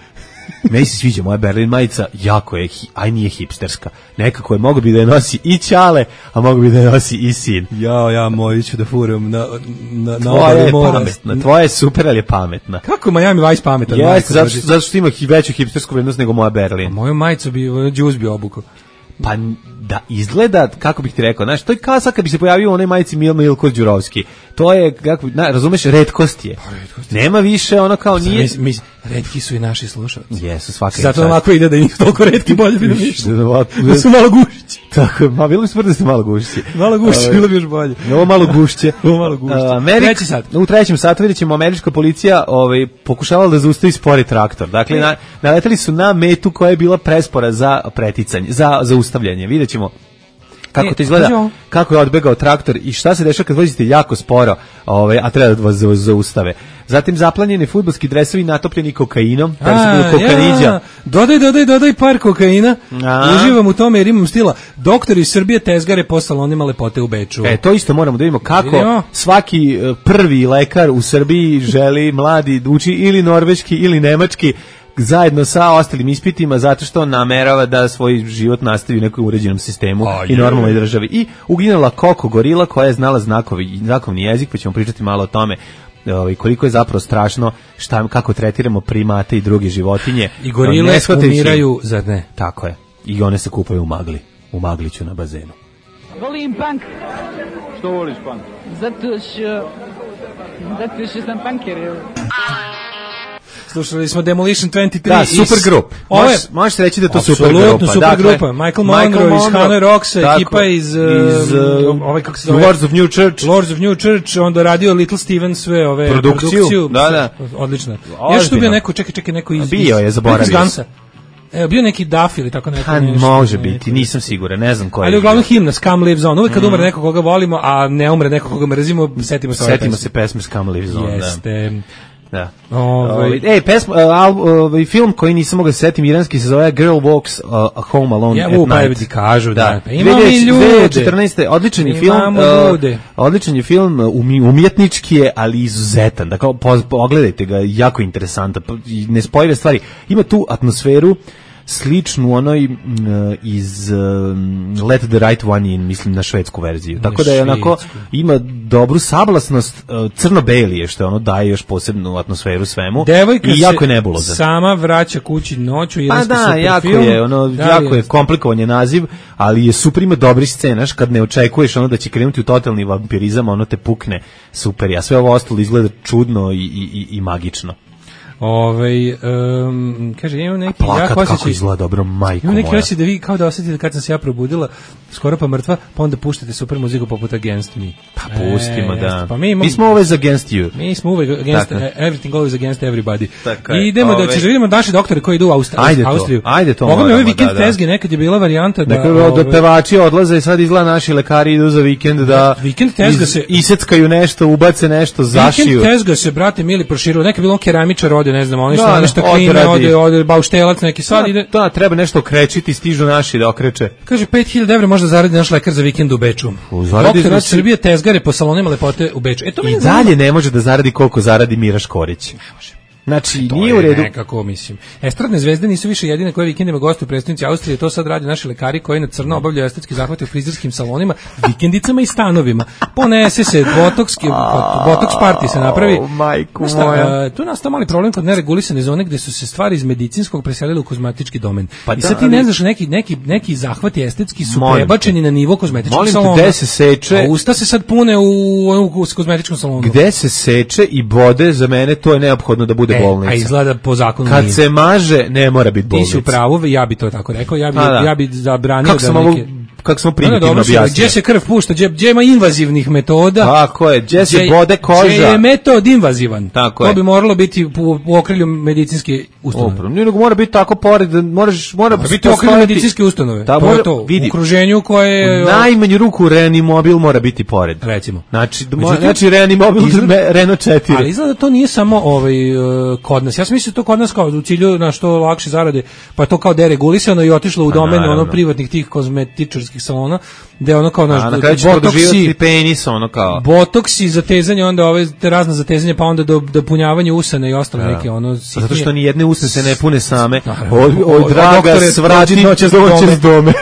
Meni se sviđa moja Berlin majica, jako je, hi- aj nije hipsterska. Nekako je, mogu bi da je nosi i Ćale, a mogu bi da je nosi i sin. Ja, ja, moju ću da furam na, na, na Tvoja obali je mora. pametna, tvoja je super, ali je pametna. Kako je Miami Vice pametan? Jeste, majko zato, Božja? što- zato što ima hi- veću hipstersku vrednost nego moja Berlin. Moju majicu bi, ono, džuz bi obukao. Pa n- da izgleda, kako bih ti rekao, znaš, to je kao sad kad bi se pojavio u onoj majici Mil Milko Đurovski. To je, kako, na, razumeš, retkost je. Nema više, ono kao nije... Mi, mi, retki su i naši slušalci. Jesu, svaka je. Zato ovako ide da njih toliko retki bolje bi da ništa. Da su malo gušići. Tako, ma bilo bi smrti da ste malo gušići. Malo gušići, bilo bi još bolje. Ovo malo gušće. Ovo malo gušće. Amerik, Treći sat. U trećem satu vidjet ćemo američka policija ovaj, pokušavala da zaustavi spori traktor. Dakle, na, naleteli su na metu koja je bila prespora za preticanje, za zaustavljanje. Vidjet ćemo kako to izgleda, kako je odbegao traktor i šta se dešava kad vozite jako sporo, ovaj, a treba da vas zaustave. Zatim zaplanjeni fudbalski dresovi natopljeni kokainom, da su bili kokaniđa. Ja, dodaj, dodaj, dodaj par kokaina. A. Uživam u tome jer imam stila. Doktori iz Srbije tezgare po salonima lepote u Beču. E, to isto moramo da vidimo kako Vidimo. svaki prvi lekar u Srbiji želi mladi da uči ili norveški ili nemački zajedno sa ostalim ispitima zato što namerava da svoj život nastavi u nekom uređenom sistemu oh, i normalnoj državi. I uginula Koko gorila koja je znala znakovi, znakovni jezik, pa ćemo pričati malo o tome ovaj, koliko je zapravo strašno šta, kako tretiramo primate i druge životinje. I gorile umiraju, zar ne? Tako je. I one se kupaju u magli. U magliću na bazenu. Volim punk. Što voliš punk? Zato što... Zato što sam punker. Slušali smo Demolition dvadeset tri. Da, super grup. Možeš, možeš reći da je to super grupa. Apsolutno super dakle, grupa. Michael Monroe, Michael Monroe iz Hanoi Rocks, ekipa iz, iz uh, ovaj, kako se zove? Lords of New Church. Lords of New Church, onda radio Little Steven sve ove produkciju. produkciju. Da, da. Odlično. Još tu bio neko, čekaj, čekaj, neko iz... Bio je, zaboravio se. Evo, bio neki Duff ili tako neko. Pa može biti, nisam siguran, ne znam ko je. Ali uglavnom himna Scum Lives On. Uvijek kad umre neko koga volimo, a ne umre neko koga mrzimo, setimo se ove Setimo se pesme Scum Lives On. Jeste. Da. Ovaj ej, pesma, ovaj film koji nisam mogao setim, iranski se zove Girl Walks uh, Home Alone ja, at Night. Ja, ti kažu, da. da. Imamo i ljude. dve hiljade četrnaeste. Odličan je film. Uh, odličan je film, umjetnički je, ali izuzetan. Dakle, pogledajte ga, jako interesantan. Nespojive stvari. Ima tu atmosferu sličnu onoj uh, iz uh, Let the Right One In, mislim na švedsku verziju. Na Tako da je onako, ima dobru sablasnost, uh, crno-beli je što je ono daje još posebnu atmosferu svemu. Devojka i jako je nebulozan. Sama vraća kući noću, pa da, super jako film. je, ono, da, jako je komplikovan je naziv, ali je super, ima dobri scenaš, kad ne očekuješ ono da će krenuti u totalni vampirizam, ono te pukne super, a sve ovo ostalo izgleda čudno i, i, i, i magično. Ovaj um, kaže imam neki plakat ja kako izgleda dobro, majko moja. Imam neki osjećaj da vi kao da osetite kad sam se ja probudila skoro pa mrtva, pa onda puštate super muziku poput Against Me. Pa pustimo, e, da. Pa mi, imam, mi smo always against you. Mi smo uvek against uh, everything, always against everybody. Tako I idemo ove. da ćeš vidimo naše doktore koji idu u Aust ajde Austriju. To, ajde to. Mogu mi ovaj vikend da, da. tezge, nekad je bila varijanta da... Dakle, ove. od pevači odlaze i sad izgleda naši lekari idu za vikend da vikend tezga se... iseckaju nešto, ubace nešto, zašiju. Vikend tezga se, brate, mili proširuju. Neka bilo keramičar ode, ne znam, oni što nešto kline, ode, ode bauštelac neki sad da, ide. Da, treba nešto okrećiti, stižu naši da okreće. Kaže pet hiljada evra možda zaradi naš lekar za vikend u Beču. Zaradi znači Srbije tezgare po salonima lepote u Beču. E to i dalje ne može da zaradi koliko zaradi Mira Škorić. Ne može. Znači, to nije u redu. Nekako, mislim. Estradne zvezde nisu više jedine koje vikendima gostuju u prestonici Austrije, to sad rade naši lekari koji na crno obavljaju estetski zahvate u frizerskim salonima, vikendicama i stanovima. Ponese se botoks, botoks party se napravi. Oh, majku šta, moja. Tu nastao mali problem kod neregulisane zone gde su se stvari iz medicinskog preselile u kozmetički domen. Pa I sad da, ti ne znaš, neki, neki, neki zahvati estetski su molim prebačeni te. na nivo kozmetičkog molim salona. Gde se seče? A usta se sad pune u, u, u kozmetičkom salonu. Gde se seče i bode, za mene to je neophodno da bude e, bolnica. A izgleda po zakonu kad nije. se maže ne mora biti bolnica. Ti si u pravu, ja bi to tako rekao, ja bi da. ja bi zabranio kako da neke ovo, kako smo primitivno objasnili. Gdje se krv pušta, gdje, gdje ima invazivnih metoda. Tako je, gdje se bode koža. Gdje je metod invazivan. Tako to je. bi moralo biti u, u okrilju medicinske ustanove. Opravo, nije nego mora biti tako pored, moraš, mora, mora biti u okrilju medicinske ustanove. Da, to mora, je to, vidi, u okruženju koje... U najmanju ruku Reanimobil mora biti pored. Recimo. Znači, Međutim, znači Reanimobil izgleda, Renault četiri. Ali izgleda da to nije samo ovaj, uh, kod nas. Ja sam mislio to kod nas kao u cilju na što lakše zarade, pa to kao deregulisano i otišlo u domen ono privatnih tih kozmetičarskih salona, gde ono kao naš botoksi, penis, ono kao botoksi, zatezanje, onda ove te razna zatezanje, pa onda do dopunjavanje usana i ostale neke ono sitnije. Zato što ni jedne usne se ne pune same. O, o, o draga, svrati noće s dome.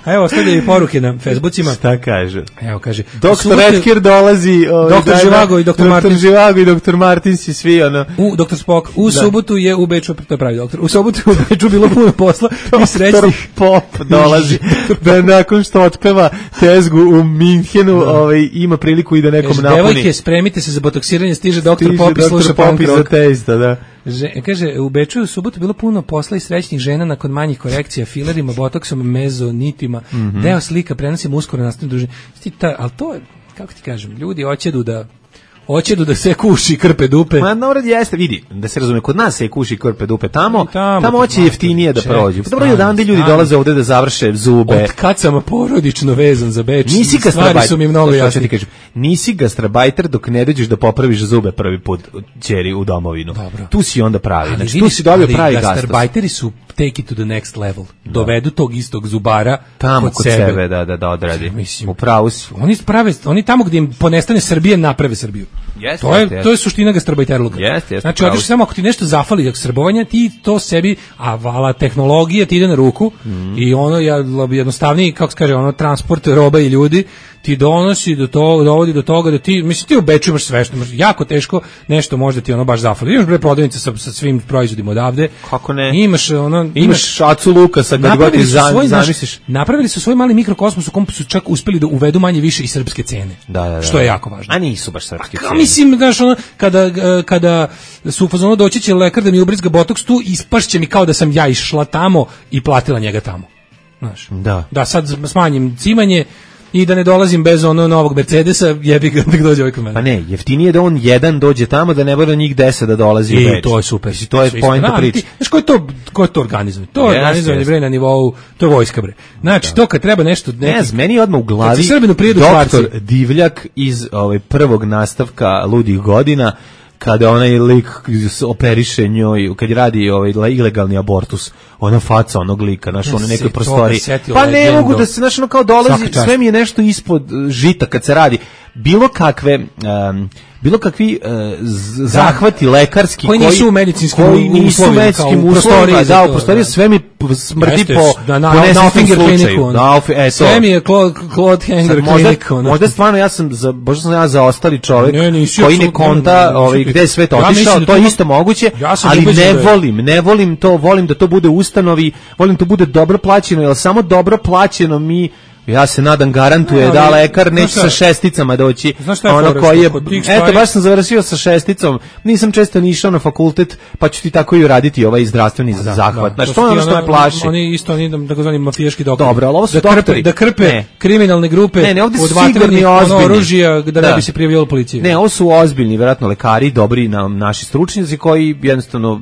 A evo, ostavljaju i poruke na Facebookima. Šta kaže? Evo, kaže. Doktor Edker dolazi. Ovaj, doktor Živago i doktor Martin. Doktor Živago i doktor Martin si svi, ono. U, doktor Spock. U da. subotu je u Beču, to je pravi doktor. U subotu je u Beču bilo puno posla i srećnih. Pop dolazi da nakon što otpeva tezgu u Minhenu, da. ovaj, ima priliku i da nekom kaže, napuni. Devojke, spremite se za botoksiranje, stiže doktor Stiže Pop i sluša punk rock. za testa, da. Že, kaže, u Beču u subotu bilo puno posla i srećnih žena nakon manjih korekcija, filerima, botoksom, mezonitima. Mm-hmm. Deo slika prenosim uskoro nastavim družine. Ali to je, kako ti kažem, ljudi hoćedu da hoćedu da se kuši krpe dupe. Ma naravno jeste, vidi, da se razume, kod nas se kuši krpe dupe, tamo, tamo, tamo hoće jeftinije da prođu. Dobro je odande ljudi dolaze ovde da završe zube. Od kad sam porodično vezan za Beč, nisi stvari su mi mnogo jasnije. Nisi gastrobajter dok ne dođeš da popraviš zube prvi put ćeri u domovinu. Dobro. Tu si onda pravi, ali znači tu si dobio pravi gastos. Gastrobajteri su take it to the next level. Da. Dovedu tog istog zubara tamo kod, kod sebe, sebe da, da, da odradi. Mislim, u pravu si. Oni, prave, oni tamo gdje im ponestane Srbije, naprave Srbiju. Yes, to, je, yes. to je suština gastrobajterluka. Yes, yes, znači, hoćeš samo ako ti nešto zafali od srbovanja, ti to sebi, a vala tehnologija ti ide na ruku mm. i ono jednostavniji, kako se kaže, ono transport roba i ljudi ti donosi do toga, dovodi do toga da ti, mislim, ti u Beču imaš sve što, jako teško nešto možda ti ono baš zafali. Imaš bre prodavnice sa, sa svim proizvodima odavde. Kako ne? Imaš ono, imaš šacu luka sa kad god zamisliš. Napravili su svoj mali mikrokosmos u kom su čak uspeli da uvedu manje više i srpske cene. Da, da, da. Što je jako važno. A nisu baš srpske cene. A mislim, znaš, ono, kada, kada su u fazonu doći će lekar da mi ubrizga botoks tu, ispašće mi kao da sam ja išla tamo i platila njega tamo. Znaš. Da. Da sad smanjim cimanje i da ne dolazim bez ono novog Mercedesa, jebi ga da dođe ovaj kod mene. Pa ne, jeftinije da on jedan dođe tamo, da ne bude njih deset da dolazi u Beč. I to je super. Mislim, to je poenta priče. Znaš, ko je to, ko je to organizuje? To je yes, organizovanje, yes. bre, na nivou, to je vojska, bre. Znači, da. to kad treba nešto... Neki, ne znam, meni je odmah u glavi doktor Divljak iz ovaj, prvog nastavka Ludih godina, kada onaj lik operiše njoj, kad radi ovaj ilegalni abortus, ona faca onog lika, znaš, ono nekoj prostoriji. Pa ne mogu da se, znaš, ono kao dolazi, sve mi je nešto ispod žita kad se radi. Bilo kakve... Um, bilo kakvi uh, zahvati lekarski koji nisu u medicinskim koji nisu u medicinskim uslovima, da, u prostoriji sve mi smrdi po da, na, na, na Finger kliniku. Da, e, sve mi je Claude Hanger kliniku. Možda stvarno ja sam, za, možda sam ja zaostali čovjek ne, nisi, koji ne konta ovaj, gde je svet otišao, to je isto moguće, ali ne volim, ne volim to, volim da to bude u ustanovi, volim da to bude dobro plaćeno, jer samo dobro plaćeno mi ja se nadam garantuje no, da lekar neće sa šesticama doći. Ono koji je, eto baš sam završio sa šesticom, nisam često ni išao na fakultet, pa ću ti tako i uraditi ovaj zdravstveni da, zahvat. Da, znači to je ono što me plaši. Oni isto oni takozvani mafijaški doktori. Dobro, ali ovo su da doktori. Krpe, da krpe ne. kriminalne grupe ne, ne, ovdje od vatrenih oružja da, da ne bi se prijavljalo policiji. Ne, ovo su ozbiljni, verovatno lekari, dobri na, naši stručnjaci koji jednostavno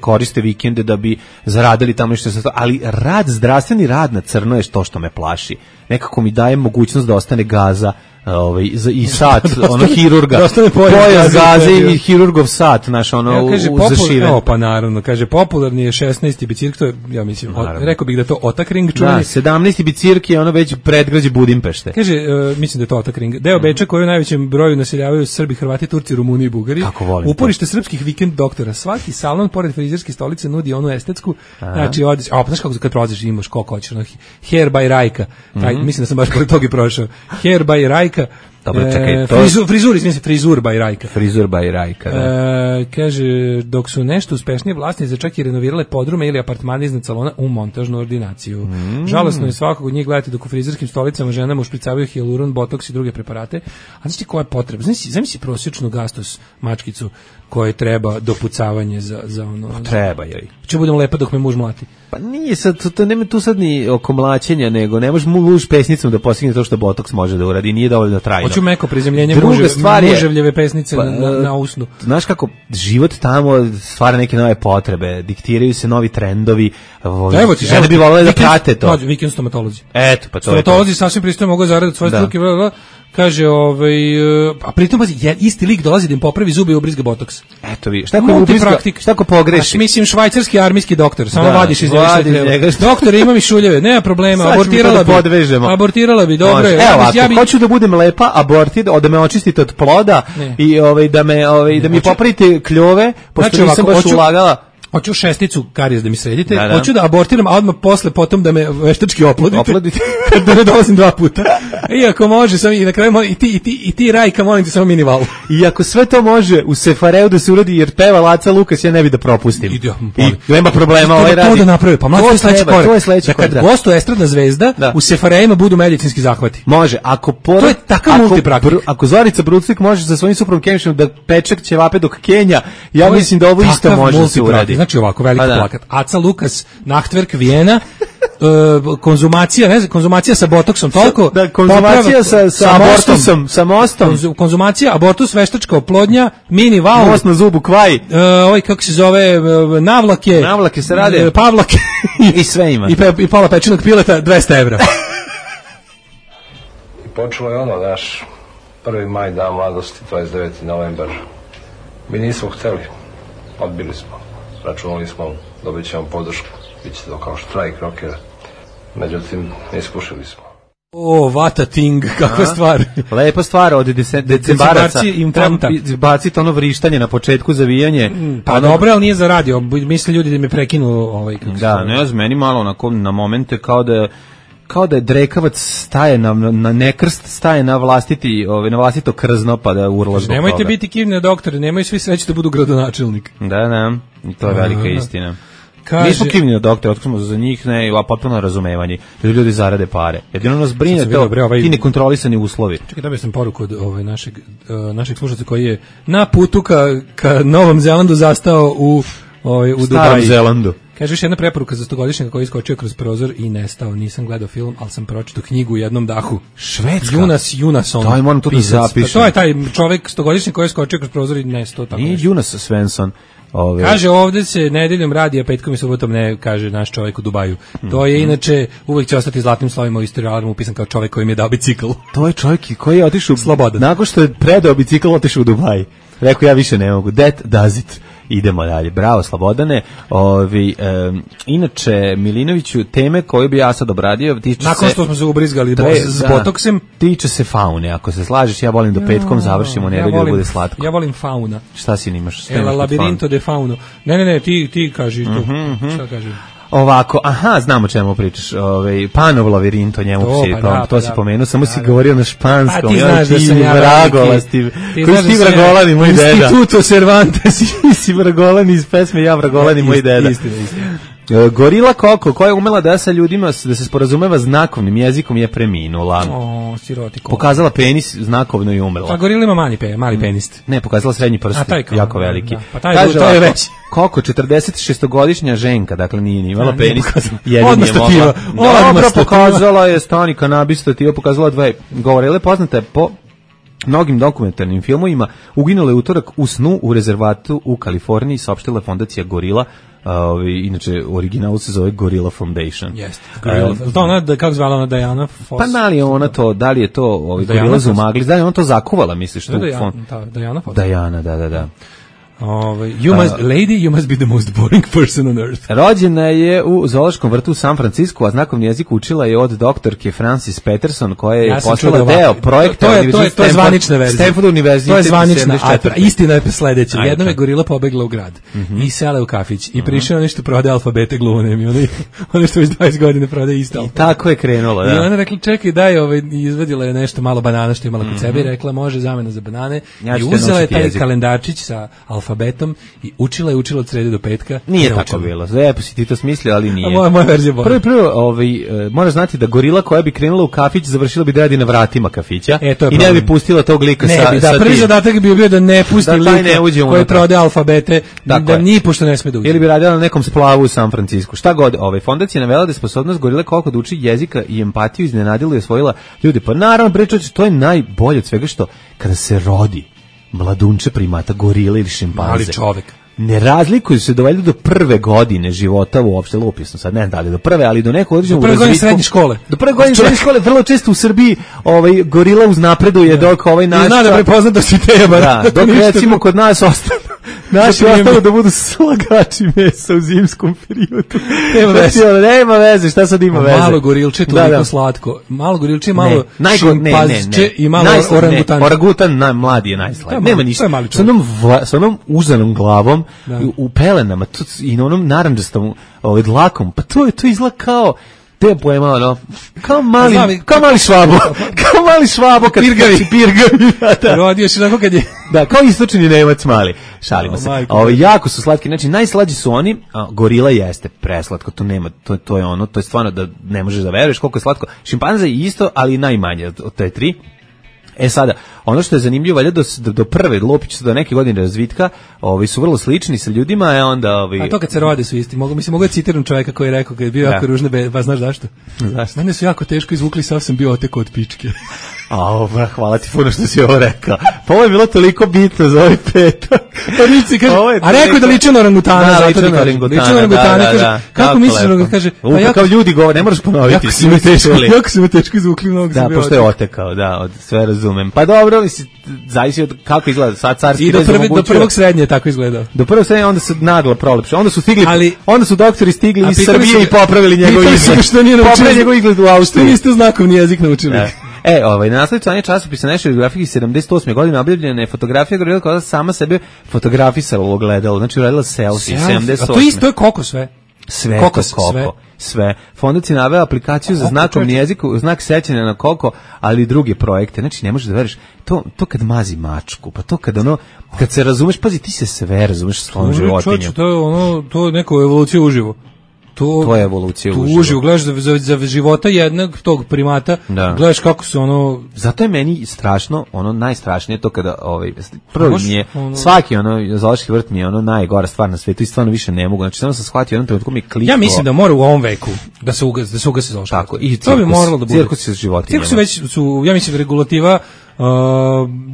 koriste vikende da bi zaradili tamo nešto, ali rad, zdravstveni rad na crno je to što me plaši. Nekako mi daje mogućnost da ostane gaza ovaj i sat ono hirurga pojas gaze i hirurgov sat naš ono ja, kaže, u zašiven. O, pa naravno, kaže popularni je šesnaesti bicikl, to je, ja mislim, od, rekao bih da to Otakring čuveni. Da, sedamnaesti bicikl je ono već predgrađe Budimpešte. Kaže, uh, mislim da je to Otakring. Deo Beča koji u najvećem broju naseljavaju Srbi, Hrvati, Turci, Rumuni i Bugari. Uporište to. Srpskih vikend doktora. Svaki salon pored frizerske stolice nudi onu estetsku. Aha. Znači, odeš, a pa znaš kako kad prolaziš imaš koliko hoćeš, ono, hair by Rajka. Taj, mm-hmm. Mislim da sam baš pored toga i prošao. Hair by Rajka. Dobro, čekaj, to... Frizur, frizur, izmijem frizur by Rajka. Frizur by Rajka, da. E, kaže, dok su nešto uspešnije vlasnice čak i renovirale podrume ili apartmane iznad salona u montažnu ordinaciju. Mm. Žalosno je svakog od njih gledati dok u frizerskim stolicama ženama ušpricavaju hijaluron, botoks i druge preparate. A znaš ti koja je potreba? Znaš si, znaš si prosječnu gastos mačkicu koje treba dopucavanje za, za ono... Pa treba joj. Ću budem lepa dok me muž mlati. Pa nije sad, to nema tu sad ni oko mlaćenja, nego ne može muž pesnicom da postigne to što botoks može da uradi, nije dovoljno trajno. Hoću meko prizemljenje muže, muževljeve pesnice pa, na, na usnu. Znaš kako, život tamo stvara neke nove potrebe, diktiraju se novi trendovi, evo ti, žene bi volele da prate to. Vikend stomatolozi. Eto, pa to stomatolozi sasvim pristojno mogu zaraditi svoje struke, bla, bla, kaže, ovaj, a pritom je isti lik dolazi da im popravi zube i ubrizga botoks. Eto vi, šta ko ubrizga, šta ko pogreši? A, mislim, švajcarski armijski doktor, samo da, vadiš iz njega. Doktor, ima mi šuljeve, nema problema, abortirala bi. Podvežemo. Abortirala bi, dobro je. Evo, ako ja bi... hoću da budem lepa, abortir, da me očistite od ploda ne. i ovaj, da, me, ovaj, da mi popravite kljove, pošto znači, nisam baš hoću, ulagala. Hoću šesticu karijes da mi sredite, da, da. hoću da abortiram, a odmah posle potom da me veštački oplodite. Oplodite. Da ne dolazim dva puta. I ako može, sam i na kraju i ti i ti i ti Rajka, molim te samo mini val. I ako sve to može u Sefareu da se uradi jer peva Laca Lukas, ja ne bi da propustim. Ide, I nema problema, ovaj to radi. Da napravi, pa mlađe sledeći korak. To je sledeći korak. Da korak. kad gostuje estradna zvezda, da. U Sefareima budu medicinski zahvati. Može, ako por... to je takav multipraktik. Ako, ako Zorica Bruclik može sa svojim suprom Kemišom da pečak ćevape dok Kenja, ja mislim da ovo isto može da se uradi. Znači ovako veliki da. Plakat. Aca Lukas, Nachtwerk Vijena, uh, konzumacija, ne znam, konzumacija sa botoksom, toliko. Da, konzumacija sa, sa, sa abortusom, sa mostom. Konzu, konzumacija, abortus, veštačka oplodnja, mini val. Most na zubu, kvaj. Uh, ovaj, kako se zove, uh, navlake. Navlake se rade. Uh, pavlake. I sve ima. I, pe, i pola pečenog pileta, dvesta evra. I počelo je ono, naš prvi maj, dan mladosti, dvadeset deveti novembar. Mi nismo hteli, odbili smo. Računali smo, dobit ćemo podršku, bit će to kao štrajk rokera. Međutim, iskušili smo. O, vata ting, kakva A, stvar. Lepa stvar od decembaraca. Implanta. Baciti ono vrištanje na početku, zavijanje. Pa ono... dobro, ali nije za radio. Misle ljudi da me prekinu ovaj, kako da, ne znam, meni malo onako na momente kao da kao da je drekavac staje na, na nekrst, staje na vlastiti, ovaj, na vlastito krzno pa da urla zbog nemojte toga. biti kivne doktore, nemoj svi sreći da budu gradonačelnik. Da, da, to je velika A, istina. Kaže, nismo kivni na doktore, otkrimo za njih ne, a potpuno razumevanje, da ljudi zarade pare. Jedino nas brine to, vidio, bre, ovaj, ti nekontrolisani uslovi. Čekaj, dobio sam poruku od ovaj, našeg, uh, našeg slušalca koji je na putu ka, ka Novom Zelandu zastao u, ovaj, u Starom Dubaji. Zelandu. Kaže još jedna preporuka za stogodišnjaka koji iskočio kroz prozor i nestao. Nisam gledao film, ali sam pročitao knjigu u jednom dahu. Švedska? Junas Junason. Daj, moram to da zapišem. To je taj čovjek stogodišnjak koji je iskočio kroz prozor i nestao. Tako nije Junas Svensson. Ove. Kaže ovde se nedeljom radi, a petkom i subotom ne, kaže naš čovjek u Dubaju. To je inače, uvek će ostati zlatnim slovima u istoriji alarmu upisan kao čovjek koji mi je dao bicikl. To je čovjek koji je otišao slobodan. Nakon što je predao bicikl, otišao u Dubaj. Rekao ja više ne mogu. That does it. Idemo dalje. Bravo, Slobodane. Ovi, um, inače, Milinoviću, teme koje bi ja sad obradio, tiče nakon se... što smo se ubrizgali tre, s da, botoksem. Tiče se faune. Ako se slažeš, ja volim do petkom završimo nedelju ja da bude slatko. Ja volim fauna. Šta si nimaš? El labirinto de fauno. Ne, ne, ne, ti, ti kaži to. Mm-hmm, mm-hmm. Šta kaži? Ovako, aha, znamo čemu pričaš, ovaj Panov labirinto, njemu to, si, pa, da, to pa, si da, pomenuo, samo da, si da. govorio na španskom, a ti znaš da sam ja vragolasti, koji si ti vragolani, moj deda. Instituto Cervantes, si vragolani iz pesme Ja vragolani, moj deda. Istina, istina. Gorila Koko, koja je umela da sa ljudima da se sporazumeva znakovnim jezikom, je preminula. O, siroti Koko. Pokazala penis znakovno i umrla. Pa gorila ima mali, pe, mali penis. Ne, pokazala srednji prst, jako veliki. Da, pa taj, Kaže, to je već. Koko, četrdeset šestogodišnja ženka, dakle nije ni imala penis. Odmah stativa. Dobro, pokazala je stani kanabis stativa, pokazala dve. Gorila poznata je po mnogim dokumentarnim filmovima. Uginula je utorak u snu u rezervatu u Kaliforniji, saopštila fondacija Gorila. Ovi, inače, original se zove Gorilla Foundation. Jeste. Uh, to ona, da, kako zvala ona, Diana Foss? Pa da li je ona to, da li je to ovi, Gorilla Zumagli, da li je ona to zakuvala, misliš? Da, Diana, da, Diana Foss. Diana, da, da, da. Ove, you must, uh, lady, you must be the most boring person on earth. Rođena je u zoološkom vrtu u San Francisku, a znakovni jezik učila je od doktorke Francis Peterson, koja je ja postala deo projekta. To, to, je, to, je, to je zvanična verzija. Stanford univerzitet. To je zvanična, a istina je sledeća. Jednom je gorila pobegla u grad mm -hmm. i sela u kafić i prišao nešto prodaje alfabete glunem i oni, oni što već dvadeset godina prodaje isto. I tako je krenulo, da. I ona rekla, čekaj, daj, ovaj, izvadila je nešto malo banana što je imala kod mm -hmm. sebe i rekla, može zamena za banane. Ja I uzela je taj jezik. Kalendarčić sa alfabetom i učila je učila od srede do petka. Nije tako učila. Bilo. Lepo si ti to smislio, ali nije. A moja, moja verzija bolja. Prvo, prvo, ovaj, uh, moraš znati da gorila koja bi krenula u kafić završila bi da radi na vratima kafića e, i ne bi pustila tog lika ne sa, bi, da, sa prvi zadatak bi bio da ne pusti da, lika koji prodaje alfabete, dakle, da ni pošto ne sme da uđe. Ili bi radila na nekom splavu u San Francisku. Šta god, ovaj, fondacija navela da je sposobnost gorile koliko da uči jezika i empatiju iznenadila i osvojila ljudi. Pa naravno, pričač, to je najbolje od svega što kada se rodi mladunče primata gorile ili šimpanze. Mali čovek. Ne razlikuju se dovoljno do prve godine života uopšte, lupisno sad, ne da li do prve, ali do nekog određenog razvitka. Do prve godine srednje škole. Do prve godine srednje škole, vrlo često u Srbiji ovaj, gorila uznapreduje dok ovaj naš... I zna da prepozna da si treba. Da, dok recimo kod nas ostane, Naši ostalo da budu slagači mesa u zimskom periodu. Nema veze. Znači, nema veze, šta sad ima veze? Malo gorilče, toliko da, da. slatko. Malo gorilče, malo ne, šimpanzče i malo Najsla, orangutan. Ne, orangutan na, mladi je najslađi. Nema ništa. Sa onom, vla, sa onom uzanom glavom, da. u, u pelenama tu, i na onom naranđastom ovaj, dlakom, pa to je to izgleda kao te pojema, ono, kao mali, Znam, kao mali švabo, kao mali švabo, kad pirgavi, pirgavi, da. Rodio si onako kad je... Da, kao istočni Nemac mali, šalimo se. Ovi jako su slatki, znači najslađi su oni, a gorila jeste preslatko, to nema, to, to je ono, to je stvarno da ne možeš da veruješ koliko je slatko. Šimpanza je isto, ali najmanje od te tri. E sada, ono što je zanimljivo, valjda do, do, do prve lopiće do neke godine razvitka, ovi su vrlo slični sa ljudima, a onda ovi... A to kad se rode su isti. Mogu, mislim, mogu da citiram čovjeka koji je rekao kad je bio da. jako ružne, be, pa znaš zašto? Zašto? Mene su jako teško izvukli, sav sam bio otekao od pičke. A, ovo, hvala ti puno što si ovo rekao. Pa ovo je bilo toliko bitno za ovaj petak. Pa Rici kaže, a rekao da liči na orangutana, da, zato liči ti na kaže. Liči na orangutana, kaže, da, kako misliš da kaže? Pa jako, kao ljudi govore, ne moraš ponoviti. Jako su me teško, jako su me teško izvukli mnogo. Da, pošto je otekao, da, od, sve razumem. Pa dobro, misli, zavisi od kako izgleda sad carski. I do, prvi, do prvog srednje je tako izgledao. Do prvog srednje onda su naglo prolepše. Onda su stigli, ali, onda su doktori stigli iz Srbije i popravili njegov izgled. Popravili njegov izgled u Austriji. Što niste znakovni jezik naučili? E, ovaj, na naslovu članja časopisa National Geographic sedamdeset osme godine objavljena je fotografija gorila koja sama sebe fotografisala u ogledalu. Znači, uradila selfie, sedamdeset osme. A to isto je koko sve. Sve koko, to koko. Sve. sve. Fondac je naveo aplikaciju za znakovni jezik, znak sećanja na koko, ali i druge projekte. Znači, ne možeš da veriš, to, to kad mazi mačku, pa to kad ono, kad se razumeš, pazi, ti se sve razumeš sa svojom životinjom. To je ono, to je neko evolucija uživo. To, to je evolucija uživo. Tu uživo, gledaš za, za, za života jednog tog primata, da. Gledaš kako se ono... Zato je meni strašno, ono najstrašnije to kada, ovaj, prvo mi je, ono... svaki ono, zoološki vrt mi je ono najgora stvar na svetu i stvarno više ne mogu, znači samo sam shvatio jednom trenutku mi kliklo... Ja mislim da mora u ovom veku da se ugasi, da se ugasi zoološki vrt. Tako, i to bi moralo da bude. Cirkus sa životinjama. Cirkus već su, ja mislim, regulativa Uh,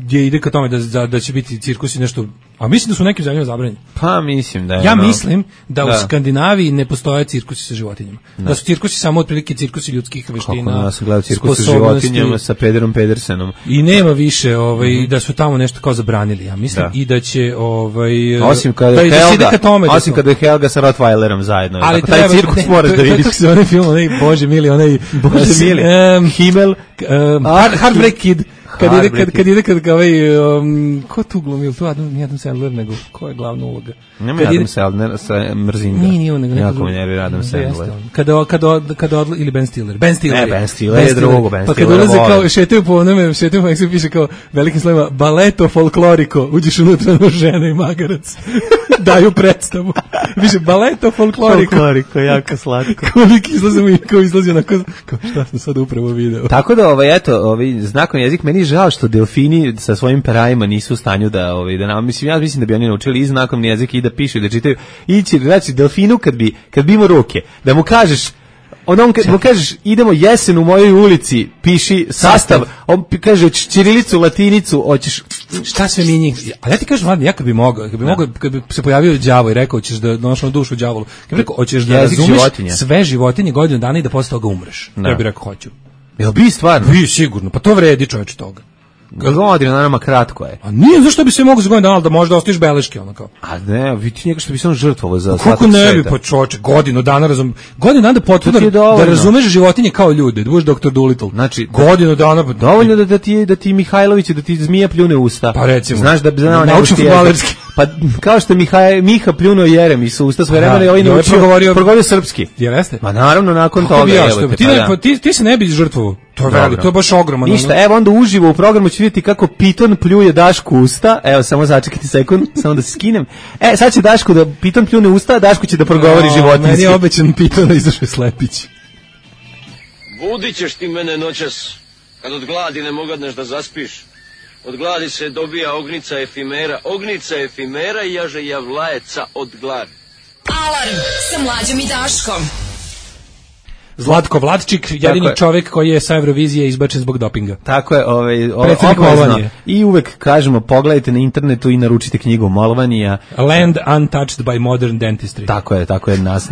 gdje ide ka tome da, da, da će biti cirkusi nešto, a mislim da su nekim zemljama zabranjeni. Pa mislim da je. Ja ono... mislim da, da u Skandinaviji ne postoje cirkusi sa životinjama. Da, da su cirkusi samo otprilike cirkusi ljudskih veština. Kako nas gledaju cirkus sa životinjama sa Pederom Pedersenom. I nema više, ovaj, mm-hmm. da su tamo nešto kao zabranili, ja mislim, da. I da će ovaj osim kada da, je Helga, da tome, osim kada je Helga sa Rottweilerom zajedno. Ali tako, taj cirkus ne, moraš to, da vidiš. To se onaj film, onaj Bože mili, onaj Bože mili. Um, Himmel, um, Hard, Heartbreak Kid. Kad ide, kad, kad ide, kad ovaj, um, ko tu glumil, tu Adam, nije Adam Sandler, nego, ko je glavna uloga? Nema Adam ide, Sandler, sa mrzim ga. Nije, nije on, nego. Jako me nervira Adam Sandler. Kada, kada, kada odla, ili Ben Stiller. Ben Stiller. Ne, Ben Stiller je drugo, Ben Stiller. Pa kad ulaze kao, šetaju po onome, šetaju po onome, piše kao, velikim slovima, baleto folkloriko, uđeš unutra na žena i magarac. Daju predstavu. Više, baleto folkloriko. Folkloriko, jako slatko. Koliko izlazimo i kao izlazi onako, kao šta sam sad upravo video. Tako da, ovaj, eto, ovaj, znakovni jezik, meni je žao što delfini sa svojim perajima nisu u stanju da, ovaj, da nam, mislim, ja mislim da bi oni naučili i znakovni jezik i da pišu i da čitaju. Ići, znači, delfinu kad bi, kad bi imao ruke, da mu kažeš, onom kad mu kažeš idemo jesen u mojoj ulici, piši sastav, on kaže hoćeš ćirilicu, latinicu, hoćeš šta sve mi njih. A ja ti kažem, mladine, ja kad bi mogao, kad bi mogao, kad bi se pojavio đavo i rekao hoćeš da donoš na dušu đavolu, kad bi rekao hoćeš da razumeš životinje. Sve životinje godinu dana i da posle toga umreš. Da. Ja bih rekao hoću. Jel bi stvarno? Bi sigurno, pa to vredi čoveče toga. Godina dana kratko je. A nije, zašto bi se mogao za godinu dana, da možda ostaviš beleške, ono kao. A ne, vidi njega što bi se on žrtvovao za svatak sveta. Kako ne bi, pa čoče, godinu dana razum, godinu dana da potvrda da razumeš životinje kao ljude, da budeš doktor Dolittle. Znači, godinu dana, pa dovoljno da, da ti da ti Mihajlović, da ti zmija pljune usta. Pa recimo. Znaš da bi znao naučio fudbalerski. Pa kao što Mihaj Miha pljunuo Jeremić u usta svoje vremena, ovaj naučio progovorio, progovorio srpski. Jeste? Ma naravno nakon toga, evo te. Ti pa ti ti se ne bi žrtvovao. To je veliko, to je baš ogromno. Ništa, evo onda uživo u programu ću vidjeti kako piton pljuje Dašku usta. Evo, samo začekajte sekund, samo da se skinem. E, sad će Dašku da piton pljune usta, a Dašku će da progovori no, životinjski. Meni je obećan piton da izašao Slepić. Budit ćeš ti mene noćas, kad od gladi ne mogadneš da zaspiš. Od gladi se dobija ognica efimera, ognica efimera i jaže javlajeca od gladi. Alarm sa Mlađom i Daškom. Zlatko Vlatčik, jedini je. čovjek koji je sa Eurovizije izbačen zbog dopinga. Tako je, ovaj, Predsednik obavezno. Molvanije. I uvek kažemo, pogledajte na internetu i naručite knjigu Molvanija. Land untouched by modern dentistry. Tako je, tako je nas,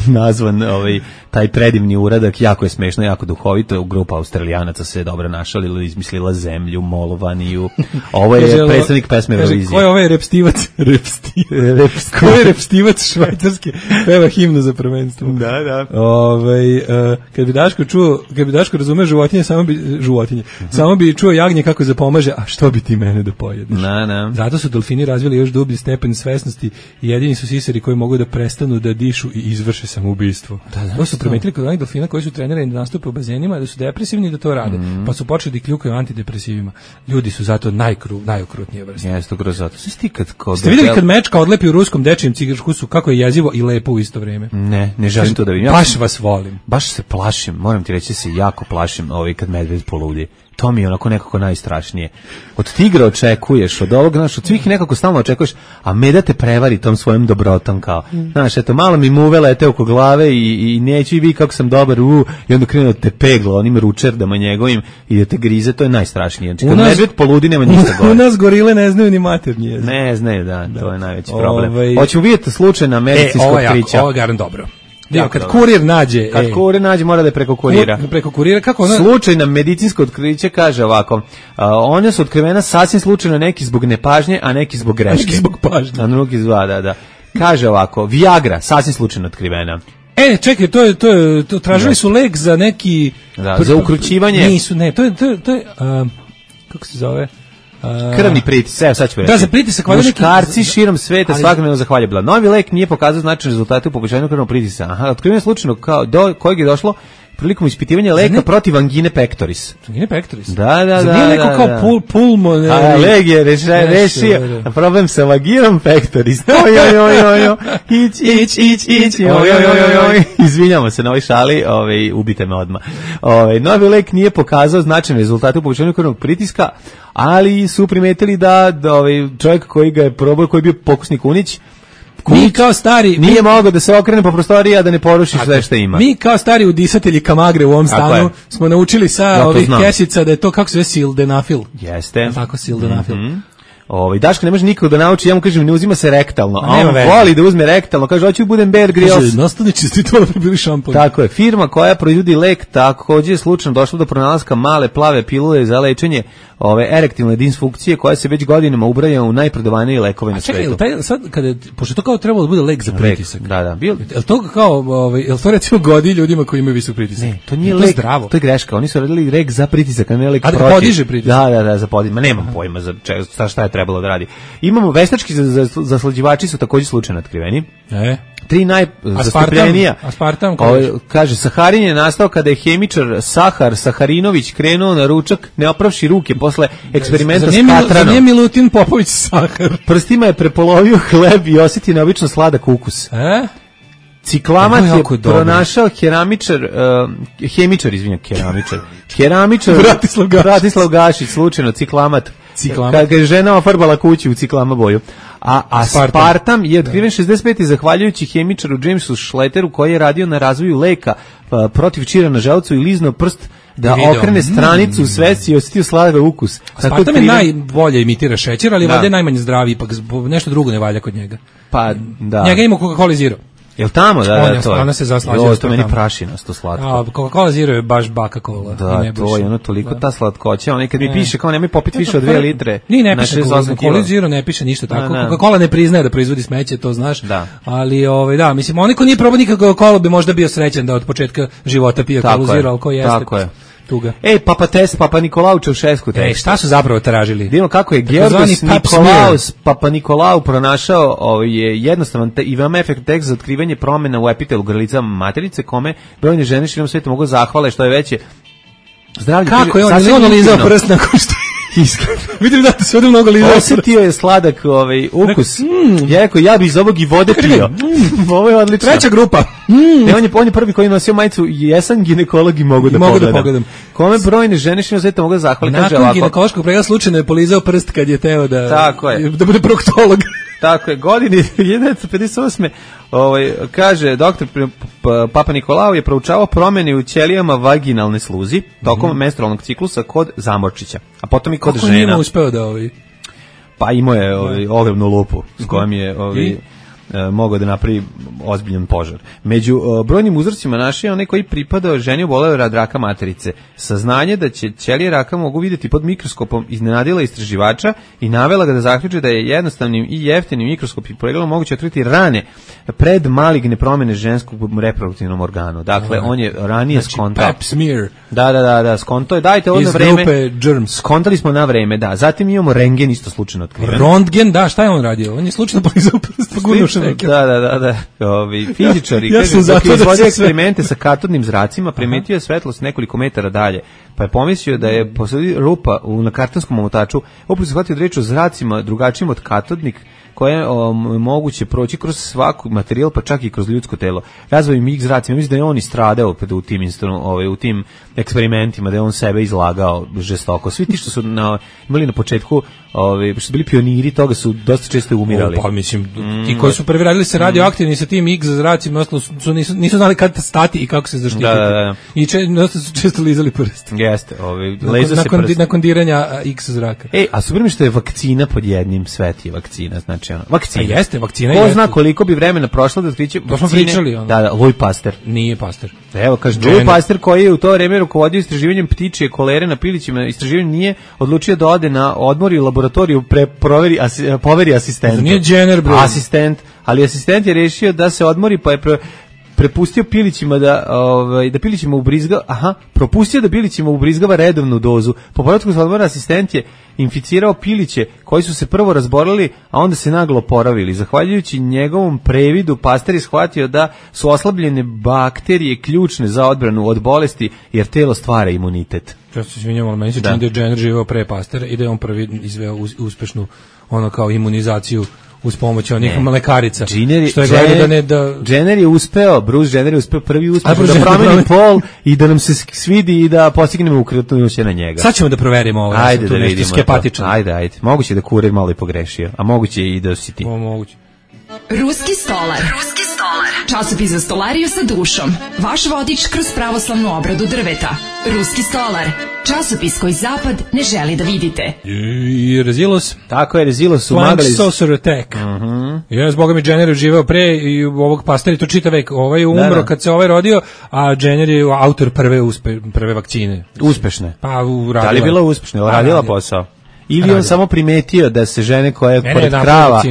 nazvan ovaj, taj predivni uradak, jako je smešno, jako duhovito, grupa Australijanaca se je dobro našalila, izmislila zemlju, Molvaniju. Ovo je Kaže, predstavnik pesme Eurovizije. Ko je ovaj repstivac? Repstivac. Ko je repstivac švajcarski? Peva himnu za prvenstvo. Da, da. Ovaj uh, kad bi Daško čuo, kad bi Daško razume životinje, samo bi životinje. Uh-huh. Samo bi čuo jagnje kako zapomaže, a što bi ti mene da pojedeš? Na, na. Zato su delfini razvili još dublji stepen svesnosti i jedini su sisari koji mogu da prestanu da dišu i izvrše samoubistvo. Da, da, to su primetili kod onih delfina koji su trenirani da nastupe u bazenima, da su depresivni i da to rade. Mm. Pa su počeli da kljukaju antidepresivima. Ljudi su zato najkru, najokrutnije vrste. Jeste, kroz zato. Sve kad kod Ste videli kad mečka odlepi u ruskom dečijem cigarskusu kako je jezivo i lepo u isto vrijeme? Ne, ne želim to da vidim. Baš vas volim. Baš se plašim, moram ti reći, se jako plašim ovaj kad medved poludi. To mi je onako nekako najstrašnije. Od tigra očekuješ, od ovog, znaš, od svih nekako stalno očekuješ, a meda te prevari tom svojom dobrotom kao. Znaš, eto, malo mi muve lete oko glave i, i neću i vi kako sam dobar, u, i onda krenu da te pegla onim ručerdama njegovim i da te grize, to je najstrašnije. Znači, kad nas, medved poludi, nema ništa gore. U nas gorile ne znaju ni maternji jezik. Ne znaju, da, da, to je najveći Ove, problem. Hoćemo vidjeti slučajna medicinskog e, krića. Ovo je garan dobro. Ja, kad dobro. Kurir nađe, kad ej, kurir nađe mora da je preko kurira. Preko kurira kako ona slučajna medicinsko otkriće kaže ovako. A, one su otkrivena sasvim slučajno, neki zbog nepažnje, a neki zbog greške. Neki zbog pažnje. A drugi zva, da, da. Kaže ovako, Viagra sasvim slučajno otkrivena. E, čekaj, to je to je to tražili su lek za neki da, za ukrućivanje. Nisu, ne, to je to je to je uh, kako se zove? Uh, krvni pritisak, evo sad ću reći. Da, za pritisak valjda neki muškarci širom sveta svakodnevno zahvaljaju. Novi lek nije pokazao značajne rezultate u poboljšanju krvnog pritiska. Aha, otkriven je slučajno kao do kojeg je došlo prilikom ispitivanja leka ne, protiv angine pectoris. Angine pectoris? Da, da, da. Nije neko kao da. Pul, pulmon... A, leg je rešio, rešio problem sa vaginom pectoris. Oj, oj, oj, oj, oj, ić, ić, ić, ić, oj, oj, oj, oj, izvinjamo se na ovoj šali, ovaj, ubite me odmah. Ovaj, novi lek nije pokazao značajne rezultate u poboljšanju krvnog pritiska, ali su primetili da, da ovaj, čovjek koji ga je probao, koji je bio pokusni kunić, mi kao stari nije mi, mogao da se okrene po prostoriji, a da ne poruši sve što ima. Mi kao stari udisatelji kamagre u ovom stanu smo naučili sa ja ovih kesica da je to kako se zove sildenafil. Jeste. Tako sildenafil. Mm-hmm. Ovaj Daško ne može nikako da nauči, ja mu kažem ne uzima se rektalno, a on voli da uzme rektalno, kaže hoću budem Bear Grylls. Nastavnici ste to bili šampon. Tako je, firma koja proizvodi lek takođe je slučajno došla do pronalaska male plave pilule za lečenje ove erektilne disfunkcije koja se već godinama ubraja u najprodavanije lekove na svetu. Čekaj, taj sad kada pošto to kao trebalo da bude lek za pritisak. Da, da, bil. Jel to kao ovaj jel to recimo godi ljudima koji imaju visok pritisak? Ne, to nije to lek, zdravo. To je greška. Oni su radili lek za pritisak, a ne lek a protiv. A podiže pritisak. Da, da, da, za podiže. Ma nemam pojma za čega, šta je trebalo da radi. Imamo veštački zaslađivači su takođe slučajno otkriveni. E. Tri najzastupljenija. Aspartam, kaže, saharin je nastao kada je hemičar Sahar Saharinović krenuo na ručak, ne opravši ruke posle eksperimenta s katranom. Za nije Milutin Popović Sahar. Prstima je prepolovio hleb i osjetio neobično sladak ukus. E? Ciklamat je pronašao keramičar, uh, hemičar, izvinjam, keramičar. Keramičar Bratislav Gašić. Bratislav Gašić, slučajno, ciklamat. Ciklamat. Kad ga je žena ofarbala kuću u ciklama boju. A aspartam je otkriven šezdeset pete zahvaljujući hemičaru Jamesu Schletteru koji je radio na razvoju leka pa, protiv čira na želucu i liznuo prst da Video. okrene stranicu u svesci i osjetio sladak ukus. Aspartam je najbolje imitira šećer, ali valjda je najmanje zdravi, ipak nešto drugo ne valja kod njega. Pa, da. Njega ima Coca-Cola Zero. Jel tamo, da, da, to je. Ona se zaslađuje. To meni prašinasto slatko. A, Coca-Cola Zero je baš baka kola. Da, to je ono toliko ta slatkoća. Onaj kad mi piše kao nemoj popiti više od dve litre. Ni ne piše Coca-Cola Zero, ne piše ništa tako. Coca-Cola ne priznaje da proizvodi smeće, to znaš. Ali, ovaj, da, mislim, onaj ko nije probao nikako Coca-Cola bi možda bio srećan da od početka života pije Coca-Cola Zero, ali ko jeste. Tako je. Tuga. Ej, Papa Test, Papa Nikolau Čaušesku tekst. Ej, šta su zapravo tražili? Vidimo kako je Georgos Nikolaus, Papa Nikolau pronašao ovaj, je jednostavan i veoma efektivan tekst za otkrivanje promjena u epitelu grlica maternice, kome brojne žene širom sveta mogu zahvale što je veće zdravlje. Kako je on, je on lizao prst nakon što iskreno. Vidim da se ovdje mnogo lizao. Osetio je sladak ovaj, ukus. Mm. Ja rekao, ja bi iz ovog i vode pio. Mm. Ovo je odlično. Treća grupa. Mm. Ne, on, je, on je prvi koji nosio majicu, jesam ginekolog i mogu da mogu pogledam. Da pogledam. Kome brojne žene što sveta mogu zahvaliti. Nakon kaže ovako. Ginekološkog pregleda slučajno je polizao prst kad je teo da, Tako je. da bude proktolog. Tako je, godini hiljadu devetsto pedeset osme ovaj, kaže doktor Papa Nikolao je proučavao promjene u ćelijama vaginalne sluzi tokom mm-hmm. menstrualnog ciklusa kod zamorčića, a potom i kod Kako žena. Kako njima uspeo da ovi? Pa imao je ovi, ogromnu lupu s kojom je ovi, e, mogao da napravi ozbiljan požar. Među o, brojnim uzorcima našao je onaj koji pripadao ženi oboleloj od raka materice. Saznanje da će ćelije raka mogu vidjeti pod mikroskopom iznenadila istraživača i navela ga da zaključi da je jednostavnim i jeftinim mikroskopim pregledom moguće otkriti rane pred maligne promjene ženskog reproduktivnom organu. Dakle, on je ranije znači, skontao. Pap smear. Da, da, da, da, skonto je. Dajte ovo na vreme. Germs. Skontali smo na vreme, da. Zatim imamo rengen isto slučajno otkriven. Röntgen, da, šta je on radio? On je slučajno polizao prst, pa gurnuše neke. Da, da, da, da. Ovi fizičari, ja kaže, dok je izvodio eksperimente sve... sa katodnim zracima, primetio je svetlost nekoliko metara dalje, pa je pomislio da je posle rupa u, na kartonskom omotaču, opet se shvatio da reč o zracima drugačijim od katodnik, koje je moguće proći kroz svaku materijal, pa čak i kroz ljudsko telo. Razvoj mig zracima, mislim da je on i stradao u tim, ovaj, u tim eksperimentima, da je on sebe izlagao žestoko. Svi ti što su na, imali na početku, ovaj, što su bili pioniri toga, su dosta često umirali. O, pa mislim, ti koji su prvi radili se radioaktivni sa tim X zracima, ostalo su, nisu, nisu znali kada stati i kako se zaštititi. Da, da, da. I če, dosta su često lizali prst. Jeste, ovaj, nakon, nakon, prst. nakon diranja X zraka. Ej, a super mi što je vakcina pod jednim, svet je vakcina, znači ono, vakcina. A jeste, vakcina Ko jeste. zna koliko bi vremena prošlo da otkriće to smo pričali, ono. Da, da, Louis Pasteur. Nije Pasteur. Evo, kaže, Louis Pasteur koji je u to vreme rukovodio istraživanjem ptičije kolere na pilićima, istraživanje nije odlučio da ode na odmor i laboratoriju pre proveri, asi, poveri asistentu. Nije Jenner, bro. Asistent, ali asistent je rešio da se odmori, pa je pre, prepustio pilićima da ovaj da pilićima ubrizga, aha, propustio da pilićima ubrizgava redovnu dozu. Po povratku sa odmora asistent je inficirao piliće koji su se prvo razboleli, a onda se naglo oporavili. Zahvaljujući njegovom previdu Pasteur je shvatio da su oslabljene bakterije ključne za odbranu od bolesti, jer telo stvara imunitet. Ja se izvinjam, ali meni se čini da je Jenner živeo pre Pasteura i da je on prvi izveo uspešnu ono kao imunizaciju uz pomoć onih mlekarica. Jenner, što je gledao da ne da Jenner je uspeo, Bruce Jenner je uspeo prvi uspešno da promeni pol i da nam se svidi i da postignemo ukratnuće na njega. Sad ćemo da proverimo ovo. Ajde da vidimo. Skepatičan. Ajde, ajde. Moguće da kurir malo i pogrešio, a moguće i da si ti. O, moguće. Ruski stolar. Ruski stolar. Časopis za stolariju sa dušom. Vaš vodič kroz pravoslavnu obradu drveta. Ruski stolar. Časopis koji zapad ne želi da vidite. I Rezilos. Tako je, Rezilos u Flank Magali. Saucer Attack. Uh-huh. Ja, zboga mi, Jenner je živeo pre i ovog Pasteur to čita vek. Ovaj je umro da, da. kad se ovaj rodio, a Jenner je autor prve, uspe, prve vakcine. Uspešne. Pa, uradila. Da li je bila uspešna? Radila, radila posao. Ili on samo primetio da se žene koje ne, pored ne, krava,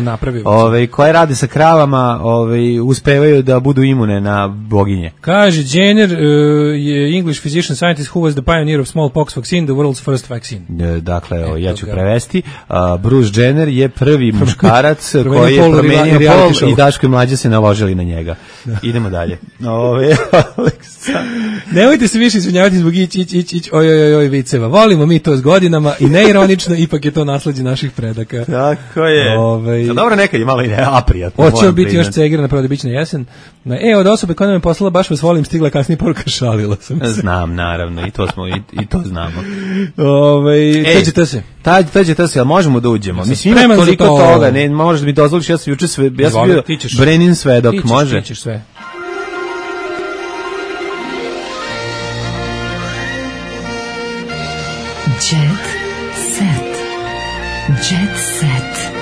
ovaj koje rade sa kravama, ovaj uspevaju da budu imune na boginje. Kaže Jenner uh, je English physician scientist who was the pioneer of smallpox vaccine, the world's first vaccine. Dakle, evo, ja ću prevesti. Uh, Bruce Jenner je prvi muškarac koji je promenio pol i Daško i Mlađa se naložili na njega. Da. Idemo dalje. Ove, nemojte se više izvinjavati zbog ić, ić, ić, ić, oj, oj, oj, viceva. Volimo mi to s godinama i neironično, ipak je to nasleđe naših predaka. Tako je. Ove, dobro, nekad je malo i ne, a prijatno. Hoće biti još cegira na prodabićna jesen. E, od osobe koja nam je poslala baš vas volim, stigla kasnije poruka, šalila sam se. Znam, naravno, i to smo, i, i to znamo. Ove, teđete se. Tađe, teđete se, ali možemo da uđemo. Mislim, ima toliko to... toga, ne, možeš da mi dozvoliš, ja sam juče sve, ja sam bio Brenin svedok, tičeš, može? Tičeš sve. Jet set. Jet set.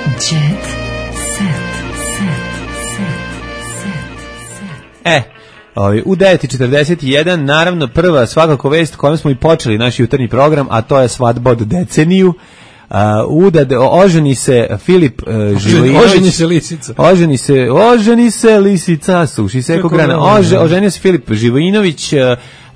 Jet set. Set. Set. Set. E, ovaj, u devet i četrdeset jedan, naravno prva svakako vest kojom smo i počeli naš jutarnji program, a to je svadba od deceniju. Uh, udad, oženi se Filip uh, Živojinović. Oženi se lisica. Oženi se, oženi se lisica, suši se grana. Ože, oženio se Filip Živojinović, uh,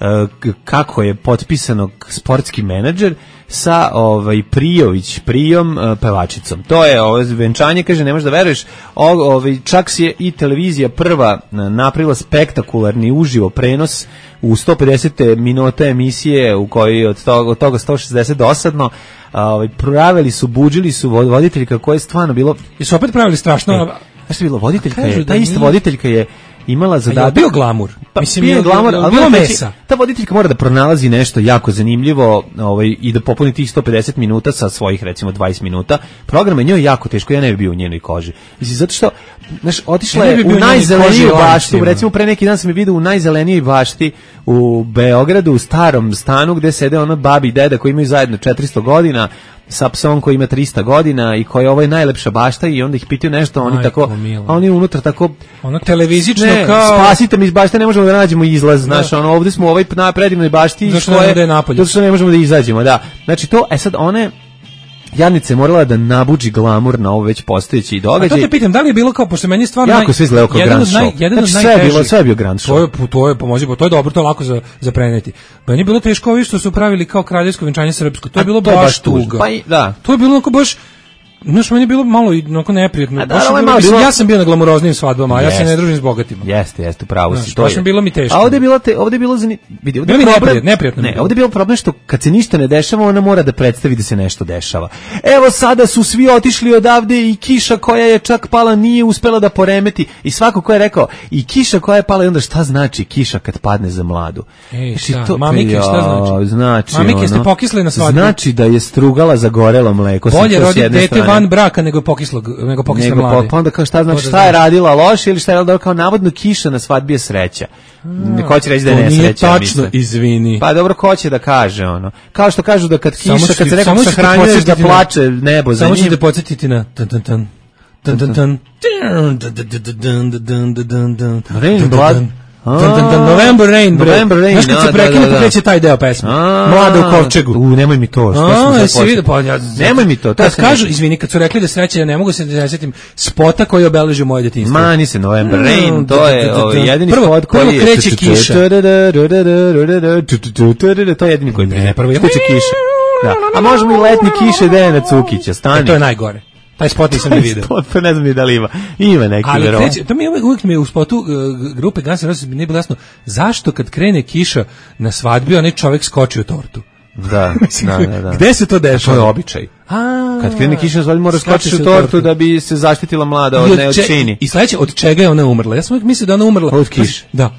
uh, kako je potpisano sportski menadžer sa ovaj Prijović, Prijom uh, pevačicom. To je ovo venčanje, kaže, ne možeš da veruješ. O, ovaj čak si je i televizija prva napravila spektakularni uživo prenos u sto pedeset minuta emisije u kojoj od toga, od toga sto šezdeset dosadno. Ovaj pravili su, budžili su voditeljka koja je stvarno bilo. I su opet pravili strašno. E, znaš što je bilo? Voditeljka je, ta ista voditeljka je imala zadatak. bio glamur. Pa, Mislim, bio je glamur, ali bilo mora mesa. ta voditeljka mora da pronalazi nešto jako zanimljivo, ovaj, i da popuni tih sto pedeset minuta sa svojih recimo dvadeset minuta. Program je njoj jako teško, ja ne bih bio u njenoj koži. Mislim, zato što, znaš, otišla Ja ne je bi bio u u njenoj najzeleniju koži, baštu, lancima. recimo pre neki dan sam je vidio u najzelenijoj bašti u Beogradu, u starom stanu gde sede ono babi i deda koji imaju zajedno četiristo godina, sa psom koji ima trista godina i koji je ovo je najlepša bašta i onda ih pitaju nešto, oni Majko tako, mila. a oni unutra tako, Ono televizično ne, kao... spasite mi iz bašte, ne možemo da nađemo izlaz, znaš, ono, ovde smo u ovoj na predivnoj bašti, Zašto iz koje- ne da je napolje? zato što ne možemo da izađemo, da. Znači to, e sad, one, Jadnica je morala da nabuđi glamur na ovo već postojeći A to događaj. te pitam, da li je bilo kao, pošto meni je stvarno... Jako sve izgledao kao jedan grand od naj- show. Jedan od Znači, sve je bilo- najtežih- sve je bio grand show. To je, to je, pomozi, to je dobro, to je lako za, za preneti. Meni je bilo teško ovi što su pravili kao kraljevsko venčanje srpsko. To je A bilo to je baš baš tužno. tuga. Pa i- da. To je bilo onako baš... Znaš, meni je bilo malo i onako neprijatno. A da, Baš je ovo je bilo- malo mislim, bilo- ja sam bio na glamuroznim svadbama, a ja se Jeste. ne družim s bogatima. Jeste, jeste, upravo Znaš, si, to baš je. mi bilo mi teško. A ovde je bilo te, ovde je bilo zani, vidi, ovde je Bilo mi problem, neprijatno, neprijatno mi je ne, bilo. ovde je bilo problem što kad se ništa ne dešava, ona mora da predstavi da se nešto dešava. Evo sada su svi otišli odavde i kiša koja je čak pala nije uspela da poremeti i svako ko je rekao i kiša koja je pala i onda šta znači kiša kad padne za mladu? Ej, Znači, šta? Mamike, šta znači? Znači, Mamike, ono, ste pokisli na svadbu? Znači da je strugala zagorelo mleko. sa- Bolje to s roditi jedne dete strane. van braka nego pokislog, nego pokisle Nego, mlade. pa onda kao šta znači To da šta je znaš. radila loše ili šta je radila kao navodno kiša na svadbi je sreća. Ko će reći da je To nije nesreća, tačno, mislim. izvini. Pa dobro, ko će da kaže ono. Kao što kažu da kad Samo kiša, ću kad ti- se nekog samo ću te sahranjuješ da podsjetiti na- plače nebo za Samo ću njim. te podsjetiti na tan tan tan tan tan tan tan tan tan tan tan. Rain Blood. Tan, tan, tan, November Rain, bre. November Rain, Znaš kad se da, prekine, da, da, pa kreće taj deo pesme. A, Mlada u kovčegu. U, nemoj mi to. što sam A, sad jesi počeo. vidio, pa ja... Nemoj mi to. to Kad sam kažu, rekao. izvini, kad su rekli da sreća, ja ne mogu se da setim spota koji je obeležio moje detinjstvo. Mani se November Mm, Rain, to da, je da, da, ovaj, da. jedini Prvo- spot koji prvo je... kreće kiša. To je jedini koji Ne, prvo je- Kreće kiša. Da. A možemo i letni kiše Dejana Cukića, stani. E, to je najgore. Taj spot nisam ni video. Spot, pa ne znam ni da li ima. Ima neki Ali verovatno. kreće, to mi je uvijek, uvijek mi je u spotu uh, grupe Guns N' Roses nije bilo jasno zašto kad krene kiša na svadbi onaj čovjek skoči u tortu. Da, da, da, da. Gde se to dešava? To je običaj. A, Kad krene kiša na svadbi mora skače skočiš se u u tortu tortu. da bi se zaštitila mlada I od od ne od če- čini. I sledeće, od čega je ona umrla? Ja sam uvijek mislio da ona umrla. Od kiše. Da.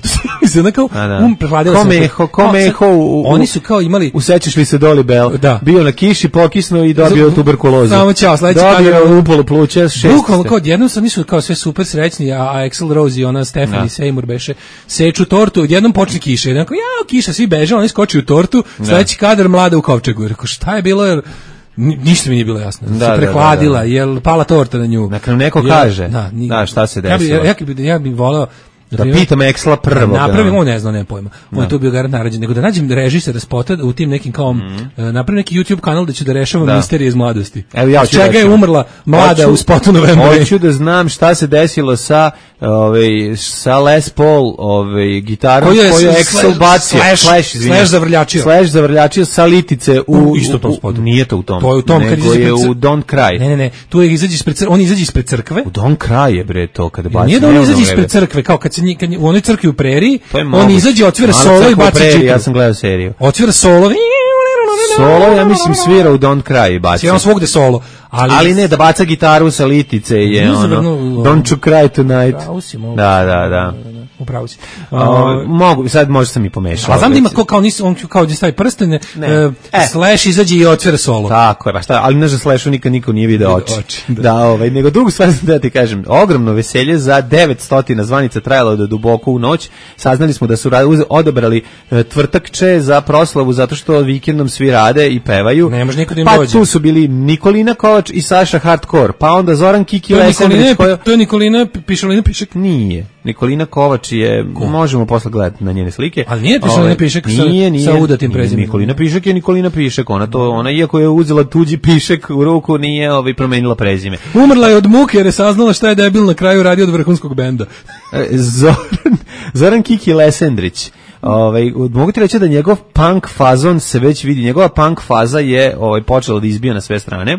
Mislim, ona kao, A, da. um, prehladila Ko se. meho, ko Kao, meho sad, u- u- Oni su kao imali... Usećaš li se Doli Bell? Da. Bio na kiši, pokisnuo i dobio Za- tuberkulozu. Samo ćao, sledeći Dobio kadar- upalo pluća, šest. Bukvalno kao odjednom su nisu kao sve super srećni, a, a Axl Rose i ona Stephanie Da. Seymour beše seču tortu, odjednom počne kiša. Jedan kao, jao, kiša, svi beže, oni skoči u tortu, sledeći kadar mlada u kovčegu. Rekao, šta je bilo, jer ni- ništa mi nije bilo jasno. Da, se da, prehladila, da, da. jel pala torta na nju. Na kraju neko Jel- kaže. Da, ni- Da, šta se Ja bi, desilo. ja, bi, ja bi voleo Da pitam Eksla prvog. napravim, da. on ne zna, nema pojma. On je tu bio garant narađen, nego da nađem režisera spota u tim nekim kao, e, napravim neki YouTube kanal da ću da rešavam Da. misterije iz mladosti. Evo ja Od ću čega je recimo. umrla mlada Hoću- u spotu November. Hoću da znam šta se desilo sa ovaj sa Les Paul ovaj gitarom Koju je koju je s- Axl bacio, Slash- Slash, izvinjam. Slash zavrljačio. Slash zavrljačio sa litice u, U istom tom u- spotu. Nije to u tom. To je u tom kad nego izađe je pred cr- u Don't Cry. Ne, ne, ne, tu je izađe ispred crkve, on izađe ispred crkve. U Don't Cry je bre to kada baci. Nije da on ne, izađe ono ispred vreme. crkve, kao kad se nji- kad nji- u onoj crkvi u preriji, To je on moguće. izađe, otvira Mala solo i crkva u baci preriji, čitru. Ja sam gledao seriju. Otvira solo. Solo, ja mislim, svira u Don't Cry i baci. Sve on svugde solo. Ali, Ali ne, da baca gitaru sa litice je Nije ono, zavrnuo- Don't you cry tonight. Upravo si, mogu. Da, da, da. Upravo si. O, mogu, sad možda sam i pomešao. A znam da ima recimo. ko, kao nisi, on kao gdje stavi prsten, Ne. e, E. Slash izađe i otvira solo. Tako je, pa šta, ali ne za Slashu nikad niko nije video oči. oči, da. da. ovaj, nego drugu stvar sam da ti kažem, ogromno veselje za devetsto zvanica trajalo do duboko u noć. Saznali smo da su ra- uze- odabrali e, tvrtakče za proslavu zato što vikendom svi rade i pevaju. Ne može niko da im pa dođe. tu su bili Nikolina Kovač i Saša Hardcore, pa onda Zoran Kiki To je Nikolina, Lesendrić. koja- to je Nikolina Pišalina Pišek. Nije. Nikolina Kovač je, možemo posle gledati na njene slike. Ali nije Pišalina Ovaj, Pišek sa- nije, nije, sa udatim nije, prezimenom. Nikolina Pišek je Nikolina Pišek. Ona to, ona iako je uzela tuđi pišek u ruku, nije ovaj promenila prezime. Umrla je od muke jer je saznala šta je debil na kraju radio od vrhunskog benda. E, Zoran, Zoran Kiki Lesendrić. Ovaj, mogu ti reći da njegov punk fazon se već vidi. Njegova punk faza je ovaj, počela da izbija na sve strane.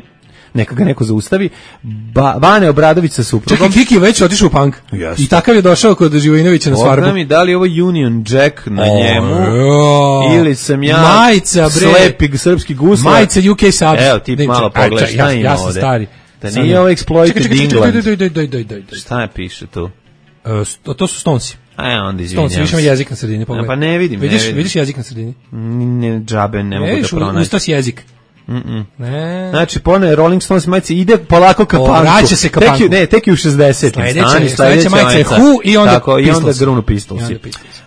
Neka ga neko zaustavi. Ba, Bane Obradović sa suprugom. Čekaj, Kiki je već otišao u punk. Jeste. I takav je došao kod Živojinovića na svarbu. Pogledaj mi da li je ovo Union Jack na njemu O, ili sam ja majica, bre. slepi srpski guslar. Majica U K Subs. Evo ti Ne, malo čekaj, pogledaj ja- šta ima ja sam ovde. stari. Da Sad nije je- ovo Čekaj, Exploited čekaj, čekaj, England. doj, doj, doj, doj, doj, doj, doj. Šta je piše tu? Uh, sto, to su Stonesi. E, onda izvinjam. Stonesi, više ima jezik na sredini, pogledaj. Pa ne vidim, vidiš, ne vidim. Vidiš jezik na sredini? Ne, džabe, ne mogu da pronaći. Usto si jezik. Mm -mm. Ne. Znači, pone Rolling Stones majice ide polako ka panku. Vraća se ka panku. Tek, ne, tek i u šezdesetim. Sledeća, sledeća majica je Who i onda tako, Pistols. I onda Grunu Pistolsi.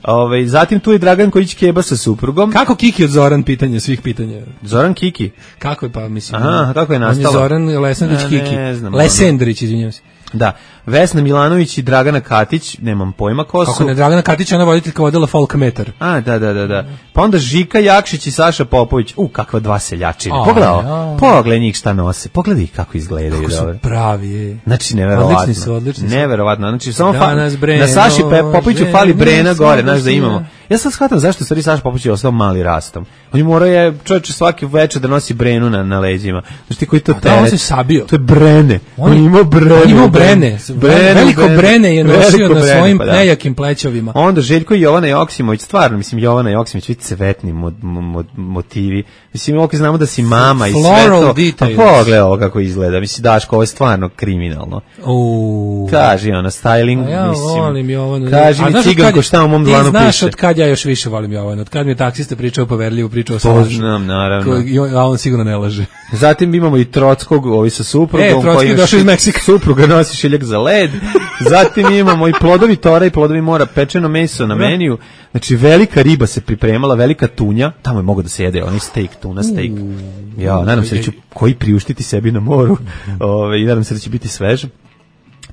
Ove, zatim tu je Dragan Kojić Keba sa suprugom. Kako Kiki od Zoran pitanje, svih pitanja? Zoran Kiki? Kako je pa, mislim. Aha, kako je nastalo? On je Zoran Lesandrić Kiki. Ne znam. Lesendrić, izvinjavam se. Da, Vesna Milanović i Dragana Katić, nemam pojma ko su. Kako ne, Dragana Katić, ona voditeljka vodila Folkmetar. A, da, da, da, da. Pa onda Žika Jakšić i Saša Popović. U, kakva dva seljačine. Pogledaj, pogledaj njih šta nose. Pogledaj ih kako izgledaju. Kako su dobro. pravi, je. Znači, neverovatno. Odlični su, odlični su. Neverovatno. Znači, samo fa Breno, na Saši Popoviću fali Brena gore, znaš da sina. imamo. Ja sad shvatam zašto stvari Saša Popović je ostao mali rastom. On je morao je čovječe svaki večer da nosi Brenu na, na leđima. Znači ti koji to teret. Da, on se sabio. To je Brene. On, on imao Brene. On imao Brene. Brene. Veliko Brene, brene je nosio Veliko na Brene, svojim pa da. nejakim plećovima. Onda Željko i Jovana Joksimović, stvarno, mislim, Jovana Joksimović, vidite cvetni mo, mo, motivi. Mislim, ovdje znamo da si mama i sve to. Pa pogledaj ovo kako izgleda. Mislim, Daško, ovo je stvarno kriminalno. Uuu. Kaži ona, styling, ja mislim. volim Jovanu. Kaži mi ciganko šta u mom dlanu piše. Ti znaš od kad ja još više volim Jovanu. Od kad mi je taksista pričao poverljivu pričao sa lažu. Znam, naravno. A on sigurno ne laže. Zatim imamo i Trockog, ovi sa suprugom. E, Trockog je došao iz Meksika. Supruga nosi šiljak za led. Zatim imamo i plodovi tora i plodovi mora, pečeno meso na meniju. Znači, velika riba se pripremala, velika tunja. Tamo je mogo da se jede, onaj steak, tuna steak. Ja, nadam se da ću koji priuštiti sebi na moru. Ove, I nadam se da će biti svež.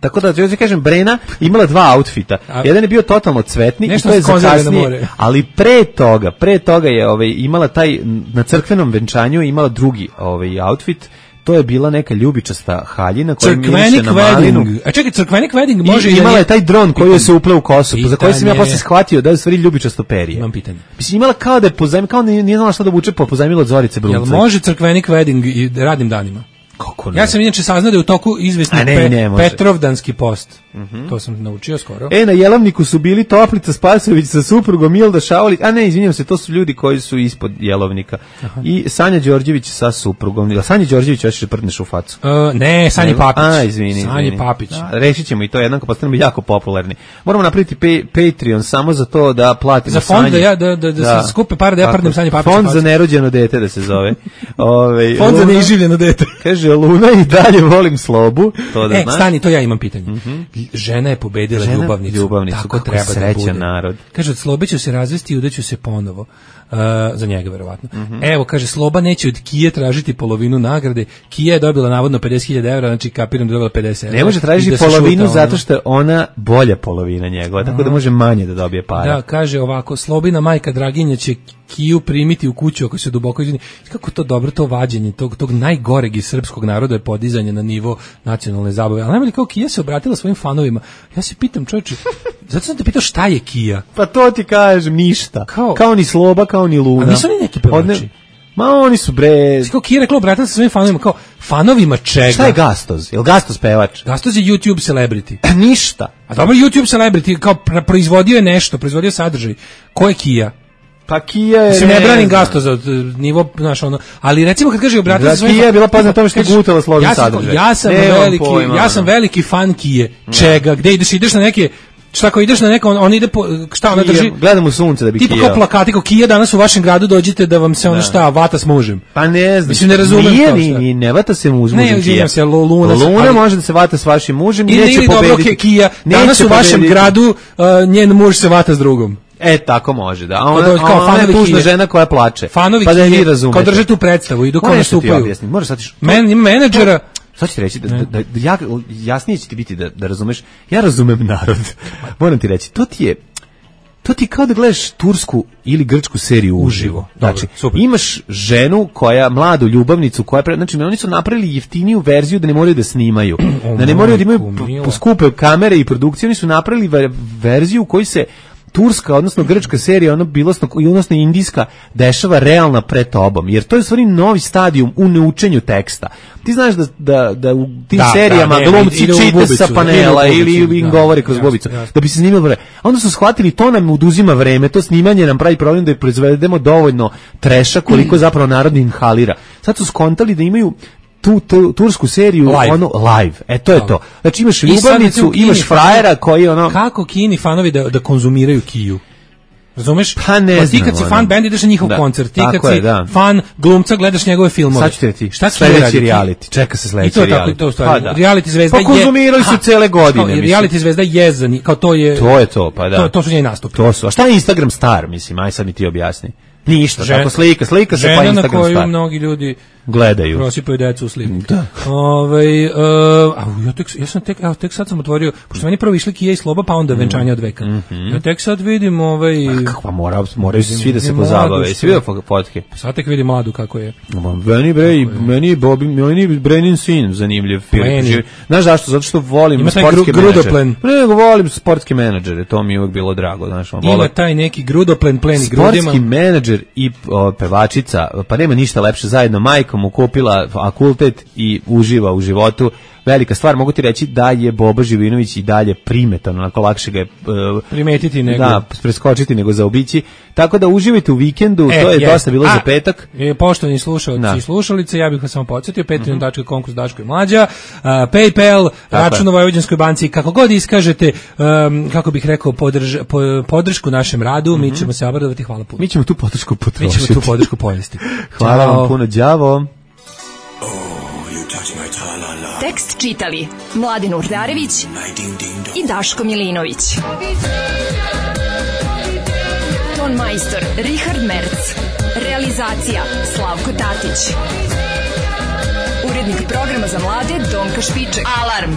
Tako da, ja kažem, Brena imala dva outfita. Jedan je bio totalno cvetni i to je za kasnije, ali pre toga, pre toga je ovaj, imala taj, na crkvenom venčanju imala drugi ovaj, outfit. To je bila neka ljubičasta haljina koja miriše na malinu. A čekaj, crkvenik wedding može... I imala je taj dron koji je se upleo u kosu, za koji sam ja posle shvatio da je u stvari ljubičasto perje. Imam pitanje. Mislim, imala kao da je pozajmila, kao da nije znala šta da obuče, pa pozajmila od Zorice Brunca. Jel može crkvenik wedding i radnim danima? Kako ne? Ja sam inače saznao da je u toku izvesni pe, Petrovdanski post. Mm -hmm. To sam naučio skoro. E, na Jelovniku su bili Toplica Spasović sa suprugom Milda Šaulić. A ne, izvinjam se, to su ljudi koji su ispod Jelovnika. Aha. I Sanja Đorđević sa suprugom. Sanja Đorđević još prdneš u facu. Uh, ne, Sanja Papić. A, izvini. Sanja Papić. Da, rešit ćemo i to jednako, postanemo jako popularni. Moramo napraviti pay, Patreon samo za to da platimo za fond, da, ja, da, da, da, da se skupe pare da ja prdnem Sanja Papić. Fond za nerođeno dete da se zove. Ove, fond Luna, za neiživljeno dete. Kaže, Luna i dalje volim slobu. To da e, znaš. Stani, to ja imam pitanje. Mm -hmm. Žena je pobedila žena, ljubavnicu. ljubavnicu. Tako kako treba da bude. Narod. Kaže, od Slobe ću se razvesti i udaću se ponovo. Uh, za njega, verovatno. Mm -hmm. Evo, kaže, Sloba neće od Kije tražiti polovinu nagrade. Kija je dobila navodno pedeset hiljada evra, znači kapiram da je dobila pedeset evra. Ne može tražiti da polovinu šuta, zato što je ona bolja polovina njegova, tako da može manje da dobije para. Da, kaže ovako, Slobina majka Draginja će Kiju primiti u kuću ako se duboko izvini. Kako to dobro, to vađenje tog, tog najgoreg iz srpskog naroda je podizanje na nivo nacionalne zabave. Ali najbolje kao Kija se obratila svojim fanovima. Ja se pitam, čovječe, zato sam te pitao šta je Kija? Pa to ti kažem, ništa. Kao, kao ni Sloba, kao ni Luna. A nisu li neki pevači? Ma oni su bre... Kao Kija rekla, obratila se svojim fanovima, kao, fanovima čega? Šta je Gastoz? Je li Gastoz pevač? Gastoz je YouTube celebrity. Ništa. A dobro, YouTube celebrity, kao proizvodio je nešto, proizvodio sadržaj. Ko je Kija? Pa Kija je... Mislim, ne branim Gasto za nivo, znaš, ono, ali recimo kad kaže obratila se svojim... Kija je bila poznata tome što je gutala slovni sadržaj. Ja sam veliki, ja sam veliki fan Kije. Čega? Gde ideš? Ideš na neke... Šta ako ideš na neko, on, on ide po, šta ona drži? Gledam u sunce da bi Kija. Tipa kao plakati, kao Kija danas u vašem gradu dođite da vam se ono šta, vata s mužem. Pa ne znam. Mislim, ne razumem nije, nije, nije, ne vata se muž, ne, Kija. Se, Luna, Luna ali, može da se vata s vašim mužem i neće pobediti. Dobro, Kija, danas u vašem gradu uh, njen muž se vata s drugom. E, tako može, da. A ona, kao, kao ona je tužna žena koja plače. Fanovi pa da vi razumete. Kao drže tu predstavu, idu kao nastupaju. Možeš sad Men, menadžera... Sad ću ti reći, da, da, da, ja, jasnije će ti biti da, da razumeš, ja razumem narod, moram ti reći, to ti je, to ti je kao da gledaš tursku ili grčku seriju uživo. Znači, dobro, imaš ženu koja, mladu ljubavnicu, koja, pre, znači, oni su napravili jeftiniju verziju da ne moraju da snimaju, da ne moraju da imaju skupe kamere i produkcije, oni su napravili verziju u kojoj se turska, odnosno grčka serija, ono bilosno, odnosno indijska, dešava realna pred tobom, jer to je u stvari novi stadijum u neučenju teksta. Ti znaš da, da, da u tim da, serijama da, glumci čite sa panela ili im govore kroz bubicu, da bi se snimilo vreme. A onda su shvatili, to nam oduzima vreme, to snimanje nam pravi problem da je proizvedemo dovoljno treša koliko zapravo narod inhalira. Sad su skontali da imaju tu, tu tursku seriju Live. ono live. E to je to. Znači imaš I sad, recimo, ljubavnicu, u Kini imaš frajera koji ono kako Kini fanovi da da konzumiraju Kiju. Razumeš? Pa ne ti kad si znam, fan ono. band ideš na njihov Da, koncert, ti tako kad je, si da. fan glumca gledaš njegove filmove. Sad ću ti reći, Šta Kija sledeći radi? reality, čeka se I sledeći to je tako, reality. to je u stvari. Pa da. Reality zvezda Pa konzumirali su Aha, cele godine, kao, mislim. Reality zvezda je za njih, kao to je To je to, pa da. To, to su njeni nastupi. To su. A šta je Instagram star, mislim, aj sad mi ti objasni. Ništa, Žen- tako slika, slika se žena pa na Instagram koju star. mnogi ljudi Gledaju. prosipaju decu u sliku. Da. Ovaj uh, a ja tek ja sam tek evo tek sad sam otvorio, pošto meni prvo išli Kija i Sloba, pa onda venčanje od veka. Mm-hmm. Ja tek sad vidim ovaj Kako mora, moraju svi da se Vidim pozabave. mladu Svi da fotke. sad tek vidim mladu kako je. Meni bre, meni Bobby, meni Brenin sin zanimljiv film. Meni. Znaš zašto? Zato što volim Ima taj sportske gru- menadžere. grudoplen. Ne, nego volim sportske menadžere, to mi je uvek bilo drago, znaš, on Ima volim. taj neki grudoplen pleni Sportski grudima. menadžer i o, pevačica, pa nema ništa lepše, zajedno majkom mu kupila fakultet i uživa u životu. Velika stvar, mogu ti reći da je Boba Živinović i dalje primetan, onako lakše ga je uh, primetiti nego da, preskočiti nego zaobići. Tako da uživajte u vikendu, E, to je jest. dosta bilo A, za petak. E, poštovani slušalci Da. i slušalice, ja bih vas samo podsjetio, patreon dot com kroz Daško i Mlađa, uh, PayPal, račun u Vojvođanskoj banci, kako god iskažete, um, kako bih rekao, podrž, po, podršku našem radu, mi ćemo se obradovati, hvala puno. Mi ćemo tu podršku Mi potrošiti. ćemo tu podršku pojesti. Hvala Ćao. vam puno, đavo. Tekst čitali Mladin Urdarević i Daško Milinović. Ton majstor Richard Merc. Realizacija Slavko Tatić. Urednik programa za mlade Donka Špiček. Alarm!